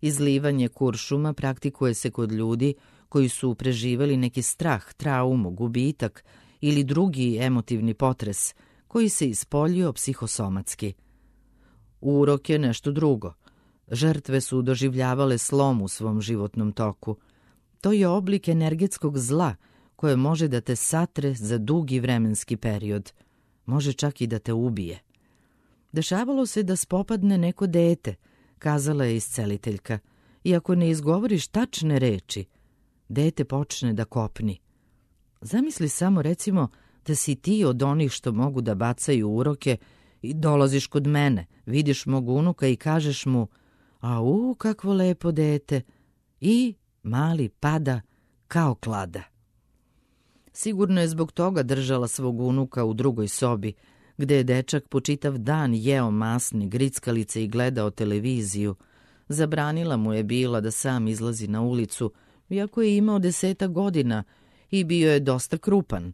Izlivanje kuršuma praktikuje se kod ljudi koji su preživeli neki strah, traumu, gubitak ili drugi emotivni potres koji se ispoljio psihosomatski. Urok je nešto drugo. Žrtve su doživljavale slom u svom životnom toku. To je oblik energetskog zla koje može da te satre za dugi vremenski period. Može čak i da te ubije. Dešavalo se da spopadne neko dete, kazala je isceliteljka, i ako ne izgovoriš tačne reči, dete počne da kopni. Zamisli samo, recimo, da si ti od onih što mogu da bacaju uroke i dolaziš kod mene, vidiš mog unuka i kažeš mu: „Au, kakvo lepo dete!“ i mali pada kao klada. Sigurno je zbog toga držala svog unuka u drugoj sobi, gde je dečak po čitav dan jeo masne grickalice i gledao televiziju. Zabranila mu je bila da sam izlazi na ulicu, iako je imao 10 godina i bio je dosta krupan.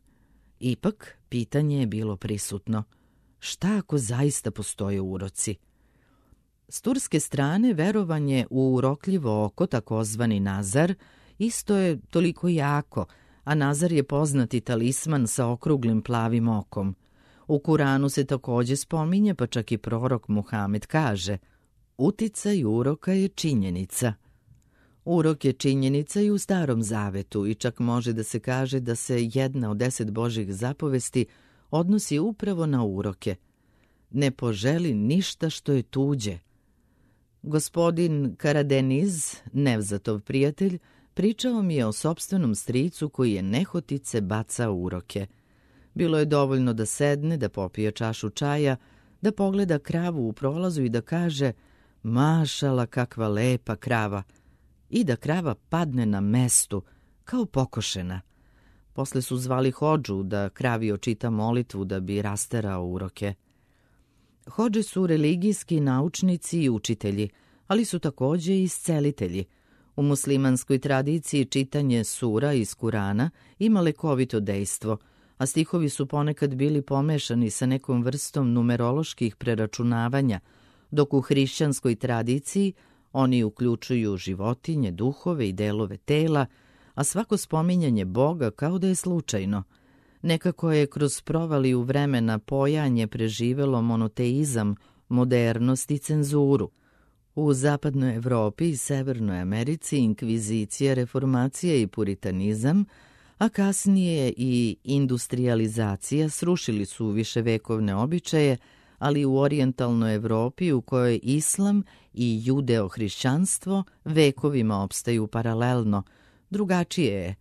Ipak, pitanje je bilo prisutno. Šta ako zaista postoje uroci? S turske strane verovanje u urokljivo oko, takozvani nazar, isto je toliko jako, a nazar je poznati talisman sa okruglim plavim okom. U Kuranu se takođe spominje, pa čak i prorok Muhamed kaže: uticaj uroka je činjenica. Urok je činjenica i u Starom zavetu i čak može da se kaže da se jedna od 10 Božjih zapovesti odnosi upravo na uroke. Ne poželi ništa što je tuđe. Gospodin Karadeniz, Nevzatov prijatelj, pričao mi je o sopstvenom stricu koji je nehotice bacao uroke. Bilo je dovoljno da sedne, da popije čašu čaja, da pogleda kravu u prolazu i da kaže: „Mašala, kakva lepa krava!“ i da krava padne na mestu, kao pokošena. Posle su zvali hodžu da kravi očita molitvu da bi rasterao uroke. Hodže su religijski naučnici i učitelji, ali su takođe i iscelitelji. U muslimanskoj tradiciji čitanje sura iz Kurana ima lekovito dejstvo, a stihovi su ponekad bili pomešani sa nekom vrstom numeroloških preračunavanja, dok u hrišćanskoj tradiciji oni uključuju životinje, duhove i delove tela, a svako spominjanje Boga kao da je slučajno. Nekako je kroz provaliju vremena pojanje preživelo monoteizam, modernost i cenzuru. U zapadnoj Evropi i Severnoj Americi inkvizicija, reformacija i puritanizam, a kasnije i industrializacija srušili su viševekovne običaje, ali u orijentalnoj Evropi u kojoj islam i judeo-hrišćanstvo vekovima opstaju paralelno, drugačije je.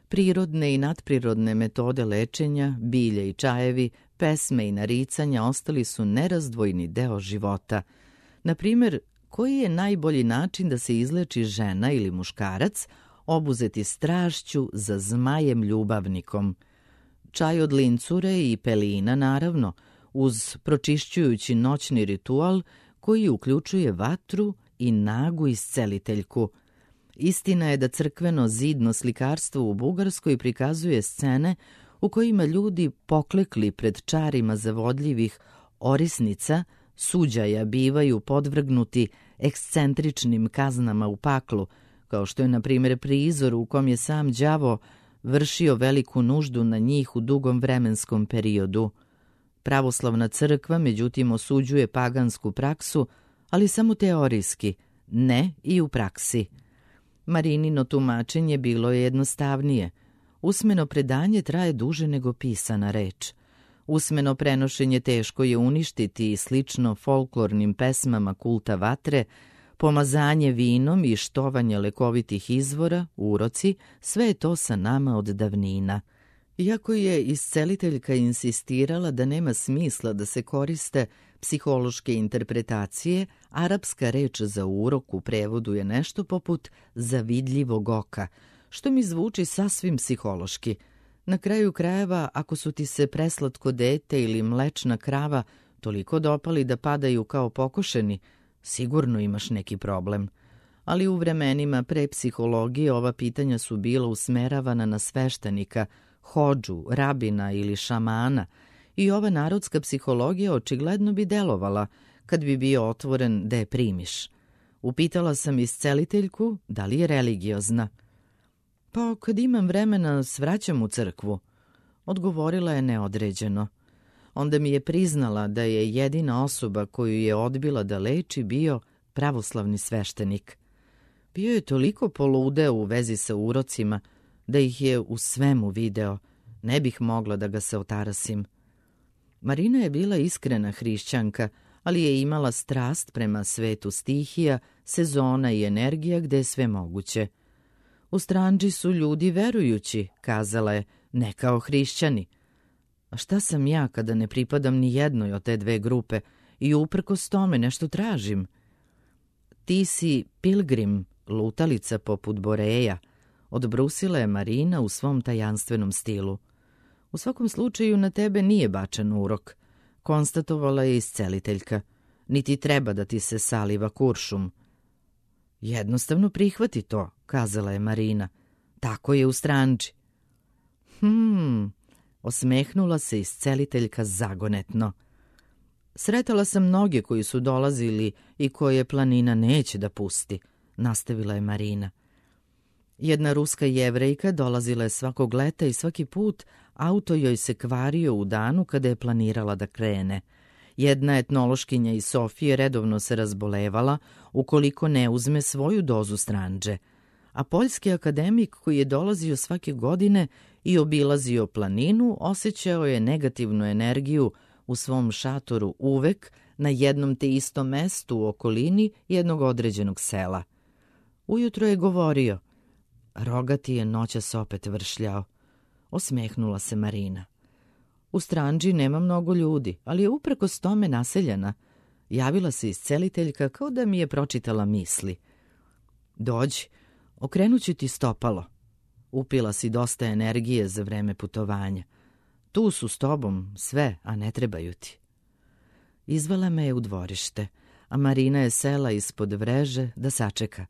Prirodne i nadprirodne metode lečenja, bilje i čajevi, pesme i naricanja ostali su nerazdvojni deo života. Na primjer, koji je najbolji način da se izleči žena ili muškarac obuzeti strašću za zmajem ljubavnikom? Čaj od lincure i pelina, naravno, uz pročišćujući noćni ritual koji uključuje vatru i nagu isceliteljku. Istina je da crkveno zidno slikarstvo u Bugarskoj prikazuje scene u kojima ljudi poklekli pred čarima zavodljivih orisnica, suđaja bivaju podvrgnuti ekscentričnim kaznama u paklu, kao što je na primjer prizor u kom je sam đavo vršio veliku nuždu na njih u dugom vremenskom periodu. Pravoslavna crkva, međutim, osuđuje pagansku praksu, ali samo teorijski, ne i u praksi. Marinino tumačenje bilo je jednostavnije. Usmeno predanje traje duže nego pisana reč. Usmeno prenošenje teško je uništiti i slično folklornim pesmama kulta vatre, pomazanje vinom i štovanje lekovitih izvora, uroci, sve je to sa nama od davnina. Iako je isceliteljka insistirala da nema smisla da se koriste psihološke interpretacije, arapska reč za urok u prevodu je nešto poput zavidljivog oka, što mi zvuči sasvim psihološki. Na kraju krajeva, ako su ti se preslatko dete ili mlečna krava toliko dopali da padaju kao pokošeni, sigurno imaš neki problem. Ali u vremenima pre psihologije ova pitanja su bila usmeravana na sveštenika, hodžu, rabina ili šamana i ova narodska psihologija očigledno bi delovala kad bi bio otvoren da je primiš. Upitala sam isceliteljku da li je religiozna. Pa kad imam vremena svraćam u crkvu, odgovorila je neodređeno. Onda mi je priznala da je jedina osoba koju je odbila da leči bio pravoslavni sveštenik. Bio je toliko poludeo u vezi sa urocima da ih je u svemu video. Ne bih mogla da ga se otarasim. Marina je bila iskrena hrišćanka, ali je imala strast prema svetu stihija, sezona i energija gde je sve moguće. U Stranđi su ljudi verujući, kazala je, ne kao hrišćani. A šta sam ja kada ne pripadam ni jednoj od te dve grupe i uprkos tome nešto tražim? Ti si pilgrim, lutalica poput Boreja, odbrusila je Marina u svom tajanstvenom stilu. U svakom slučaju na tebe nije bačen urok, konstatovala je isceliteljka. Niti treba da ti se saliva kuršum. Jednostavno prihvati to, kazala je Marina. Tako je u Stranđi. Osmehnula se isceliteljka zagonetno. Sretala sam mnoge koji su dolazili i koje planina neće da pusti, nastavila je Marina. Jedna ruska jevrejka dolazila je svakog leta i svaki put auto joj se kvario u danu kada je planirala da krene. Jedna etnološkinja iz Sofije redovno se razbolevala ukoliko ne uzme svoju dozu Stranđe, a poljski akademik koji je dolazio svake godine i obilazio planinu osjećao je negativnu energiju u svom šatoru uvek na jednom te istom mestu u okolini jednog određenog sela. Ujutro je govorio, rogati je noćas opet vršljao. Osmehnula se Marina. U Stranđi nema mnogo ljudi, ali je uprkos tome naseljena. Javila se isceliteljka kao da mi je pročitala misli. Dođi, okrenuću ti stopalo. Upila si dosta energije za vreme putovanja. Tu su s tobom sve, a ne trebaju ti. Izvela me je u dvorište, a Marina je sela ispod vreže da sačeka.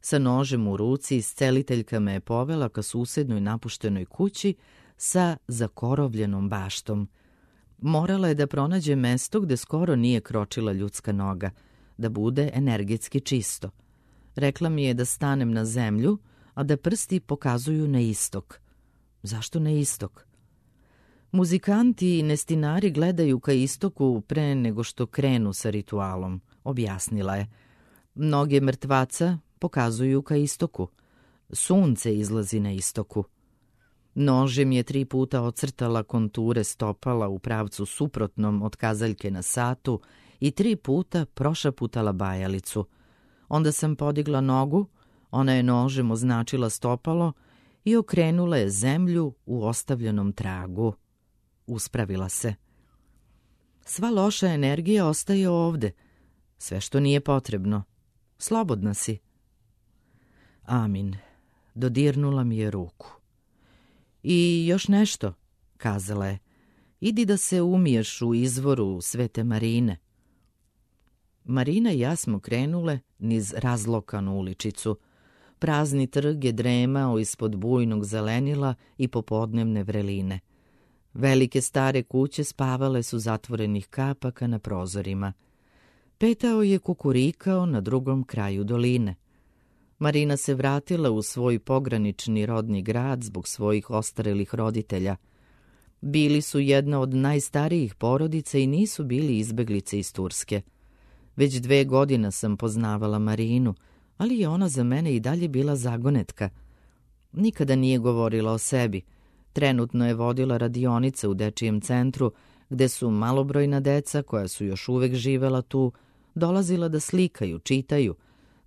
Sa nožem u ruci isceliteljka me je povela ka susednoj napuštenoj kući sa zakorovljenom baštom. Morala je da pronađe mesto gde skoro nije kročila ljudska noga, da bude energetski čisto. Rekla mi je da stanem na zemlju, a da prsti pokazuju na istok. Zašto na istok? Muzikanti i nestinari gledaju ka istoku pre nego što krenu sa ritualom, objasnila je. Mnoge mrtvaca pokazuju ka istoku. Sunce izlazi na istoku. Nožem je 3 puta ocrtala konture stopala u pravcu suprotnom od kazaljke na satu i 3 puta prošaputala bajalicu. Onda sam podigla nogu, ona je nožem označila stopalo i okrenula je zemlju u ostavljenom tragu. Uspravila se. Sva loša energija ostaje ovde. Sve što nije potrebno. Slobodna si. Amin. Dodirnula mi je ruku. I još nešto, kazala je. Idi da se umiješ u izvoru Svete Marine. Marina i ja smo krenule niz razlokanu uličicu. Prazni trg je dremao ispod bujnog zelenila i popodnevne vreline. Velike stare kuće spavale su zatvorenih kapaka na prozorima. Petao je kukurikao na drugom kraju doline. Marina se vratila u svoj pogranični rodni grad zbog svojih ostarelih roditelja. Bili su jedna od najstarijih porodica i nisu bili izbeglice iz Turske. Već 2 godine sam poznavala Marinu, ali je ona za mene i dalje bila zagonetka. Nikada nije govorila o sebi. Trenutno je vodila radionice u dečijem centru, gde su malobrojna deca, koja su još uvek živela tu, dolazila da slikaju, čitaju,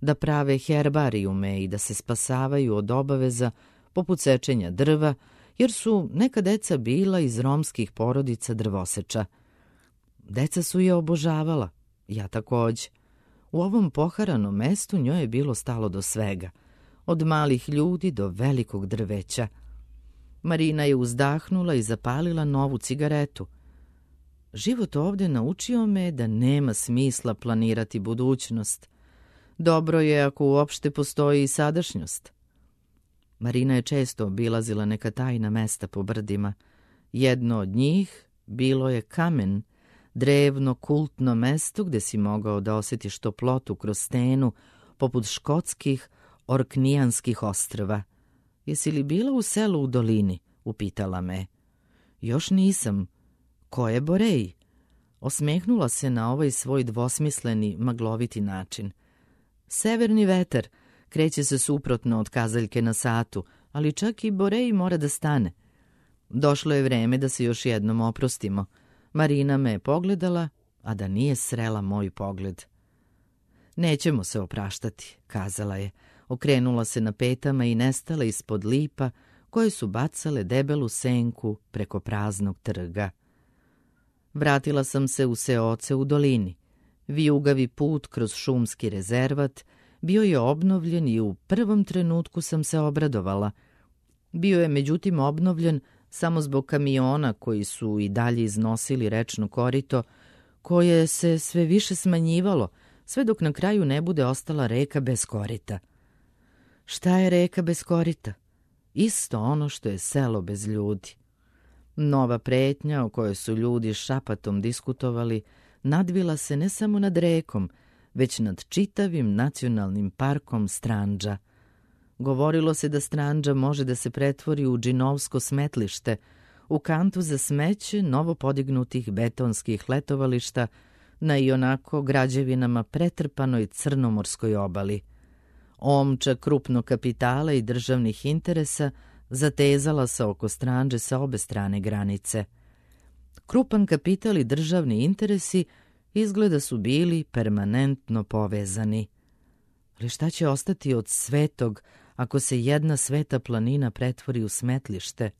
da prave herbarijume i da se spasavaju od obaveza poput sečenja drva, jer su neka deca bila iz romskih porodica drvoseča. Deca su je obožavala, ja takođe. U ovom poharanom mestu njoj je bilo stalo do svega. od malih ljudi do velikog drveća. Marina je uzdahnula i zapalila novu cigaretu. Život ovdje naučio me da nema smisla planirati budućnost. Dobro je ako uopšte postoji i sadašnjost. Marina je često obilazila neka tajna mesta po brdima. Jedno od njih bilo je Kamen, drevno kultno mesto gdje si mogao da osjetiš toplotu kroz stenu, poput škotskih Orknijanskih ostrva. Jesi li bila u selu u dolini? Upitala me. Još nisam. Ko je Borej? Osmehnula se na ovaj svoj dvosmisleni, magloviti način. Severni vetar kreće se suprotno od kazaljke na satu, ali čak i Borej mora da stane. Došlo je vreme da se još jednom oprostimo. Marina me je pogledala, a da nije srela moj pogled. Nećemo se opraštati, kazala je. Okrenula se na petama i nestala ispod lipa koje su bacale debelu senku preko praznog trga. Vratila sam se u seoce u dolini. Vijugavi put kroz šumski rezervat bio je obnovljen i u prvom trenutku sam se obradovala. Bio je međutim obnovljen samo zbog kamiona koji su i dalje iznosili rečno korito, koje se sve više smanjivalo, sve dok na kraju ne bude ostala reka bez korita. Šta je reka bez korita? Isto ono što je selo bez ljudi. Nova pretnja o kojoj su ljudi šapatom diskutovali nadvila se ne samo nad rekom, već nad čitavim nacionalnim parkom Stranđa. Govorilo se da Stranđa može da se pretvori u džinovsko smetlište, u kantu za smeće novo podignutih betonskih letovališta na ionako građevinama pretrpanoj crnomorskoj obali. Omča krupnog kapitala i državnih interesa zatezala se oko Stranđe sa obe strane granice. Krupan kapital i državni interesi izgleda su bili permanentno povezani. Ali šta će ostati od svetog ako se jedna sveta planina pretvori u smetlište?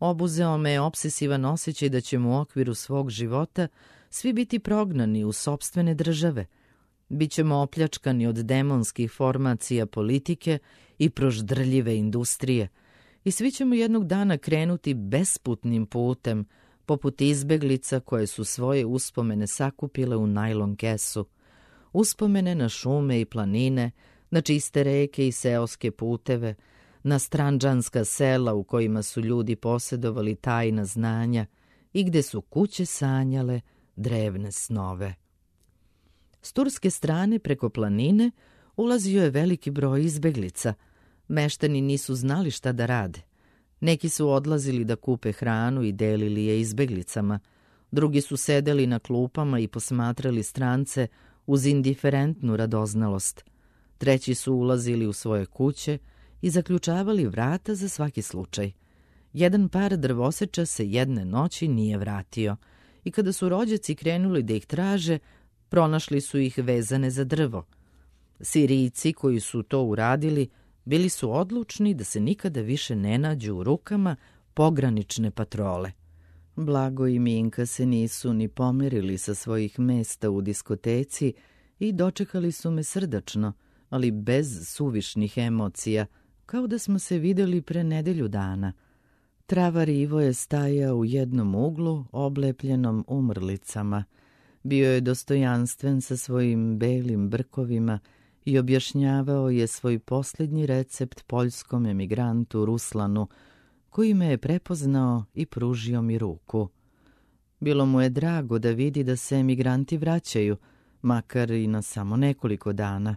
Obuzeo me je opsesivan osjećaj da ćemo u okviru svog života svi biti prognani u sopstvene države. Bićemo opljačkani od demonskih formacija politike i proždrljive industrije i svi ćemo jednog dana krenuti besputnim putem, poput izbeglica koje su svoje uspomene sakupile u najlon kesu. Uspomene na šume i planine, na čiste reke i seoske puteve, na stranđanska sela u kojima su ljudi posjedovali tajna znanja i gde su kuće sanjale drevne snove. S turske strane preko planine ulazio je veliki broj izbeglica. Meštani nisu znali šta da rade. Neki su odlazili da kupe hranu i delili je izbeglicama. Drugi su sedeli na klupama i posmatrali strance uz indiferentnu radoznalost. Treći su ulazili u svoje kuće i zaključavali vrata za svaki slučaj. Jedan par drvoseča se jedne noći nije vratio i kada su rođaci krenuli da ih traže, pronašli su ih vezane za drvo. Sirijci koji su to uradili bili su odlučni da se nikada više ne nađu u rukama pogranične patrole. Blago i Minka se nisu ni pomerili sa svojih mesta u diskoteci i dočekali su me srdačno, ali bez suvišnih emocija, kao da smo se videli pre nedelju dana. Travar Ivo je stajao u jednom uglu, oblepljenom umrlicama. Bio je dostojanstven sa svojim belim brkovima i objašnjavao je svoj posljednji recept poljskom emigrantu Ruslanu, koji me je prepoznao i pružio mi ruku. Bilo mu je drago da vidi da se emigranti vraćaju, makar i na samo nekoliko dana.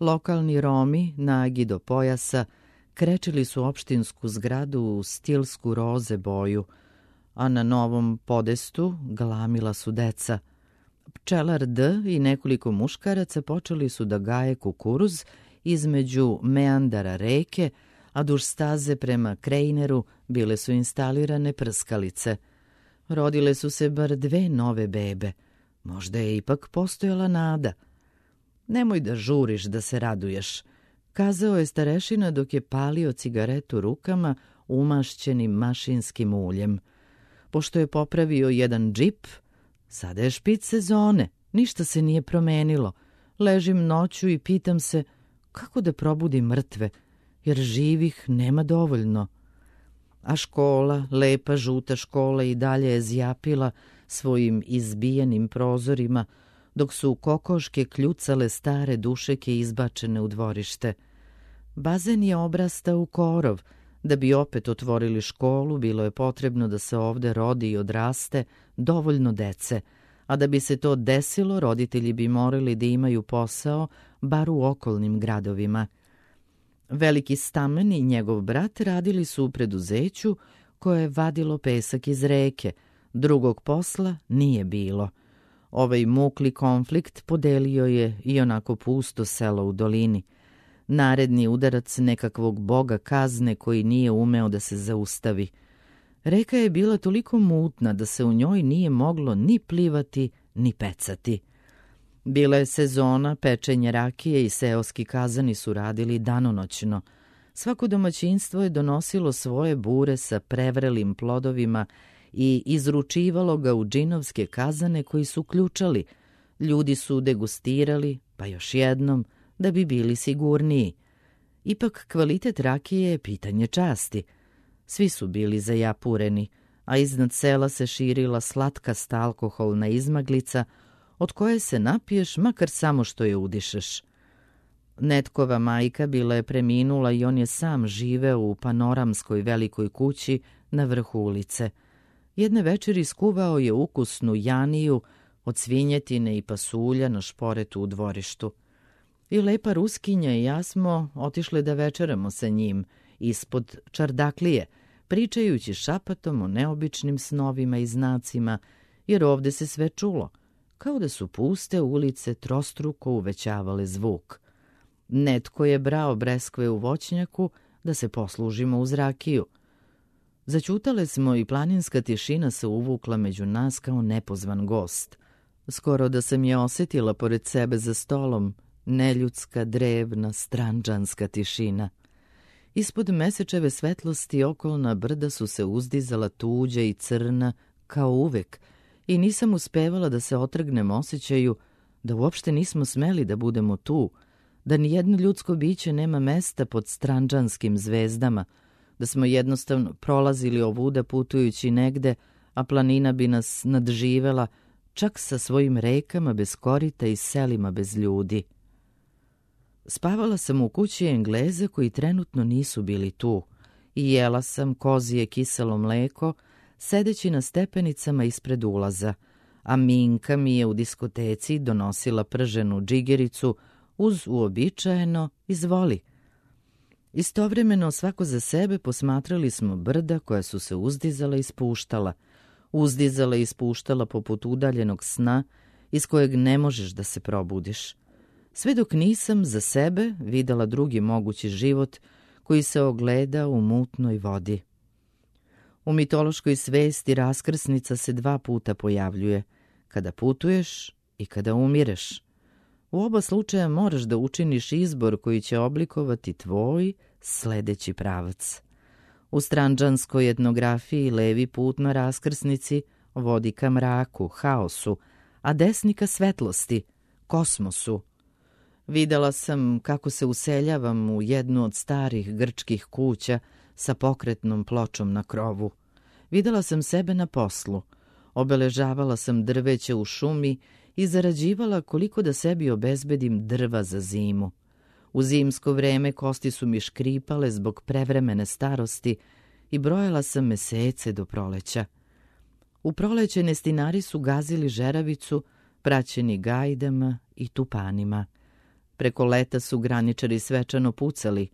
Lokalni Romi, nagi do pojasa, krečili su opštinsku zgradu u stilsku roze boju, a na novom podestu galamila su deca. Pčelar D i nekoliko muškaraca počeli su da gaje kukuruz između meandara reke, a duž staze prema Krejneru bile su instalirane prskalice. Rodile su se bar 2 nove bebe. Možda je ipak postojala nada. Nemoj da žuriš da se raduješ, kazao je starešina dok je palio cigaretu rukama umašćenim mašinskim uljem. Pošto je popravio jedan džip, sada je špic sezone, ništa se nije promenilo. Ležim noću i pitam se kako da probudi mrtve, jer živih nema dovoljno. A škola, lepa žuta škola, i dalje je zjapila svojim izbijenim prozorima, dok su kokoške kljucale stare dušeke izbačene u dvorište. Bazen je obrastao u korov. Da bi opet otvorili školu, bilo je potrebno da se ovde rodi i odraste dovoljno dece, a da bi se to desilo, roditelji bi morali da imaju posao bar u okolnim gradovima. Veliki Stamen i njegov brat radili su u preduzeću koje je vadilo pesak iz reke. Drugog posla nije bilo. Ovaj mukli konflikt podelio je i onako pusto selo u dolini. Naredni udarac nekakvog boga kazne koji nije umeo da se zaustavi. Reka je bila toliko mutna da se u njoj nije moglo ni plivati, ni pecati. Bila je sezona pečenja rakije i seoski kazani su radili danonoćno. Svako domaćinstvo je donosilo svoje bure sa prevrelim plodovima i izručivalo ga u džinovske kazane koji su ključali. Ljudi su degustirali, pa još jednom, da bi bili sigurniji. Ipak kvalitet rakije je pitanje časti. Svi su bili zajapureni, a iznad sela se širila slatkasta alkoholna izmaglica od koje se napiješ makar samo što je udišeš. Netkova majka bila je preminula i on je sam živeo u panoramskoj velikoj kući na vrhu ulice. Jedne večeri skuvao je ukusnu janiju od svinjetine i pasulja na šporetu u dvorištu. I lepa Ruskinja i ja smo otišle da večeramo sa njim ispod čardaklije, pričajući šapatom o neobičnim snovima i znacima, jer ovde se sve čulo, kao da su puste ulice trostruko uvećavale zvuk. Netko je brao breskve u voćnjaku da se poslužimo uz rakiju. Zaćutale smo i planinska tišina se uvukla među nas kao nepozvan gost. Skoro da sam je osjetila pored sebe za stolom, neljudska, drevna, stranđanska tišina. Ispod mesečeve svetlosti okolna brda su se uzdizala tuđa i crna kao uvek i nisam uspevala da se otrgnem osjećaju da uopšte nismo smeli da budemo tu, da nijedno ljudsko biće nema mesta pod stranđanskim zvezdama, da smo jednostavno prolazili ovuda putujući negde, a planina bi nas nadživela čak sa svojim rekama bez korita i selima bez ljudi. Spavala sam u kući Engleza koji trenutno nisu bili tu i jela sam kozije kiselo mleko sedeći na stepenicama ispred ulaza, a Minka mi je u diskoteci donosila prženu džigericu uz uobičajeno izvoli. Istovremeno svako za sebe posmatrali smo brda koja su se uzdizala i spuštala poput udaljenog sna iz kojeg ne možeš da se probudiš. Sve dok nisam za sebe videla drugi mogući život koji se ogleda u mutnoj vodi. U mitološkoj svesti raskrsnica se 2 puta pojavljuje, kada putuješ i kada umireš. U oba slučaja moraš da učiniš izbor koji će oblikovati tvoj sledeći pravac. U stranđanskoj etnografiji levi put na raskrsnici vodi ka mraku, haosu, a desni ka svetlosti, kosmosu. Videla sam kako se useljavam u jednu od starih grčkih kuća sa pokretnom pločom na krovu. Videla sam sebe na poslu, obeležavala sam drveće u šumi i zarađivala koliko da sebi obezbedim drva za zimu. U zimsko vreme kosti su mi škripale zbog prevremene starosti i brojala sam mesece do proleća. U proleće nestinari su gazili žeravicu, praćeni gajdama i tupanima. Preko leta su graničari svečano pucali.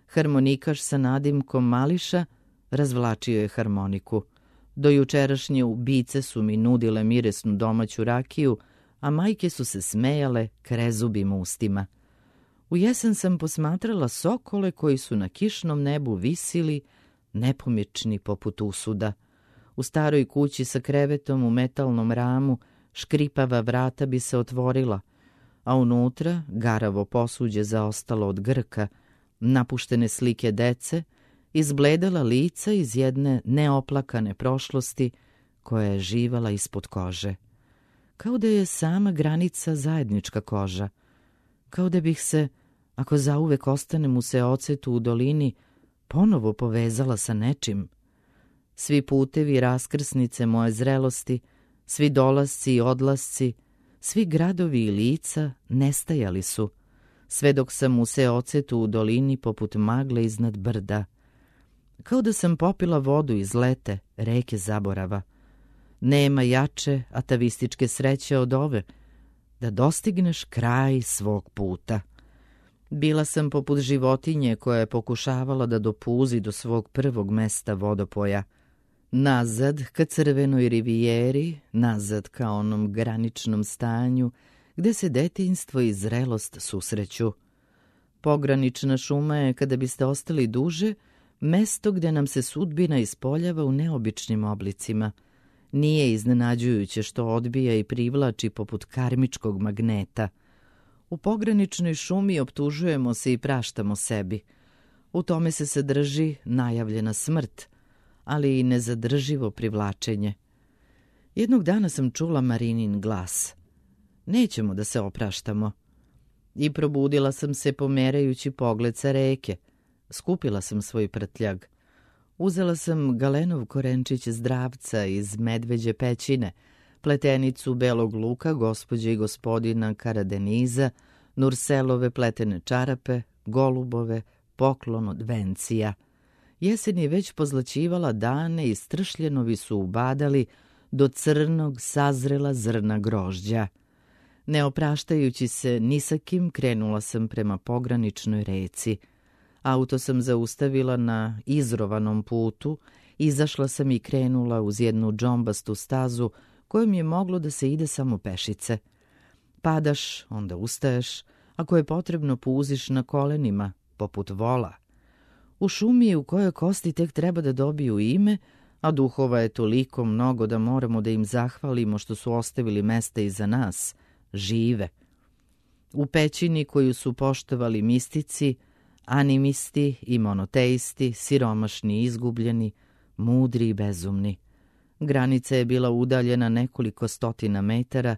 Harmonikaš sa nadimkom Mališa razvlačio je harmoniku. Do jučerašnje ubice su mi nudile miresnu domaću rakiju, a majke su se smejale krezubim ustima. U jesen sam posmatrala sokole koji su na kišnom nebu visili, nepomični poput usuda. U staroj kući sa krevetom u metalnom ramu škripava vrata bi se otvorila, a unutra garavo posuđe zaostalo od Grka, napuštene slike dece, izbledala lica iz jedne neoplakane prošlosti koja je živala ispod kože. Kao da je sama granica zajednička koža, kao da bih se ako zauvek ostanem u seocetu u dolini, ponovo povezala sa nečim. Svi putevi i raskrsnice moje zrelosti, svi dolasci i odlasci, svi gradovi i lica nestajali su, sve dok sam u seocetu u dolini poput magle iznad brda. Kao da sam popila vodu iz lete, reke zaborava. Nema jače atavističke sreće od ove, da dostigneš kraj svog puta. Bila sam poput životinje koja je pokušavala da dopuzi do svog prvog mesta vodopoja. Nazad ka crvenoj rivijeri, nazad ka onom graničnom stanju, gde se detinjstvo i zrelost susreću. Pogranična šuma je, kada biste ostali duže, mesto gde nam se sudbina ispoljava u neobičnim oblicima. Nije iznenađujuće što odbija i privlači poput karmičkog magneta. U pograničnoj šumi optužujemo se i praštamo sebi. U tome se sadrži najavljena smrt, ali i nezadrživo privlačenje. Jednog dana sam čula Marinin glas. Nećemo da se opraštamo. I probudila sam se pomerajući pogled sa reke. Skupila sam svoj prtljag. Uzela sam galenov korenčić zdravca iz medveđe pećine, pletenicu belog luka gospođe i gospodina Karadeniza, Nurselove pletene čarape, golubove, poklon od vencija. Jesen je već pozlaćivala dane i stršljenovi su ubadali do crnog sazrela zrna grožđa. Ne opraštajući se ni sa kim, krenula sam prema pograničnoj reci. Auto sam zaustavila na izrovanom putu, izašla sam i krenula uz jednu džombastu stazu kojom je moglo da se ide samo pešice. Padaš, onda ustaješ, ako je potrebno puziš na kolenima, poput vola. U šumi u kojoj kosti tek treba da dobiju ime, a duhova je toliko mnogo da moramo da im zahvalimo što su ostavili mesta iza nas, žive. U pećini koju su poštovali mistici, animisti i monoteisti, siromašni i izgubljeni, mudri i bezumni. Granica je bila udaljena nekoliko stotina metara,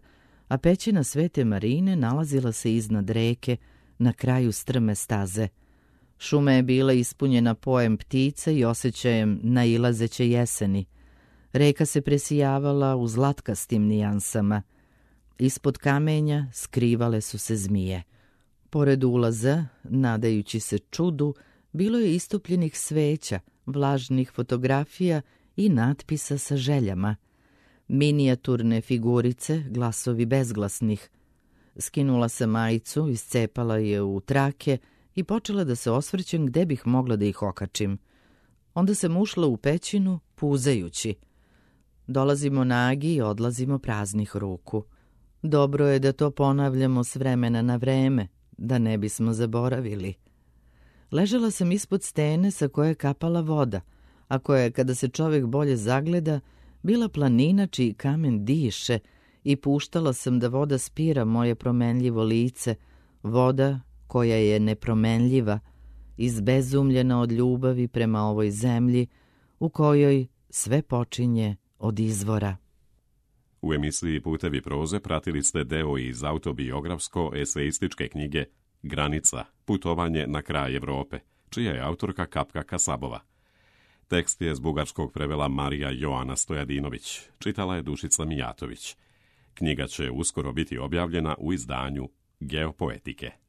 a pećina Svete Marine nalazila se iznad reke, na kraju strme staze. Šuma je bila ispunjena pojem ptica i osjećajem nailazeće jeseni. Reka se presijavala u zlatkastim nijansama. Ispod kamenja skrivale su se zmije. Pored ulaza, nadajući se čudu, bilo je istopljenih sveća, vlažnih fotografija i natpisa sa željama. Minijaturne figurice, glasovi bezglasnih. Skinula sam majicu, iscepala je u trake i počela da se osvrćem gde bih mogla da ih okačim. Onda sam ušla u pećinu, puzajući. Dolazimo nagi i odlazimo praznih ruku. Dobro je da to ponavljamo s vremena na vreme, da ne bismo zaboravili. Ležala sam ispod stene sa koje je kapala voda, a koja je, kada se čovjek bolje zagleda, bila planina čiji kamen diše, i puštala sam da voda spira moje promenljivo lice, voda koja je nepromenljiva, izbezumljena od ljubavi prema ovoj zemlji, u kojoj sve počinje od izvora. U emisiji Putevi proze pratili ste deo iz autobiografsko-eseističke knjige Granica, putovanje na kraj Evrope, čija je autorka Kapka Kasabova. Tekst je s bugarskog prevela Marija Joana Stojadinović, čitala je Dušica Mijatović. Knjiga će uskoro biti objavljena u izdanju Geopoetike.